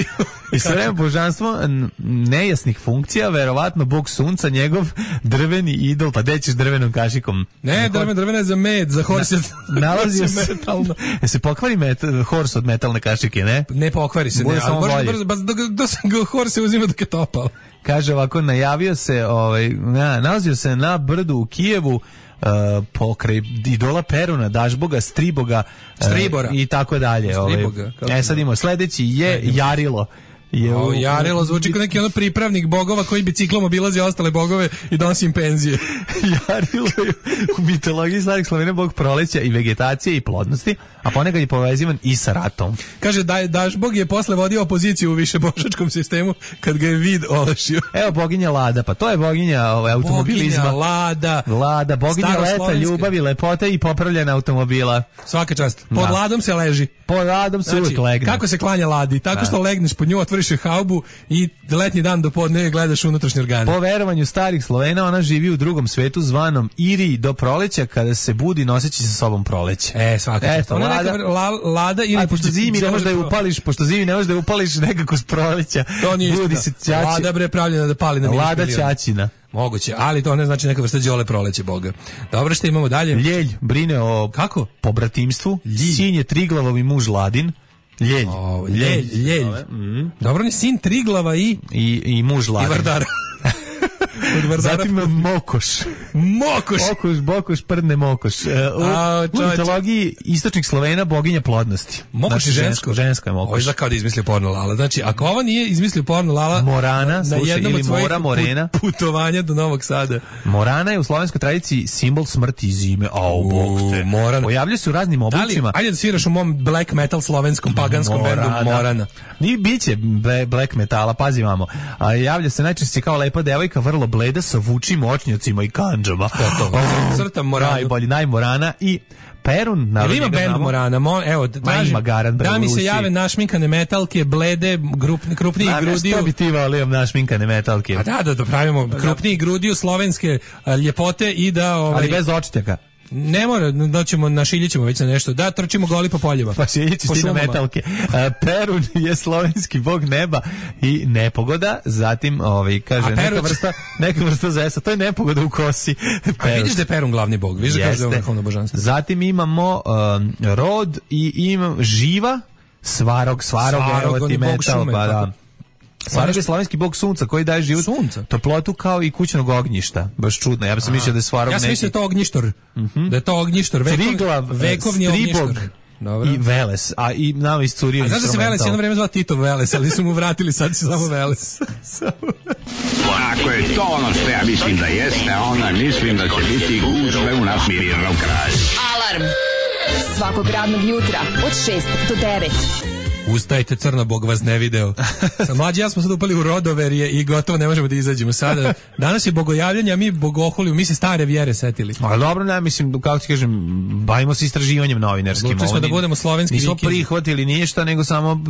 I sve vreme božanstvo nejasnih funkcija, verovatno bog sunca, njegov drveni idol, pa gde ćeš drvenom kašikom? Ne, drven, drvena je za med, za Horse. Na, nalazio se metalno. E se pokvari met, Horse od metalne kašike, ne? Ne pokvari se, ne, ali možda brzo, baš da se Horse uzima dok je topao. Kaže ovako, najavio se, ovaj, na, nalazio se na brdu u Kijevu, Uh, pokraj idola Peruna, Dažboga, Striboga uh, Stribora i tako dalje. Striboga, ovaj. E sad imamo sledeći je Jarilo. Je o, Jarilo zvuči kao neki ono pripravnik bogova koji biciklom obilazi ostale bogove i donosi im penzije. Jarilo je u mitologiji starih Slovena bog proleća i vegetacije i plodnosti, a ponekad je povezivan i sa ratom. Kaže da Dažbog je posle vodio opoziciju u višebožačkom sistemu kad ga je vid olešio. Evo boginja Lada, pa to je boginja ovaj, automobilizma. Boginja Lada. Lada, boginja leta, ljubavi, lepote i popravljena automobila. Svaka čast. Pod da. Ladom se leži. Pod Ladom se znači, uvijek legne. Kako se klanja Ladi? Tako da. Što legneš pod nju, otvoriš je haubu i letnji dan do podne gledaš unutrašnje organe. Po verovanju starih Slovena ona živi u drugom svetu zvanom Iriji do proleća, kada se budi noseći sa sobom proleće. E, svaka čast. Ona Lada, neka la, Lada ili a, pošto zimi ne možeš da je upališ, pošto zimi ne možeš da je upališ nekako s proleća. To nije budi se ćaći. Lada bre pravljena da pali na minus Lada milijon. ćaćina. Moguće, ali to ne znači neka vrsta đole proleće boga. Dobro, što imamo dalje? Ljelj brine o kako? Pobratimstvu. Ljelj. Sin je Triglavov i muž Ladin. Ljelj. O, ljelj, ljelj. Mm. Dobro, on je sin Triglava i... I, i muž Ladin. I Vardara. Zatim Mokoš. Mokoš. Mokoš, Bokoš, prdne Mokoš. Uh, u, A, u mitologiji istočnih Slovena boginja plodnosti. Mokoš znači, je žensko. Žensko je Mokoš. Ovo je kao da izmislio porno Lala. Znači, ako ovo nije izmislio porno Lala... Morana, slušaj, ili Mora, Morena. Putovanja do Novog Sada. Morana je u slovenskoj tradiciji simbol smrti i zime. Au, bog te. Morana. Pojavljaju se u raznim oblicima. Ajde da sviraš u mom black metal slovenskom paganskom bendu Morana. Ni biće black metala, pazi vamo. A javlja se najčešće kao lepa devojka, vrlo bleda sa vučim očnjacima i kandžama. Oh, crtam Moranu. Najbolji, najmorana i Perun. Jel ima band Morana? Mo, evo, tražim, da mi se jave našminkane metalke, blede, grupni, krupniji Ma, grudiju. Što bi ti volio našminkane metalke? A da, da, da pravimo krupniji grudiju, slovenske a, ljepote i da... Ovaj, ali bez očitjaka. Ne mora, doćemo, našiljićemo već na nešto. Da, trčimo goli po poljima. Pa šiljići ti na metalke. Perun je slovenski bog neba i nepogoda, zatim, ovaj, kaže, neka vrsta, neka vrsta zesa, to je nepogoda u kosi. A vidiš da je Perun glavni bog, vidiš da kaže da je vrhovno božanstvo. Zatim imamo um, rod i imam živa, svarog, svarog, svarog evo ti metal, šume, pa da. Svarog je slovenski bog sunca koji daje život, sunca, toplotu kao i kućnog ognjišta. Baš čudno. Ja bih se mislio da je Svarog neki. Ja sam mislio da je to ognjištor. Mm-hmm. Da je to ognjištor, vekov, Triglav, vekovni ognjištor. Dobro. I Veles, a i nama iscurio instrumental. A znaš da se Veles jedno vreme zvao Tito Veles, ali su mu vratili, sad se samo Veles. Ako je to ono što ja mislim da jeste, onda mislim da će biti gužve u nas Mirjerov kralj. Alarm svakog radnog jutra od šest do devet. Ustajte, crno, Bog vas ne video. Sa mlađi ja smo sad upali u rodoverje i gotovo ne možemo da izađemo sada. Danas je bogojavljanje, a mi bogoholiju, mi se stare vjere setili. Ali dobro, ne, mislim, kako ti kažem, bavimo se istraživanjem novinarskim. Odlučili smo da budemo slovenski nismo vikinzi. Nismo prihvatili ništa, nego samo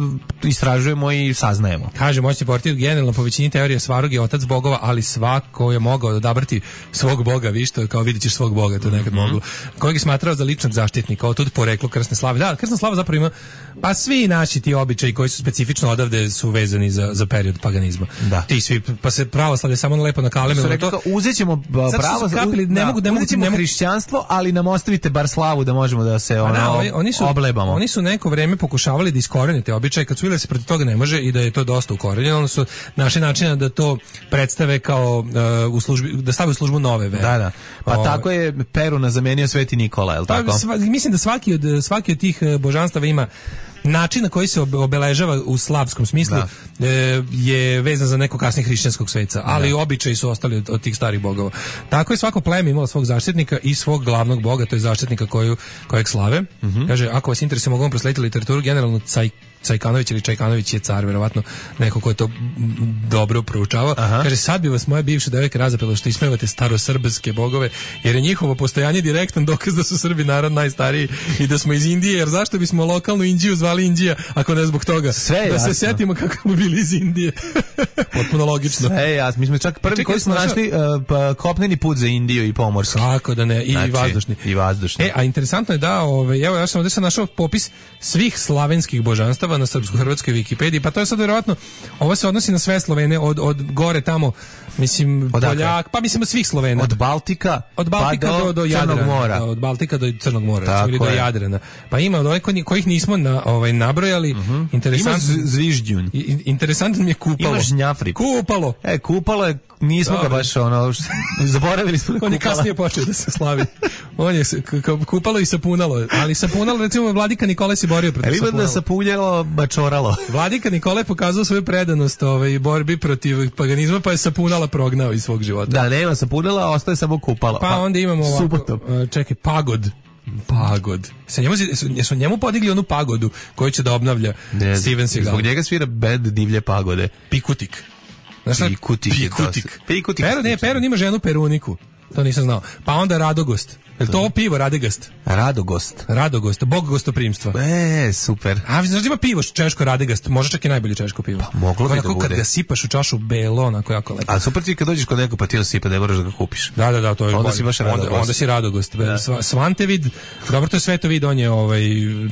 istražujemo i saznajemo. Kaže, moćni portir generalno po većini teorije Svarog je otac bogova, ali svako je mogao odabrati svog boga, vi što kao vidit ćeš svog boga, to nekad mm-hmm. moglo. Kojeg je smatrao za ličnog zaštitnika, od tud poreklo krsne slave. Da, krsna slava zapravo ima, pa svi naši ti običaji koji su specifično odavde su vezani za, za period paganizma. Da. Ti svi, pa se pravoslavlje samo lepo na kaleme. Su rekli, to, uzet ćemo pravo, kapili, ne da, mogu, ne mogu, uzet ćemo ne mogu, hrišćanstvo, ali nam ostavite bar slavu da možemo da se ono, da, oni, oni su, oblebamo. Oni su neko vreme pokušavali da iskorene te običaje, kad su vidjeli da se protiv toga ne može i da je to dosta ukorenjeno, onda su našli načina da to predstave kao uh, u službi, da stave u službu nove vere. Da, da. Pa o, tako je Peruna zamenio Sveti Nikola, je li tako? Pa, sva, mislim da svaki od, svaki od tih božanstava ima način na koji se obeležava u slavskom smislu da. e, je vezan za neko kasnije hrišćanskog sveca, ali da. Običaji su ostali od, od tih starih bogova. Tako je svako pleme imalo svog zaštitnika i svog glavnog boga, to je zaštitnika koju, kojeg slave. Mm-hmm. Kaže, ako vas interesuje, mogu vam proslediti literaturu, generalno caj, Cajkanović ili Čajkanović je car, verovatno neko ko je to dobro proučavao. Aha. Kaže, sad bi vas moja bivša devojka razapela što ismevate starosrbske bogove, jer je njihovo postojanje direktan dokaz da su Srbi narod najstariji i da smo iz Indije, jer zašto bismo lokalnu Indiju zvali Indija, ako ne zbog toga? Sve da jasno. Se setimo kako smo bili iz Indije. Potpuno logično. Sve jasno. Mi smo čak prvi koji smo našli uh, pa, kopneni put za Indiju i pomorski. Kako da ne, i znači, vazdušni. I vazdušni. E, a interesantno je da, ove, evo, ja sam ovdje sam našao popis svih slavenskih božanstava na srpsko-hrvatskoj Wikipediji, pa to je sad vjerovatno, ovo se odnosi na sve Slovene, od, od gore tamo, mislim, Poljak, pa mislim od svih Slovena. Od Baltika, od Baltika pa do, do, do Crnog Jadrana, mora. Da, od Baltika do Crnog mora, ili do Jadrana. Pa ima od ovih kojih nismo na, ovaj, nabrojali, uh-huh. interesantno. Ima Zviždjun. Interesantno mi je kupalo. Imaš Žnjafrik. Kupalo. E, kupalo je, nismo Dobre. ga baš ono, zaboravili smo On je kasnije počeo da se slavi. On je kupalo i sapunalo, ali sapunalo, recimo, Vladika Nikolaj se borio protiv sapunalo. Ima da sapunjalo, bačoralo. Vladika Nikolaj pokazao svoju predanost ovaj, borbi protiv paganizma, pa je sapunala prognao iz svog života. Da, nema sapunala, ostaje samo kupalo. Pa onda imamo ovako, subotom. Čekaj, pagod. Pagod. Sa njemu, su njemu podigli onu pagodu koju će da obnavlja ne, Steven Seagal. Zbog njega svira band Divlje pagode. Pikutik. Znaš, Pikutik. Pikutik. Pikutik. Pero, ne, Peron ima ženu Peruniku. To nisam znao. Pa onda Radogost. Je to ovo pivo Radegast? Radogost. Radogost, bog gostoprimstva. E, super. A znaš da ima pivo češko Radegast, može čak i najbolje češko pivo. Pa moglo bi da bude. Kad ga sipaš u čašu belo, onako jako lepo. A super ti kad dođeš kod nekog pa ti sipa, ne moraš da ga kupiš. Da, da, da, to je onda si baš Radogost. Onda, onda si Radogost. Da. Svantevid, dobro, to je Svetovid, on je ovaj,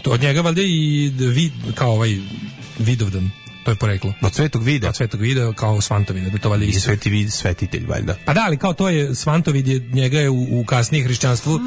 od njega valjda i vid, kao ovaj Vidovdan. To je poreklo. Od Svetog Vida. Od Svetog Vida kao Svantovida, da to valjda isto. Sveti vid, svetitelj valjda. Pa da, ali kao to je Svantovid je njega je u, u kasnije hrišćanstvu.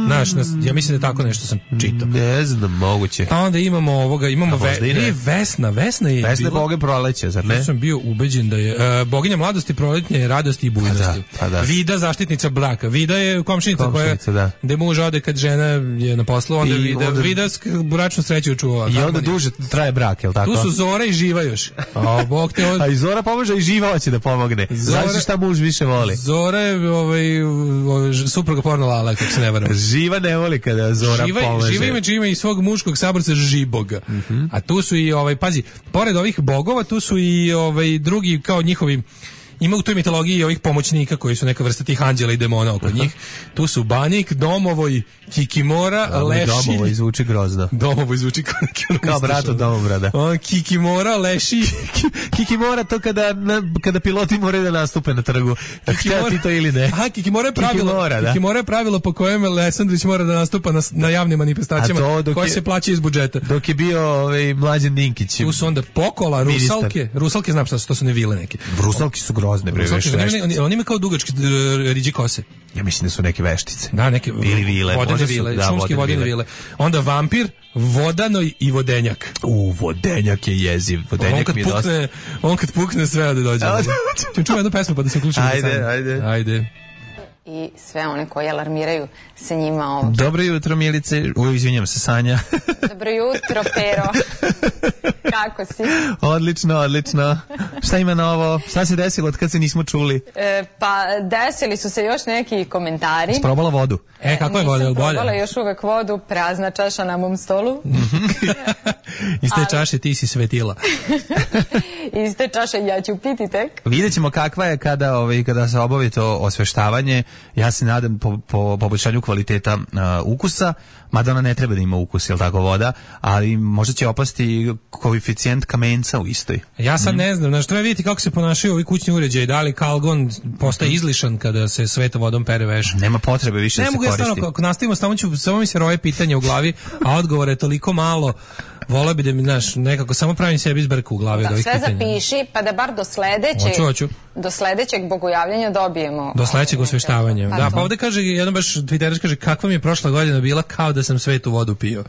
Znaš, mm. ja mislim da tako nešto sam čitao. Ne znam, moguće. Pa onda imamo ovoga, imamo ve, ne, Vesna, Vesna je Vesna je boga proleća, zar ne? Ja sam bio ubeđen da je uh, boginja mladosti, proletnje, radosti i bujnosti. Pa da, pa da. Vida zaštitnica braka. Vida je komšinica, komšinica koja da. gde muž ode kad žena je na poslu, onda I Vida, onda, Vida bračnu sreću čuva. I onda duže traje brak, je li tako? Tu su Zora i Živa još. A bog te od... A i Zora pomože i Živa hoće da pomogne. Znači šta muž više voli. Zora je ovaj, supruga porno Lala, kako se ne varam. Živa ne voli kada Zora živa, pomaže. Živa ima, ima i svog muškog saborca Žiboga. Mm-hmm. A tu su i, ovaj, pazi, pored ovih bogova, tu su i ovaj, drugi, kao njihovi, ima u toj mitologiji ovih pomoćnika koji su neka vrsta tih anđela i demona oko njih. Tu su Banik, Domovoj, Kikimora, da, Leši. Domovoj zvuči grozno. Domovoj zvuči kao, kao brat od Domobrada. On, Kikimora, Leši. Kikimora to kada, na, kada piloti moraju da nastupe na trgu. Htio ti to ili ne? Aha, Kikimora je pravilo, Kikimora, da. Kikimora je pravilo po kojem Lesandrić mora da nastupa na, na javnim manifestacijama koje je, se plaća iz budžeta. Dok je bio ovaj, Mlađan Dinkić. Tu su onda Pokola, ministar. Rusalke. Rusalke znam šta su, to su ne vile neke. Rusalke su grozne, bre, Rusalke, oni, oni, oni ima kao dugačke riđe kose. Ja mislim da su neke veštice. Da, neke ili vile, vodene vile, da, šumski vodene vile. Onda vampir, Vodanoj i Vodenjak. U, Vodenjak je jeziv. Vodenjak mi je pukne, dosta. On kad pukne sve da dođe. Čujem čujem jednu pesmu pa da se uključimo. Ajde, ajde. Ajde. I sve one koji alarmiraju se njima ovdje. Dobro jutro, Milice. Uj, izvinjam se, Sanja. Dobro jutro, Pero. Kako si? Odlično, odlično. Šta ima novo? Šta se desilo od kad se nismo čuli? E, pa desili su se još neki komentari. Sprobala vodu? E, kako je voda? Nisam probala još uvek vodu, prazna čaša na mom stolu. Iz te čaše ti si svetila. Iz te čaše ja ću piti tek. Vidjet ćemo kakva je kada, ovaj, kada se obavi to osveštavanje. Ja se nadam po, po poboljšanju kvaliteta uh, ukusa, mada ona ne treba da ima ukus, jel tako, voda, ali možda će opasti koeficijent kamenca u istoj. Ja sad mm. ne znam, znaš, treba vidjeti kako se ponašaju ovi kućni uređaji, da li kalgon postaje izlišan kada se svetom vodom pere veš. Nema potrebe više ne da se koristi. Ne mogu ja stvarno, ako nastavimo, samo, ću, samo mi se roje pitanja u glavi, a odgovore je toliko malo. Voleo bi da mi, znaš, nekako samo pravim sebi izbrku u glavi od ovih sve pitanja. Zapiši, pa da bar do sledećeg, hoću, hoću. do sledećeg bogojavljanja dobijemo. Do sledećeg osveštavanja. Pa da, pa ovde kaže, jedan baš Twitterač kaže, kakva mi je prošla godina bila, kao da sam svetu vodu pio.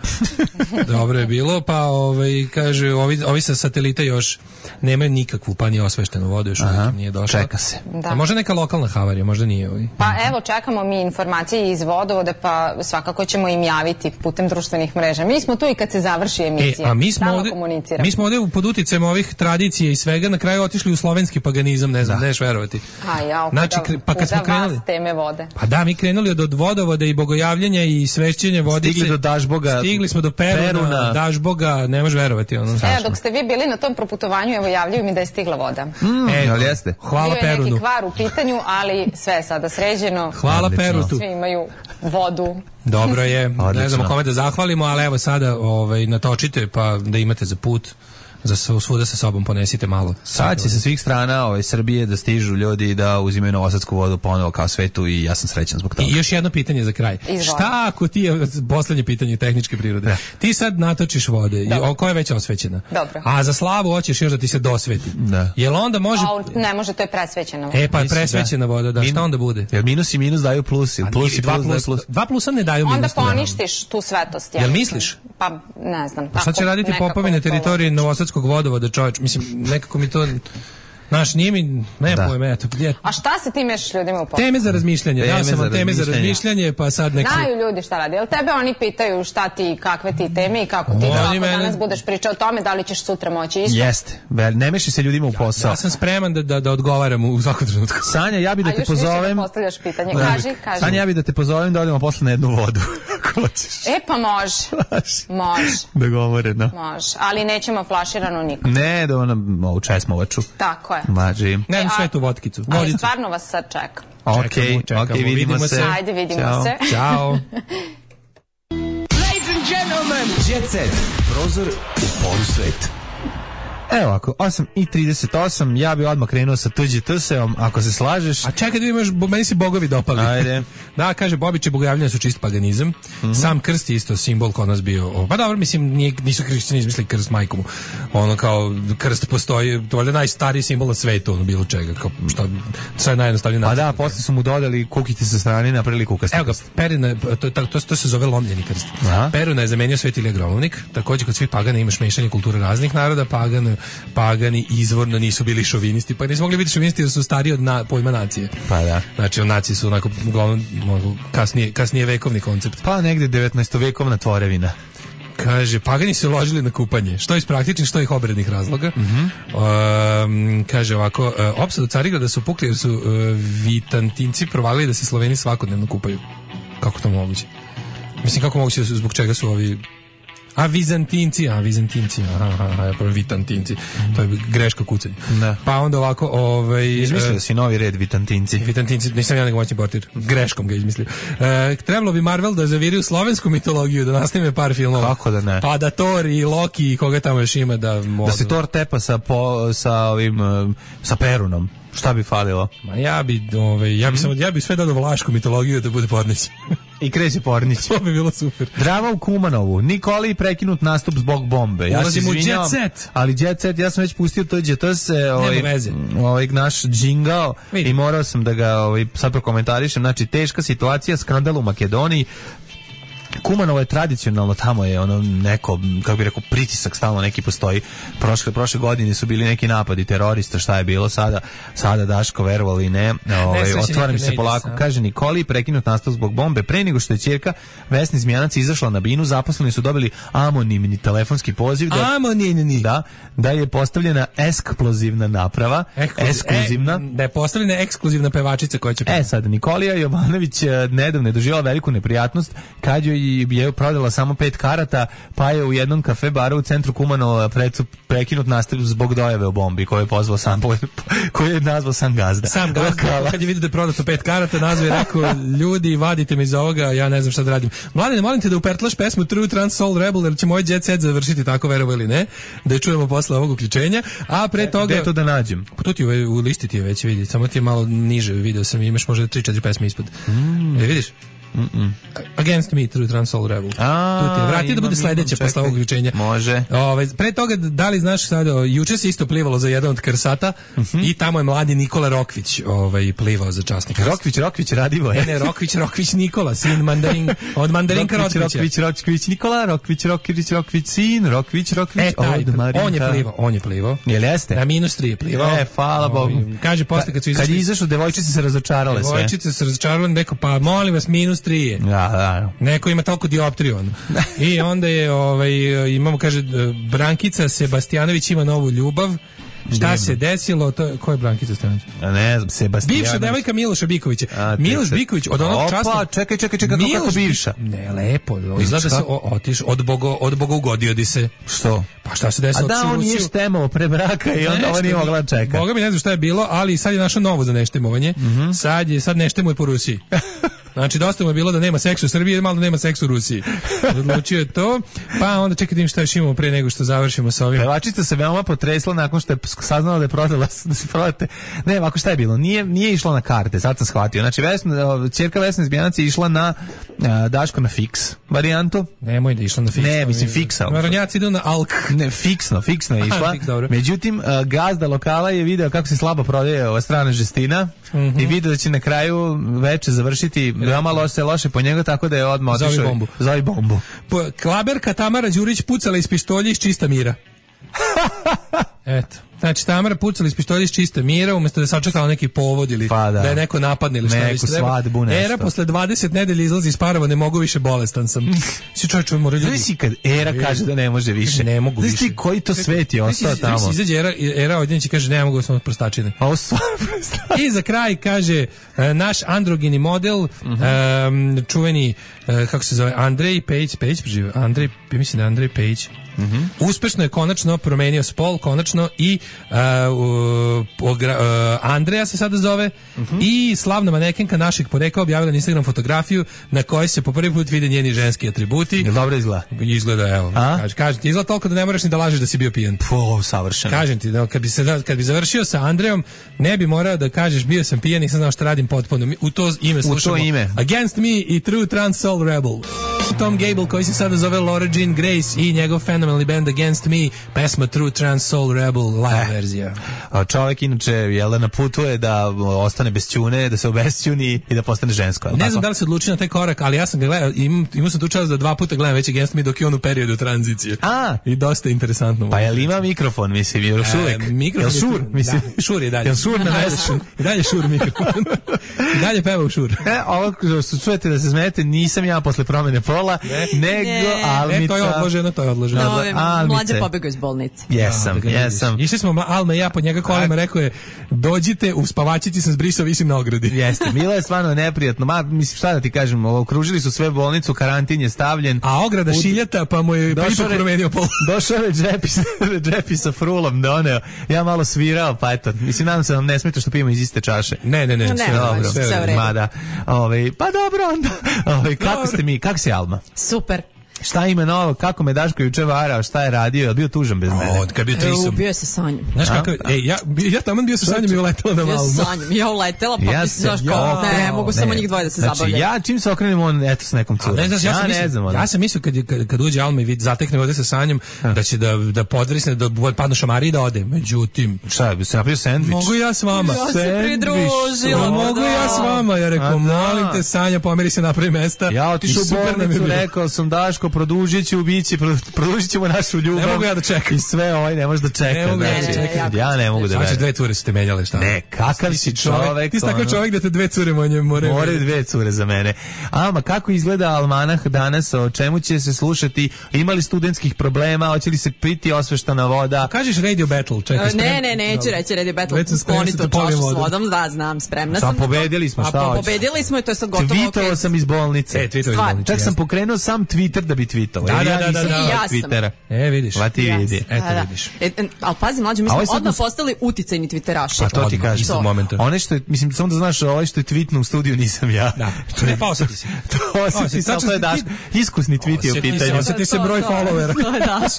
Dobro je bilo, pa ovaj, kaže, ovi, ovi sa satelita još nemaju nikakvu, pa ni osveštenu vodu, još uvijek nije došla. Čeka se. Da. A možda neka lokalna havarija, možda nije ovaj. Pa evo, čekamo mi informacije iz vodovode, pa svakako ćemo im javiti putem društvenih mreža. Mi smo tu i kad se završi emisija. E, a mi smo ovde, mi smo ovde pod uticajem ovih tradicija i svega na kraju otišli u slovenski paganizam, ne znam, neš verovati. A ja, znači, pa kad smo krenuli, teme vode. Pa da, mi krenuli od, od vodovode i bogojavljenja i svešćenja vodice. Stigli do Dažboga. Stigli smo do Peruna, Peruna. Dažboga, ne možeš verovati. Ono, e, dok ste vi bili na tom proputovanju, evo javljaju mi da je stigla voda. Mm, e, ali jeste. Hvala Bio je Perunu. neki kvar u pitanju, ali sve je sada sređeno. Hvala Perunu. Svi imaju vodu. Dobro je, ne znamo kome da zahvalimo, ali evo sada ovaj, natočite pa da imate za put. Za svuda sa sobom ponesite malo. Sad će sa svih strana ovaj, Srbije da stižu ljudi da uzimaju novosadsku vodu ponovo kao svetu i ja sam srećan zbog toga. I još jedno pitanje za kraj. Izvoli. Šta ako ti je, poslednje pitanje tehničke prirode, da. Ti sad natočiš vode, i, o, koja je već osvećena. Dobro. A za slavu hoćeš još da ti se dosveti. Da. Jel onda može... A, ne može, to je presvećena voda. E pa je presvećena da. voda, da, Min... šta onda bude? Jel minus i minus daju plus? Plus i dva plus, plus, plus. Dva plusa ne daju minus. Onda poništiš tu svetost. Jel misliš? Pa ne znam. A šta će raditi popovi na teritoriji Novosadskog vodovoda, čovječ? Mislim, nekako mi to... Znaš, nije mi, ne da. pojme, eto. Ja... A šta se ti mešaš ljudima u poslu? Teme za razmišljanje, ja sam vam teme za razmišljanje, pa sad nek... Znaju ljudi šta radi, jel tebe oni pitaju šta ti, kakve ti teme i kako ti da ako mene... danas budeš pričao o tome, da li ćeš sutra moći isto? Jeste, ne meši se ljudima u posao. Ja, ja sam spreman da, da, da odgovaram u svakom trenutku. Sanja, ja bi da te pozovem... A još više da postavljaš pitanje, kaži, kaži. Sanja, ja bi da te pozovem da odemo posle na jednu vodu, ako hoćeš. E, pa može, može. Dogovoreno. Može, ali nećemo flaširano niko. Ne, da ono, ovu česmovaču. Tako je. Mađi. Ne, sve tu vodkicu. Ali stvarno vas sad čekam. Ok, ok, vidimo, vidimo se. Ajde, vidimo Ćao. se. Ćao. Ladies and gentlemen, Jet Set, prozor u polusvet. Evo ovako, osam i trideset osam, ja bi odmah krenuo sa tuđi tseom, ako se slažeš. A čekaj da imaš, meni si bogovi dopali. Ajde. Da, kaže, Bobiće bogojavljanja su čist paganizam. Mm-hmm. Sam krst je isto simbol kod nas bio. Pa dobro, mislim, nije, nisu hrišćani izmislili krst majkomu. Ono kao, krst postoji, to je najstariji simbol na svetu, ono bilo čega. Kao, šta, sve najjednostavnije. Pa da, posle su mu dodali kukiti sa strane, napravili kukasti. Evo ga, Perina, to, to, to, to se zove lomljeni krst. Aha. Peruna je zamenio Svet Ilija Gromovnik. Takođe, kod svih pagana imaš mešanje kulture raznih naroda, pagan, pagani izvorno nisu bili šovinisti, pa nisu mogli biti šovinisti da su stariji od na, pojma nacije. Pa da. Znači, nacije su onako uglavnom kasnije, kasnije vekovni koncept. Pa negde devetnaestovekovna tvorevina. Kaže, pagani su ložili na kupanje, što iz praktičnih, što iz obrednih razloga. Mm-hmm. Um, kaže ovako, uh, opsad u Carigrada su pukli jer su uh, Vitantinci provalili da se Sloveni svakodnevno kupaju. Kako to moguće? Mislim, kako moguće, zbog čega su ovi... A Vizantinci, a Vizantinci, aha, aha, ja prvo Vitantinci, to je greška kucanja. Da. Pa onda ovako, ovaj... Izmislio uh, si novi red Vitantinci. Vitantinci, nisam ja nego moćni portir, greškom ga izmislio. Uh, trebalo bi Marvel da zaviri u slovensku mitologiju, da nastavime par filmova. Kako da ne? Pa da Thor i Loki i koga tamo još ima da... Modu. Da se Thor tepa sa, po, sa ovim, uh, sa Perunom. Šta bi falilo? Ma ja bi, ovaj, ja bi mm. samo, ja bi sve dodao vlašku mitologiju da bude Pornić. I Kresi Pornić. To bi bilo super. Drama u Kumanovu. Nikoli prekinut nastup zbog bombe. Ja Ulazim u Jet Set. Ali Jet Set, ja sam već pustio to Jet Set, ovaj, ovaj naš džingao i morao sam da ga ovaj, sad prokomentarišem. Znači, teška situacija, skandal u Makedoniji. Kumanovo je tradicionalno, tamo je ono neko, kako bi rekao, pritisak stalno neki postoji. Prošle, prošle godine su bili neki napadi terorista, šta je bilo sada, sada Daško, verovali ne, ovaj, otvaram se polako. Sa. Kaže Nikoli, prekinut nastav zbog bombe. Pre nego što je ćerka Vesni Zmijanac izašla na binu, zaposleni su dobili anonimni telefonski poziv da, anonimni. Da, da je postavljena eksplozivna naprava, ekskluzivna. E, da je postavljena ekskluzivna pevačica koja će... E sad, Nikolija Jovanović nedavno je doživjela veliku neprijatnost kad joj je prodala samo pet karata, pa je u jednom kafe baru u centru Kumanova prekinut nastav zbog dojave o bombi koju je pozvao sam, koju je nazvao sam gazda. Sam gazda, kad je vidio da je prodato pet karata, nazvao je rekao, ljudi, vadite me iz ovoga, ja ne znam šta da radim. Mladine, molim te da upertlaš pesmu True Trans Soul Rebel, jer će moj Jet Set završiti tako, verovo ili ne, da je čujemo posle ovog uključenja, a pre toga... Gde to da nađem? Pa tu ti u, u listi ti je već vidi, samo ti je malo niže, video sam, imaš možda tri četiri pesme ispod. Mm. E, vidiš? Mm -mm. Against Me, True Trans Soul Rebel. A, tu ti je, vrati da bude sledeće posle ovog uključenja. Može. Ove, pre toga, da li znaš sad, juče se isto plivalo za jedan od Krsata mm -hmm. i tamo je mladi Nikola Rokvić ovaj, plivao za časnika. Rokvić, Rokvić, Radivo je. Ne, ne, Rokvić, Rokvić Nikola, sin mandarin, od mandarinka Rokvića. Rokvić, Rokvić, Nikola, Rokvić, Rokvić, Rokvić, sin, Rokvić, Rokvić, e, taj, od Marinka. On je plivao, on je plivao. Jel jeste? Na minus tri je plivao. E, hvala Bogu. Kaže posle kad su izašli. Kad je izašao, devojčice se razočarale sve. Devojčice se razočarale, rekao, pa molim vas, minus tri je. Ja, da. Neko ima toliko dioptriju. I onda je, ovaj, imamo, kaže, Brankica Sebastijanović ima novu ljubav. Šta se desilo? To, ko je Brankica Sebastijanović? Ne znam, Sebastijanović. Bivša devojka Miloša Bikovića. A, Miloš Biković od onog časa... Opa, čekaj, čekaj, čekaj, kako, kako bivša? Ne, lepo. Izgleda da se otiš, od bogo, od boga ugodio di se. Što? Pa šta se desilo? A da, on je štemao pre braka i onda ovo nije mogla čekati. Boga mi ne znam šta je bilo, ali sad je našao novo za neštemovanje. Mm -hmm. Sad je, sad neštemuje po Rusiji. Znači, dosta mu je bilo da nema seksa u Srbiji, malo da nema seksa u Rusiji. Odlučio je to, pa onda čekaj im šta još imamo pre nego što završimo sa ovim. Pevačica se veoma potresla nakon što je saznala da je prodala, da se prodate. Ne, ovako šta je bilo? Nije, nije išla na karte, sad sam shvatio. Znači, Vesna, ćerka Vesna Izbijanac je išla na uh, Daško na fiks varijantu. Nemoj da je išla na fiks. Ne, mislim fiksa. Maronjaci idu na alk. Ne, fiksno, fiksno je išla. Međutim, uh, gazda lokala je video kako se slabo prodaje ova strana žestina mm -hmm. i video da će na kraju veče završiti veoma loše, loše po njega, tako da je odmah otišao. Zovi bombu. Zovi bombu. Po, klaberka Tamara Đurić pucala iz pištolja iz čista mira. Eto. Znači, Tamara pucala iz pištolja iz čista mira, umjesto da je sačekala neki povod ili pa da. da je neko napadne ili šta već treba. Svadbu, nešto. Era posle dvadeset nedelja izlazi iz parova, ne mogu više, bolestan sam. Si čovječ, mora ljudi. Znaš si kad Era kaže da ne može više. Ne mogu više. Znaš ti koji to svet je ostao tamo? Znaš izađe Era, Era odjedno će kaže ne mogu, samo prostačine. A ovo stvarno prostačine. I za kraj kaže naš androgeni model, uh -huh. um, čuveni, uh, kako se zove, Andrej Pejić, Pejić prežive, Andrej, mislim da Andrej Pejić. Mm -hmm. Uspešno je konačno promenio spol, konačno i uh, uh, uh, Andreja se sada zove mm -hmm. i slavna manekenka našeg porekla objavila na Instagram fotografiju na kojoj se po prvi put vide njeni ženski atributi. Jel dobro izgleda? Izgleda, evo. Kaže, kažem ti, izgleda toliko da ne moraš ni da lažeš da si bio pijan. Po, savršeno. Kažem ti, da, kad, bi se, kad bi završio sa Andrejom, ne bi morao da kažeš bio sam pijan i sam znao šta radim potpuno. U to ime slušamo. U to ime. Against Me i True Trans Soul Rebel. Tom Gable koji se sada zove Laura Jean Grace i njegov fenomenalni band Against Me, pesma True Trans Soul Rebel live eh. verzija. A čovjek inače jel na putu je da ostane bez ćune, da se obesćuni i da postane žensko. Ne tako? Znam da li se odlučio na taj korak, ali ja sam ga gledao, im, imao sam tu čast da dva puta gledam već Against Me dok je on u periodu tranzicije. A. I dosta interesantno. Pa jel ima mikrofon, mislim, je još uvek? E, mikrofon jel šur, mislim? Da, šur je dalje. Jel šur na mesu? I dalje šur mikrofon. I dalje peva u šur. E, ovo što čujete da se smijete, nisam ja posle promene pola, ne. nego ne. Almica. E, to je odloženo, to je odloženo. No, Almice. Mlađe pobegao iz bolnice. Jesam, da, jesam. Išli smo, Alma i ja pod njega kolima, rekao je, dođite, u spavačici sam zbrisao, visim na ogradi. Jeste, bilo je stvarno neprijatno. Ma, mislim, šta da ti kažem, okružili su sve bolnicu, karantin je stavljen. A ograda u... šiljata, pa mu je ipak promenio pol. Došao je džepi, džepi sa frulom doneo. Ja malo svirao, pa eto, mislim, nadam se vam ne smeta što pijemo iz iste čaše. Ne, ne, ne, no, sve ne, dobro. Sve, sve Mada, ovaj, pa dobro onda. Ovaj, kako ste mi, kako si Alma? Super. Šta ima novo, kako me Daško juče varao, šta je radio, je bio tužan bez mene? O, kad bio trisom. Bio se Sanjom. Znaš kako, ej, ja, ja tamo bio sa Sanjom i uletela na Malmu. Bio Sanjom, ja uletela, pa ja se, znaš kao, ne, ne, mogu ne. samo njih dvoje da se znači, zabavljaju. Ja čim se okrenem, on, eto, s nekom curom. Ne, znaš, ja, ja, sam mislio, ne znam, ja sam mislio kad, kad, kad uđe Alma i vid, zatekne ovde sa Sanjom, ha. da će da, da podvrisne, da padnu šamari i da ode. Međutim, šta, bi se napravio sendvič? Mogu ja s vama. Ja se pridružila. Mogu ja s vama, ja rekao, molim te Sanja, pomeri se napravi mesta. Ja otišao u bolnicu, rekao sam Daško, produžit ću, biće, produžit ćemo našu ljubav. Ne mogu ja da čekam. I sve ovaj ne možeš da čekaš. Ne mogu ja da čekam. Ja ne mogu da verujem. Znači dve cure su te menjale, šta? Ne, kakav si čovek. Ti si takav čovek da te dve cure manje moraju. More dve cure za mene. Ama kako izgleda almanah danas, o čemu će se slušati? Imali studentskih problema, hoće li se piti osveštana voda? Kažeš Radio Battle, čekaj. Ne, ne, neću reći Radio Battle. Skloni to čašu s vodom, da, znam, spremna sam. Sam pobedili smo, šta hoćeš? Pobedili smo i to je sad gotovo. Tweetovao sam iz bolnice. E, tweetovao iz bolnice. Čak sam pokrenuo sam Twitter da bi tweetovao. Da, da, da, da, da. Ja Twittera. E, vidiš. Va ti vidi. Eto vidiš. Ali pazi, mlađe, mi smo odmah postali uticajni Twitteraši. A to ti kažeš. Istog momenta. One što je, mislim, samo da znaš, ovaj što je tweetno u studiju nisam ja. Da. Ne, pa osjeti se. To osjeti se, to je Daš. Iskusni tweet je u pitanju. Osjeti se broj followera. To je Daš.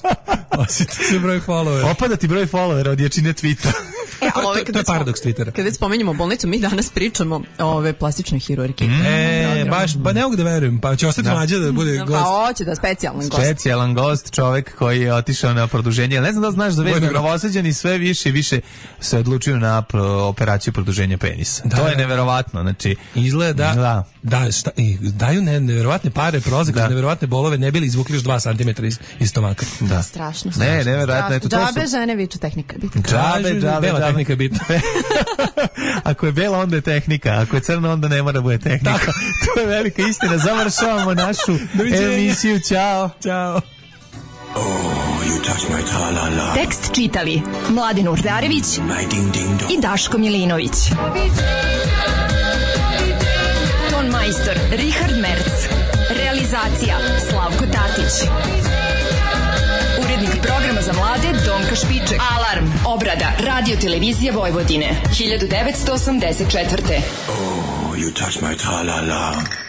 Osjeti se broj followera. Opada ti broj followera od jačine tweeta. E, ali ove, to je paradoks Twittera. Kad već spomenjamo bolnicu, mi danas pričamo o ove plastičnoj hirurgiji. Mm. E, baš, ba ne mogu da verujem, pa će ostati mlađe da bude gost. Pa hoće da specijalan gost. Specijalan gost, čovek koji je otišao na produženje. Ne znam da znaš da već Novosađani sve više i više se odlučuju na operaciju produženja penisa. Da, to je neverovatno, znači izgleda da, da šta, daju ne, neverovatne pare, prozak, da. Neverovatne bolove, ne bili izvukli još dva centimetra iz, iz stomaka. Da, strašno. Ne, neverovatno. Eto, džabe žene viču tehnika bitna. Džabe, džabe, bela tehnika bitna. Ako je bela, onda je tehnika. Ako je crna, onda ne mora da bude tehnika. Tako. To je velika istina. Završavamo našu emisiju. Ćao. Ćao. Oh, you touch my tra-la-la. Tekst čitali Mladin Urdarević i Daško Milinović. Ton majstor Richard Merc. Realizacija Slavko Tatić. Urednik programa za mlade Donka Špiček. Alarm, obrada, radio televizija Vojvodine, hiljadu devetsto osamdeset četvrte. Oh, you touch my tra-la-la.